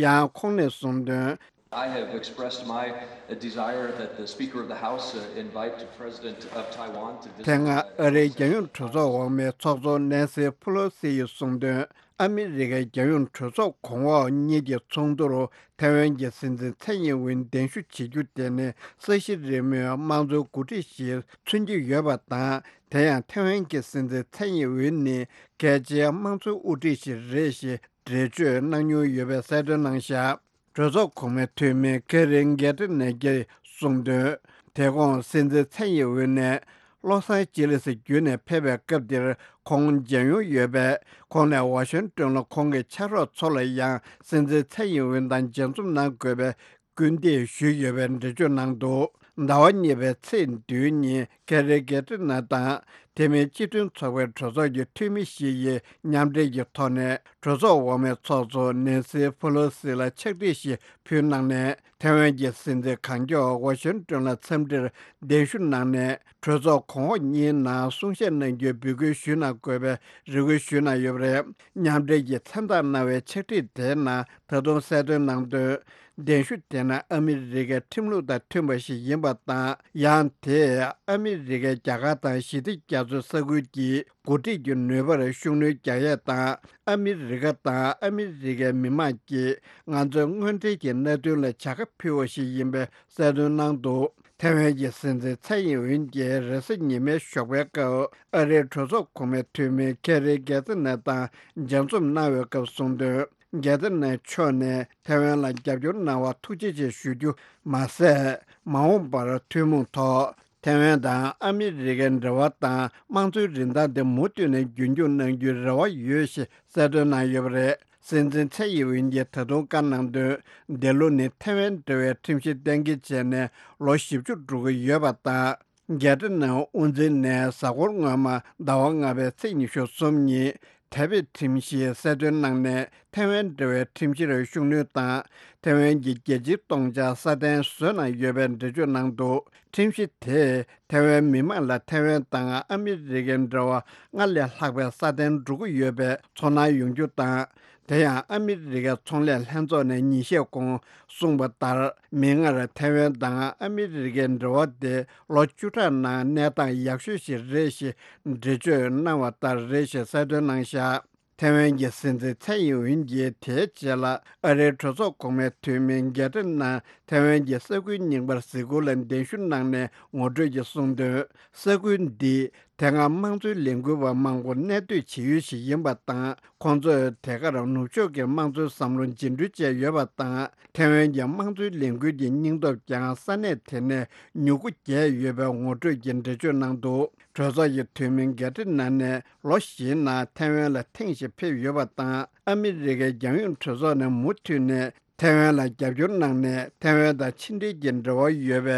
ཡང་ཁོང་ནས་གསུངས་དོན། I have expressed my desire that the Speaker of the House uh, invite the President of Taiwan to visit. དེ་སྔ་ཨ་རིའི་རྒྱལ་ཡོངས་གྲོས་ཚོགས་འོག་མའི་ཚོགས་གཙོ་ནན་སི་ཕུ་ལོ་སི་ཡིས་གསུངས་དོན། ཨ་མི་རི་ཀའི་རྒྱལ་ཡོངས་གྲོས་ཚོགས་གོང་འོག་གཉིས་ཀྱི་ཚོགས་འདུར་ཐའེ་ཝན་གྱི་སྲིད་འཛིན་ཚའེ་ཡིན་ཝུན་གདན་ཞུ་བྱེད་རྒྱུ་དེ་ནི་ས་གཞི་རིལ་མོའི་དམངས་གཙོའི་འགོ་ཁྲིད་ཞིག་མཚོན་གྱི་ཡོད་པ་དང་། དེ་ཡང་ཐའེ་ཝན་གྱི་སྲིད་འཛིན་ཚའེ་ཡིན་ཝུན་ནི་གལ་ཆེའི་དམངས་གཙོའི་དབུ་ཁྲིད་ཞིག་རེད་ཞེས་འགྲེལ་བརྗོད་གནང་མྱོང་ཡོད་པའི་གསལ་སྟོན་གནང་བཞག་གྲོས་ཚོགས་གོང་མའི་འཐུས་མི་ཁེ་རིན་གེ་ཏི་ནེ་གིས་གསུངས་དོན། དེ་གོང་སྲིད་འཛིན་ཚའེ་ཡིན་ཝུན་ནས་ལོ་སང་ཅི་ལི་སི་བརྒྱུད་ནས་ཕེབས་པའི་སྐབས་འདིར་ཁོང་མཇལ་མྱོང་ཡོད་པས། ཁོང་ནས་ཝ་ཤིང་ཏོན་ལ་ཁོང་གི་ཕྱག་རོགས་ཚོ་ལ་ཡང་སྲིད་འཛིན་ཚའེ་ཡིན་ཝུན་དང་མཇལ་འཛོམས་གནང་དགོས་པའི་སྐུལ་འདེད་ཞུས་ཡོད་པའི་འགྲེལ་བརྗོད་གནང་འདུག་ཟླ་བ་གཉིས་པའི་ཚེས་བདུན་ཉིན་ཁེ་རི་གེ་ཏི་ནེ་དང་དེ་མིན་སྤྱི་མཐུན་ཚོགས་པའི་གྲོས་ཚོགས་ཀྱི་འཐུས་མི་ཞིག་ཡིས་མཉམ་འབྲེལ་གྱི་ཐོག་ནས་གྲོས་ཚོགས་འོག་མའི་ཚོགས་གཙོ་ནེན་སི་ཕུ་ལོ་སི་ལ་ཕྱག་བྲིས་ཤིག་ཕུལ་གནང་ནས། ཐའེ་ཝན་གྱི་སྲིད་འཛིན་གང་མགྱོགས་ཝ་ཤིང་ཏོན་ལ་འཚམས་འདྲིར་གདན་ཞུ་གནང་ནས། གྲོས་ཚོགས་གོང་འོག་གཉིས་ནང་གསུང་བཤད་གནང་རྒྱུའི་འབོད་སྐུལ་ཞུས་གནང་དགོས་པའི་རེ་སྐུལ་ཞུས་གནང་ཡོད་པ་རེད། མཉམ་འབྲེལ་གྱིས་མཚན་རྟགས་གནང་བའི་ཕྱག་བྲིས་དེའི་ནང་ད་དུང་གསལ་སྟོན་གནང་དོན། གདན་ཞུ་དེ་ནི་ཨ་མི་རི་ཀའི་ཁྲིམས་ལུགས་དང་མཐུན་པ་ཞིག་ཡིན་པ་དང་། ཡང་དེས་ཨ་མི་རི་ཀའི་རྒྱ་གར་དང་ཞི་བདེ་རྒྱ་མཚོའི་ས་ཁུལ་གྱི་འགོ་ཁྲིད་ཀྱི་ནུས་པར་ཤུགས་སྣོན་རྒྱག་ཡས་དང་། ཨ་མི་རི་ཀ་དང་ཨ་མི་རི་ཀའི་མི་དམངས་ཀྱིས་ང་ཚོའི་དངོས་འབྲེལ་གྱི་གནད་དོན་ལ་བྱ་དགའ་ཕུལ་བ་ཞིག་ཡིན་པའི་གསལ་སྟོན་གནང་འདུག་ཐའེ་ཝན་གྱི་སྲིད་འཛིན་ཚའེ་ཡིན་ཝུན་གྱིས་རེས་གཟའ་ཉི་མའི་ཞོགས་པའི་སྐབས་ཨ་རིའི་གྲོས་ཚོགས་གོང་མའི་འཐུས་མི་ཁེ་རི་གེ་ཏི་ནེ་དང་མཇལ་འཛོམས་གནང་བའི་སྐབས་གསུངས་དོན། གེ་ཏི་ནེ་མཆོག་ནས་ཐའེ་ཝན་ལ་རྒྱབ་སྐྱོར་གནང་བར་ཐུགས་རྗེ་ཆེ་ཞུ་རྒྱུ་མ་ཟད། མ་འོངས་པར་ཐུན་མོང་ཐོག་ཐའེ་ཝན་དང་ཨ་མི་རི་ཀའི་འབྲེལ་བ་དང་དམངས་གཙོའི་རིན་ཐང་དེ་མུ་མཐུད་ནས་རྒྱུན་འཁྱོངས་གནང་རྒྱུའི་རེ་བ་ཡོད་ཞེས་གསལ་སྟོན་གནང་ཡོད་པ་རེད། སྲིད་འཛིན་ཚའེ་ཡིན་ཝུན་གྱིས་ད་དུང་བཀའ་གནང་དོན། འདི་ལོ་ནི་ཐའེ་ཝན་འབྲེལ་བའི་ཁྲིམས་གཞི་གཏན་འཁེལ་བྱས་ནས་ལོ་བཞི་བཅུ་འགྲོ་གི་ཡོད་པ་དང་། གེ་ཏི་ནེ་དབུ་འཛིན་ནས་གཟའ་འཁོར་སྔོན་མ་ཟླ་བ་ལྔ་པའི་ཚེས་ཉི་ཤུ་གསུམ་ཉིན་ཐའེ་པེ་ཁྲིམས་གཞིའི་གསལ་སྟོན་གནང་ནས། ཐའེ་ཝན་འབྲེལ་བའི་ཁྲིམས་གཞིར་ཤུགས་སྣོན་དང་། ཐའེ་ཝན་གྱི་རྒྱལ་སྤྱིའི་སྟོང་ཆ་སྲ་བརྟན་བཟོས་གནང་ཡོད་པའི་འགྲེལ་བརྗོད་གནང་འདུག་ཁྲིམས་གཞི་དེས་ཐའེ་ཝན་མི་དམངས་ལ་ཐའེ་ཝན་དང་ཨ་མི་རི་ཀའི་འབྲེལ་བ་སྔར་ལས་ལྷག་པའི་སྲ་བརྟན་འགྲོ་གི་ཡོད་པའི་ཚོར་སྣང་ཡོང་རྒྱུ་དང་། དེ་ཡང་ཨ་མི་རི་ཀའི་ཚོང་ལས་ལྷན་ཚོགས་ནས་ཉིན་ཤས་གོང་གསུངས་པ་ལྟར། མིག་སྔར་ཐའེ་ཝན་དང་ཨ་མི་རི་ཀའི་འབྲེལ་བ་དེ་ལོ་བཅུ་ཕྲག་ནང་གནས་སྟངས་ཡག་ཤོས་ཤིག་རེད་ཞེས་འགྲེལ་བརྗོད་གནང་བ་ལྟར་རེད་ཞེས་གསལ་སྟོན་གནང་བཞག་ཐའེ་ཝན་གྱི་སྲིད་འཛིན་ཚའེ་ཡིན་ཝིན་གྱིས་དེའི་རྗེས་ལ་ཨ་རིའི་གྲོས་ཚོགས་གོང་མའི་འཐུས་མི་གེ་ཏི་ནང་ཐའེ་ཝན་གྱི་ས་ཁུལ་རྙིང་པར་གཟིགས་སྐོར་ལ་གདན་ཞུ་གནང་ནས་ངོ་སྤྲོད་ཀྱིས་གསུངས་དོན། ས་ཁུལ་འདི་དེ་སྔ་དམངས་གཙོའི་ལས་འགུལ་བ་མང་པོ་གནས་སྡོད་བྱེད་ཡུལ་ཞིག་ཡིན་པ་དང་། ཁོང་ཚོས་དེ་གར་ནུབ་ཕྱོགས་ཀྱི་དམངས་གཙོའི་བསམ་བློ་འཇིགས་སྐྲོལ་བྱས་ཡོད་པ་དང་། ཐའེ་ཝན་གྱི་དམངས་གཙོའི་ལས་འགུལ་གྱི་སྙིང་སྟོབས་ཀྱང་ས་གནས་དེ་ནས་མྱུ་གུ་རྒྱས་ཡོད་པའི་ངོ་སྤྲོད་ཀྱི་འགྲེལ་བརྗོད་གནང་འདུག་གྲོས་ཚོགས་ཀྱི་འཐུས་མི་གེ་ཏི་ནན་ནས་ལོ་བཞིའི་ནང་ཐའེ་ཝན་ལ་ཐེངས་ཤིག་ཕེབས་ཡོད་པ་དང་། ཨ་མི་རི་ཀའི་རྒྱལ་ཡོངས་གྲོས་ཚོགས་ནས་མུ་མཐུད་ནས་ཐའེ་ཝན་ལ་རྒྱབ་སྐྱོར་གནང་ནས། ཐའེ་ཝན་དང་ཕྱི་འབྲེལ་གྱི་འབྲེལ་བ་ཡོད་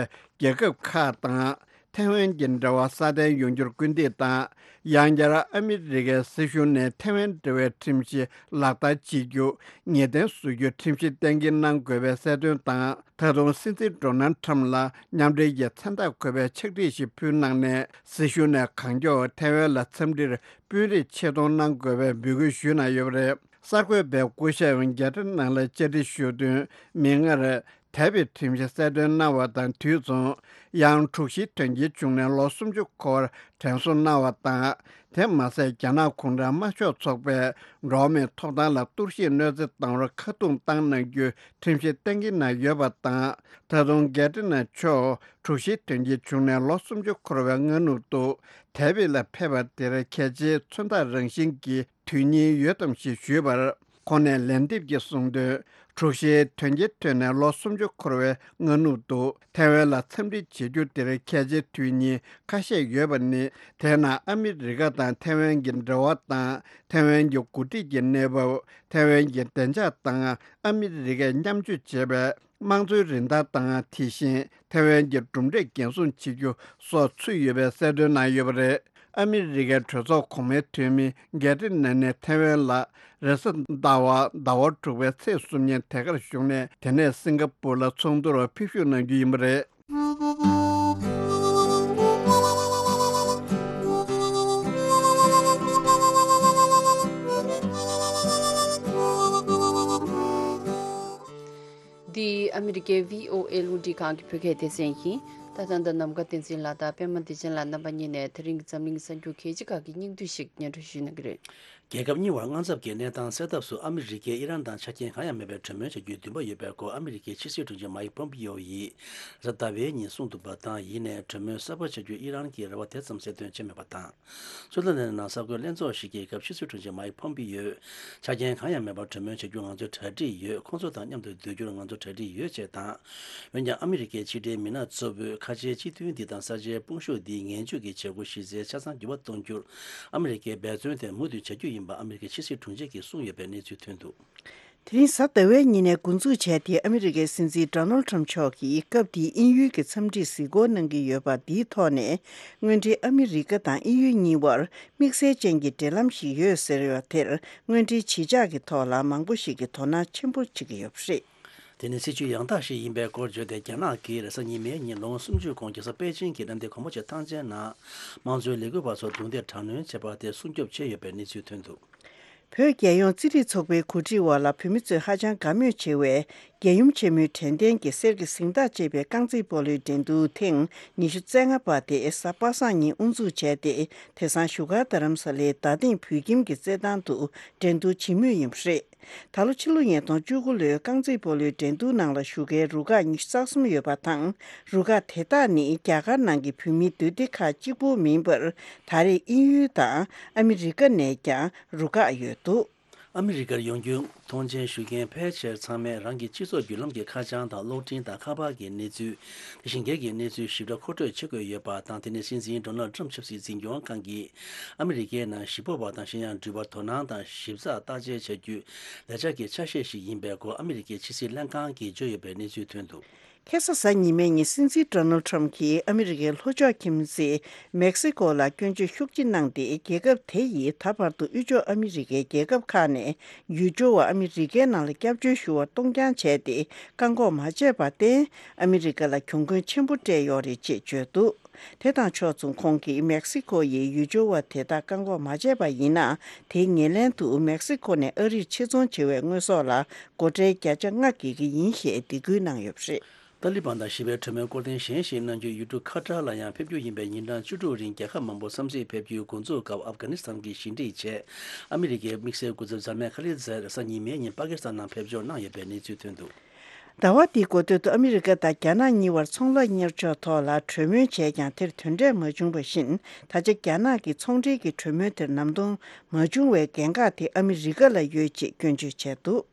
པའི་རྒྱལ་ཁབ་ཁག་དང་། ཐའེ་ཝན་གྱི་འབྲེལ་བ་སྲ་བརྟན་ཡོང་རྒྱུར་སྐུལ་འདེད་དང་། ཡང་བསྐྱར་ཨ་མི་རི་ཀའི་སྲིད་གཞུང་ནས་ཐའེ་ཝན་འབྲེལ་བའི་ཁྲིམས་གཞི་ལག་བསྟར་བྱེད་རྒྱུ་ངེས་གཏན་བཟོ་རྒྱུའི་ཁྲིམས་གཞི་གཏན་འཁེལ་གནང་དགོས་པའི་གསལ་སྟོན་དང་། ད་དུང་སྲིད་འཛིན་ཌོ་ནལ་ཁྲམ་ལ་མཉམ་འབྲེལ་གྱི་མཚན་རྟགས་འཁོད་པའི་ཕྱག་བྲིས་ཤིག་ཕུལ་གནང་ནས། སྲིད་གཞུང་ནས་གང་མགྱོགས་ཐའེ་ཝན་ལ་འཚམས་འདྲིར་དཔོན་རིགས་ཆེད་གཏོང་གནང་དགོས་པའི་འབོད་སྐུལ་ཞུས་གནང་ཡོད་པ་རེད། གསར་འགོད་པས་སྐུ་ཞབས་གེ་ཏི་ནན་ལ་བཅར་འདྲི་ཞུ་དོན། མིག་སྔར་དེ་བས་ཁྲིམས་གཞི་གསལ་སྟོན་གནང་བ་དང་དུས་མཚུངས། ཡང་དྲུག་བཞིའི་དོན་རྐྱེན་བྱུང་ནས་ལོ་སུམ་ཅུ་འཁོར་བར་དྲན་གསོ་གནང་བ་དང་། དེ་མ་ཟད། རྒྱ་ནག་གུང་ཁྲན་དམར་ཤོག་ཚོགས་པས་འགྲོ་བ་མིའི་ཐོབ་ཐང་ལ་གཏོར་བཤིག་གནོད་འཚེ་བཏང་བར་ཁ་རྡུང་བཏང་གནང་རྒྱུའི་ཁྲིམས་གཞི་གཏན་འཁེལ་གནང་ཡོད་པ་དང་། ད་དུང་གེ་ཏི་ནན་མཆོག་དྲུག་བཞིའི་དོན་རྐྱེན་བྱུང་ནས་ལོ་སུམ་ཅུ་འཁོར་བའི་སྔ་ནུབ་ཏུ། དེ་བས་ལ་ཕེབས་པ་དེར་གལ་ཆེའི་མཚོན་རྟགས་རང་བཞིན་གྱི་དུས་ཡུན་ཡོད་དམ་ཞེས་ཞུས་པར། ཁོང་ནས་ལན་འདེབས་ཀྱིས་གསུངས་དོན། དྲུག་བཞིའི་དོན་རྐྱེན་ཐོན་ནས་ལོ་སུམ་ཅུ་འཁོར་བའི་སྔ་ནུབ་ཏུ། ཐའེ་ཝན་ལ་འཚམས་འདྲི་བྱེད་རྒྱུ་དེར་གལ་ཆེའི་དུས་ཡུན་ཁ་ཤས་ཡོད་པ་ནི། དེའི་ནང་ཨ་མི་རི་ཀ་དང་ཐའེ་ཝན་གྱི་འབྲེལ་བ་དང་། ཐའེ་ཝན་གྱི་འགོ་ཁྲིད་ཀྱི་གནས་བབ། ཐའེ་ཝན་གྱི་བདེ་འཇགས་དང་ཨ་མི་རི་ཀས་མཉམ་སྤྱོད་བྱས་པའི་དམངས་གཙོའི་རིན་ཐང་དང་། དེ་བཞིན་ཐའེ་ཝན་གྱི་གྲུབ་འབྲས་འགན་སྲུང་བྱེད་རྒྱུ་སོགས་ཚུད་ཡོད་པའི་གསལ་སྟོན་གནང་ཡོད་པ་རེད། ཨ་མི་རི་ཀའི་གྲོས་ཚོགས་གོང་མའི་འཐུས་མི་གེ་ཏི་ནན་ནས་ཐའེ་ཝན་ལ་རེས་གཟའ་ཟླ་བ་ཟླ་བ་དྲུག་པའི་ཚེས་གསུམ་ཉིན་དེ་གར་བཞུགས་ནས། དེ་ནས་སིང་ག་པུར་ལ་ཚོགས་འདུར་ཕེབས་ཞུགས་གནང་རྒྱུ་ཡིན་པ་རེད། འདི་ཨ་མི་རི་ཀའི་བྷི་ཨོ་ཨེ་རླུང་འཕྲིན་ཁང་གི་བོད་སྐད་སྡེ་ཚན་ཡིན། ད་ཐེངས་ད་ནམ་མཁའ་བསྟན་འཛིན་ལགས་དང་པད་མ་བདེ་ཆེན་ལགས་རྣམ་པ་གཉིས་ནས་དེ་རིང་གི་འཛམ་གླིང་གསར་འགྱུར་གལ་ཆེ་ཁག་གི་སྙིང་བསྡུས་ཤིག་སྙན་སྒྲོན་ཞུ་གནང་གི་རེད། རྒྱལ་ཁབ་གཉིས་བར་དངངས་འཚབ་ཀྱི་གནས་སྟངས་སེལ་ཐབས་སུ་ཨ་མི་རི་ཀས་ཨི་རན་དང་ཆ་རྐྱེན་གང་ཡང་མེད་པའི་གྲོས་མོལ་བྱ་རྒྱུའི་འདུན་པ་ཡོད་པའི་སྐོར་ཨ་མི་རི་ཀའི་ཕྱི་སྲིད་དྲུང་ཆེ་མཱིག་པོམ་པིའོ་ཡིས་གཟའ་ཟླ་བའི་ཉིན་གསུངས་འདུག་པ་དང་། ཡིན་ནའི་གྲོས་མོལ་གསར་པ་བྱ་རྒྱུའི་ཨི་རན་གྱི་རེ་བ་དེ་ཙམ་གསལ་སྟོན་བྱས་མེད་པ་དང་། སུའུ་ཙེར་ལན་ནང་གསར་འགོད་ལྷན་ཚོགས་ཤིག་གི་སྐབས་ཕྱི་སྲིད་དྲུང་ཆེ་མཱིག་པོམ་པིའོས། ཆ་རྐྱེན་གང་ཡང་མེད་པར་གྲོས་མོལ་བྱ་རྒྱུར་ང་ཚོ་གྲ་སྒྲིག་ཡོད། ཁོང་ཚོ་དང་མཉམ་དུ་སྡོད་རྒྱུར་ང་ཚོ་གྲ་སྒྲིག་ཡོད་ཅེས་དང་། འོན་ཀྱང་ཨ་མི་རི་ཀའི་ཕྱི་འབྲེལ་མི་སྣ་གཙོ་བོས་ཁ་ཆེའི་སྤྱི་མཐུན་འདི་དང་ས་ཆའི་དཔུང་ཤུགས་འདིའི་ངན་ཇུས་ཀྱི་བྱེད་སྒོ་གཞི་རྩའི་ཆ་ཚང་འགྱུར་བ་གཏོང་རྒྱུར་ཨ་མི་རི་ཀས་འབད་བརྩོན་དེ་མུ་མཐུད་བྱ་རྒྱུ་ཡིན་པ་ཨ་མི་རི་ཀའི་ཕྱི་སྲིད་དྲུང་ཆེ་གིས་གསུངས་ཡོད་པའི་གནས་ཚུལ་ཐོན་འདུག་དེ་རིང་གཟའ་ཟླ་བའི་ཉིན་ནས་འགོ་འཛུགས་བྱས་ཏེ། ཨ་མི་རི་ཀའི་སྲིད་འཛིན་ཌོ་ནལ་ཁྲམ་མཆོག་གིས་སྐབས་འདིའི་དབྱིན་ཡུལ་གྱི་འཚམས་འདྲིར་གཟིགས་སྐོར་གནང་གི་ཡོད་པ་འདིའི་ཐོག་ནས། སྔོན་འགྲོའི་ཨ་མི་རི་ཀ་དང་དབྱིན་ཡུལ་གཉིས་བར་དམིགས་བསལ་ཅན་གྱི་འབྲེལ་ལམ་ཞིག་ཡོད་ཟེར་བ་དེར། སྔོན་འགྲོའི་གཞིས་ཆགས་ཀྱི་ཐོག་ལ་མང་པོ་ཞིག་གིས་དོ་སྣང་ཆེན་པོ་བྱེད་ཀྱི་ཡོད་པ་རེད། དེ་ནི་སྲིད་བྱུས་ཡང་དག་ཞིག་ཡིན་པའི་སྐོར་བརྗོད་དེ། རྒྱ་ནག་གིས་རེས་གཟའ་ཉི་མའི་ཉིན་ལོ་ངོ་སུམ་ཅུ་གོང་རྒྱལ་ས་པེ་ཅིང་གི་གནམ་བདེ་སྒོ་མོ་ཆེ་ཐང་ཆེན་ནང་། དམངས་གཙོའི་ལས་འགུལ་བ་ཚོར་རྡུང་རྡེག་དྲག་གནོན་བྱས་པ་དེ་སྲུང་སྐྱོབ་བྱས་ཡོད་པའི་གནས་ཚུལ་ཐོན་འདུག་བོད་རྒྱལ་ཡོངས་རྩེད་རིགས་ཚོགས་པའི་གོ་སྒྲིག་འོག་ལ། བོད་མི་ཚོས་ཧ་ཅང་དགའ་མོས་ཆེ་བའི་རྒྱལ་ཡུམ་ཆེན་མོའི་དྲན་རྟེན་གྱི་གསེར་གྱི་གཟེངས་རྟགས་ཅེས་པའི་རྐང་རྩེད་སྤོ་ལོའི་འགྲན་བསྡུར་ཐེངས་ཉི་ཤུ་རྩ་ལྔ་པ་དེ་གཟའ་པ་སངས་ཉིན་དབུ་འཛུགས་བྱས་ཏེ། དེང་སང་བཞུགས་སྒར་རྡ་རམ་ས་ལའི་རྡ་སྟེང་བོད་ཁྱིམ་གྱི་རྩེད་ཐང་དུ་འགྲན་བསྡུར་བྱེད་མུས་ཡིན་པ་རེད། ད་ལོ་ཕྱི་ལོ་ཉིས་སྟོང་བཅུ་དགུ་ལོའི་རྐང་རྩེད་སྤོ་ལོའི་འགྲན་བསྡུར་ནང་ལ་ཞུགས་མཁན་རུ་ཁག་ཉི་ཤུ་རྩ་གསུམ་ཡོད་པ་དང་། རུ་ཁག་དེ་དག་ནི་རྒྱ་གར་ནང་གི་བོད་མིའི་འདུས་སྡེ་ཁག་གཅིག་པུ་མིན་པར། ད་རེས་དབྱིན་ཡུལ་དང་ཨ་མི་རི་ཀ་ནས་ཀྱང་རུ་ཁག་ཡོད་འདུག་ཨ་མི་རི་ཀར་ཡོང་རྒྱུའི་ཐོངས་མཆན་ཞུ་མཁན་ཕལ་ཆེར་ཚང་མས་རང་གི་སྤྱི་ཚོགས་བརྒྱུད་ལམ་གྱི་ཁ་བྱང་དང་གློག་འཕྲིན་དང་ཁ་པར་གྱི་གནས་ཚུལ། དེ་བཞིན་སྒེར་གྱི་གནས་ཚུལ་ཞིབ་ཕྲ་མཁོ་སྤྲོད་བྱེད་དགོས་ཡོད་པ་དང་། དེ་ནི་སྲིད་འཛིན་ཌོ་ནལ་ཁྲམ་ཆབ་སྲིད་འཛིན་སྐྱོང་ཁང་གིས་ཨ་མི་རི་ཀའི་ནང་གཞིས་སྤོ་བ་དང་གཞན་ཡང་འགྲུལ་པར་དོ་སྣང་དང་ཞིབ་ཚགས་བརྟག་དཔྱད་བྱ་རྒྱུའི་ལས་འཆར་གྱི་ཆ་ཤས་ཤིག་ཡིན་པའི་སྐོར་ཨ་མི་རི་ཀའི་ཕྱི་སྲིད་ལྷན་ཁང་གིས་བརྗོད་ཡོད་པའི་གནས་ཚུལ་ཐོན་འདུག་ཁ་སང་གཟའ་ཉི་མའི་ཉིན་སྲིད་འཛིན་ཌོ་ནལ་ཁྲམ་གྱིས་ཨ་མི་རི་ཀའི་ལྷོ་ཕྱོགས་ཁྱིམ་མཚེས་མེག་སི་ཀོ་ལ་སྐྱོན་བརྗོད་ཤུགས་ཆེ་གནང་སྟེ། རྒྱལ་ཁབ་དེ་ཡིས་ད་བར་དུ་དབུས་ཕྱོགས་ཨ་མི་རི་ཀའི་རྒྱལ་ཁབ་ཁག་ནས་ཡུལ་སྐྱོར་བ་ཨ་མི་རི་ཀའི་ནང་ལ་སྐྱབས་བཅོལ་ཞུ་བར་གཏོང་རྐྱང་བྱས་ཏེ། བཀག་འགོག་མ་བྱས་པར་བརྟེན། ཨ་མི་རི་ཀ་ལ་གྱོང་གུན་ཆེན་པོ་སྤྲད་ཡོད་རེད་ཅེས་བརྗོད་འདུག་དེ་དང་ཕྱོགས་མཚུངས། ཁོང་གིས་མེག་སི་ཀོ་ཡིས་ཡུལ་སྐྱོར་བ་དེ་དག་བཀག་འགོག་མ་བྱས་པ་ཡིན་ན། དེའི་ཉེར་ལེན་དུ་མེག་སི་ཀོ་ནས་ཨ་རིར་ཕྱིར་ཚོང་བྱེད་པའི་དངོས་ཟོག་ལ་སྒོ་ཁྲལ་བརྒྱ་ཆ་ལྔ་འགེལ་གྱི་ཡིན་ཞེས་སྡིགས་སྐུལ་གནང་ཡོད་པ་རེད། ཏཱ་ལི་བན་དང་ཞི་བའི་གྲོས་མོལ་སྐོར་ཐེངས་གཞན་ཞིག་གནང་རྒྱུའི་ཡུལ་གྲུ་ཁ་ཏར་ལ་ཡང་ཕེབས་རྒྱུ་ཡིན་པའི་ཉིན་གྲངས་བཅུ་དྲུག་རིང་རྒྱལ་ཁབ་མང་པོ་བསམ་གཟས་ཕེབས་རྒྱུའི་འགོ་འཛུགས་སྐབས་ཨབ་གྷ་ནི་སི་ཐན་གྱི་ཞི་འགྲིག་ཆེད་ཨ་མི་རི་ཀའི་དམིགས་བསལ་སྐུ་ཚབ་འཛམ་མེ་ཁ་ལིད་ཛར་སང་ཉིན་མའི་ཉིན་པ་ཀི་སི་ཐན་ནང་ཕེབས་འབྱོར་གནང་ཡོད་པའི་གནས་ཚུལ་ཐོན་འདུག། ཟླ་བ་འདིའི་འགོ་སྟོད་དུ་ཨ་མི་རི་ཀ་དང་རྒྱ་ནག་གཉིས་བར་ཚོང་ལཱ་གཉེར་ཕྱོགས་ཐོག་ལ་གྲོས་མོལ་བྱས་ཀྱང་དེར་དོན་འབྲས་མ་བྱུང་བ་བཞིན། ད་ཆ་རྒྱ་ནག་གིས་ཚོང་འབྲེལ་གྱི་གྲོས་མོལ་དེར་ནམ་གཏོང་མ་བྱུང་བའི་འགན་ཁག་དེ་ཨ་མི་རི་ཀ་ལ་ཡོད་ཅེས་སྐྱོན་བརྗོད་བྱས་འདུག།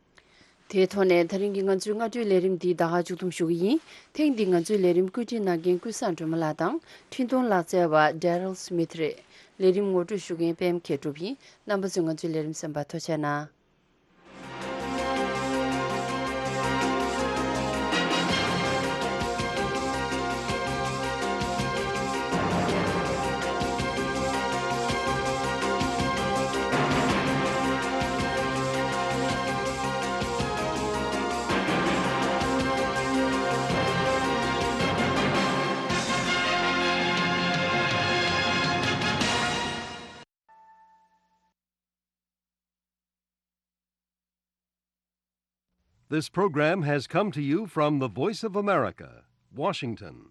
དེའི་ཐོག་ནས་ད་རིང་གི་ང་ཚོའི་སྔ་དྲོའི་ལས་རིམ་འདི་ད་ག་མཇུག་བསྡོམས་ཞུ་གི་ཡིན། ཐེངས་འདིའི་ང་ཚོའི་ལས་རིམ་བཀོད་སྒྲིག་གནང་མཁན་ཀུན་བཟང་སྒྲོལ་མ་ལགས་དང་འཕྲིན་གཏོང་ལག་རྩལ་བ་Daryl Smith་རེད། ལས་རིམ་ངོ་སྤྲོད་ཞུ་མཁན་པད་མ་མཁས་གྲུབ་ཡིན། རྣམ་པ་ཚོས་ང་ཚོའི་ལས་རིམ་གསན་པར་ཐུགས་རྗེ་གནང་། This program has come to you from the Voice of America, Washington.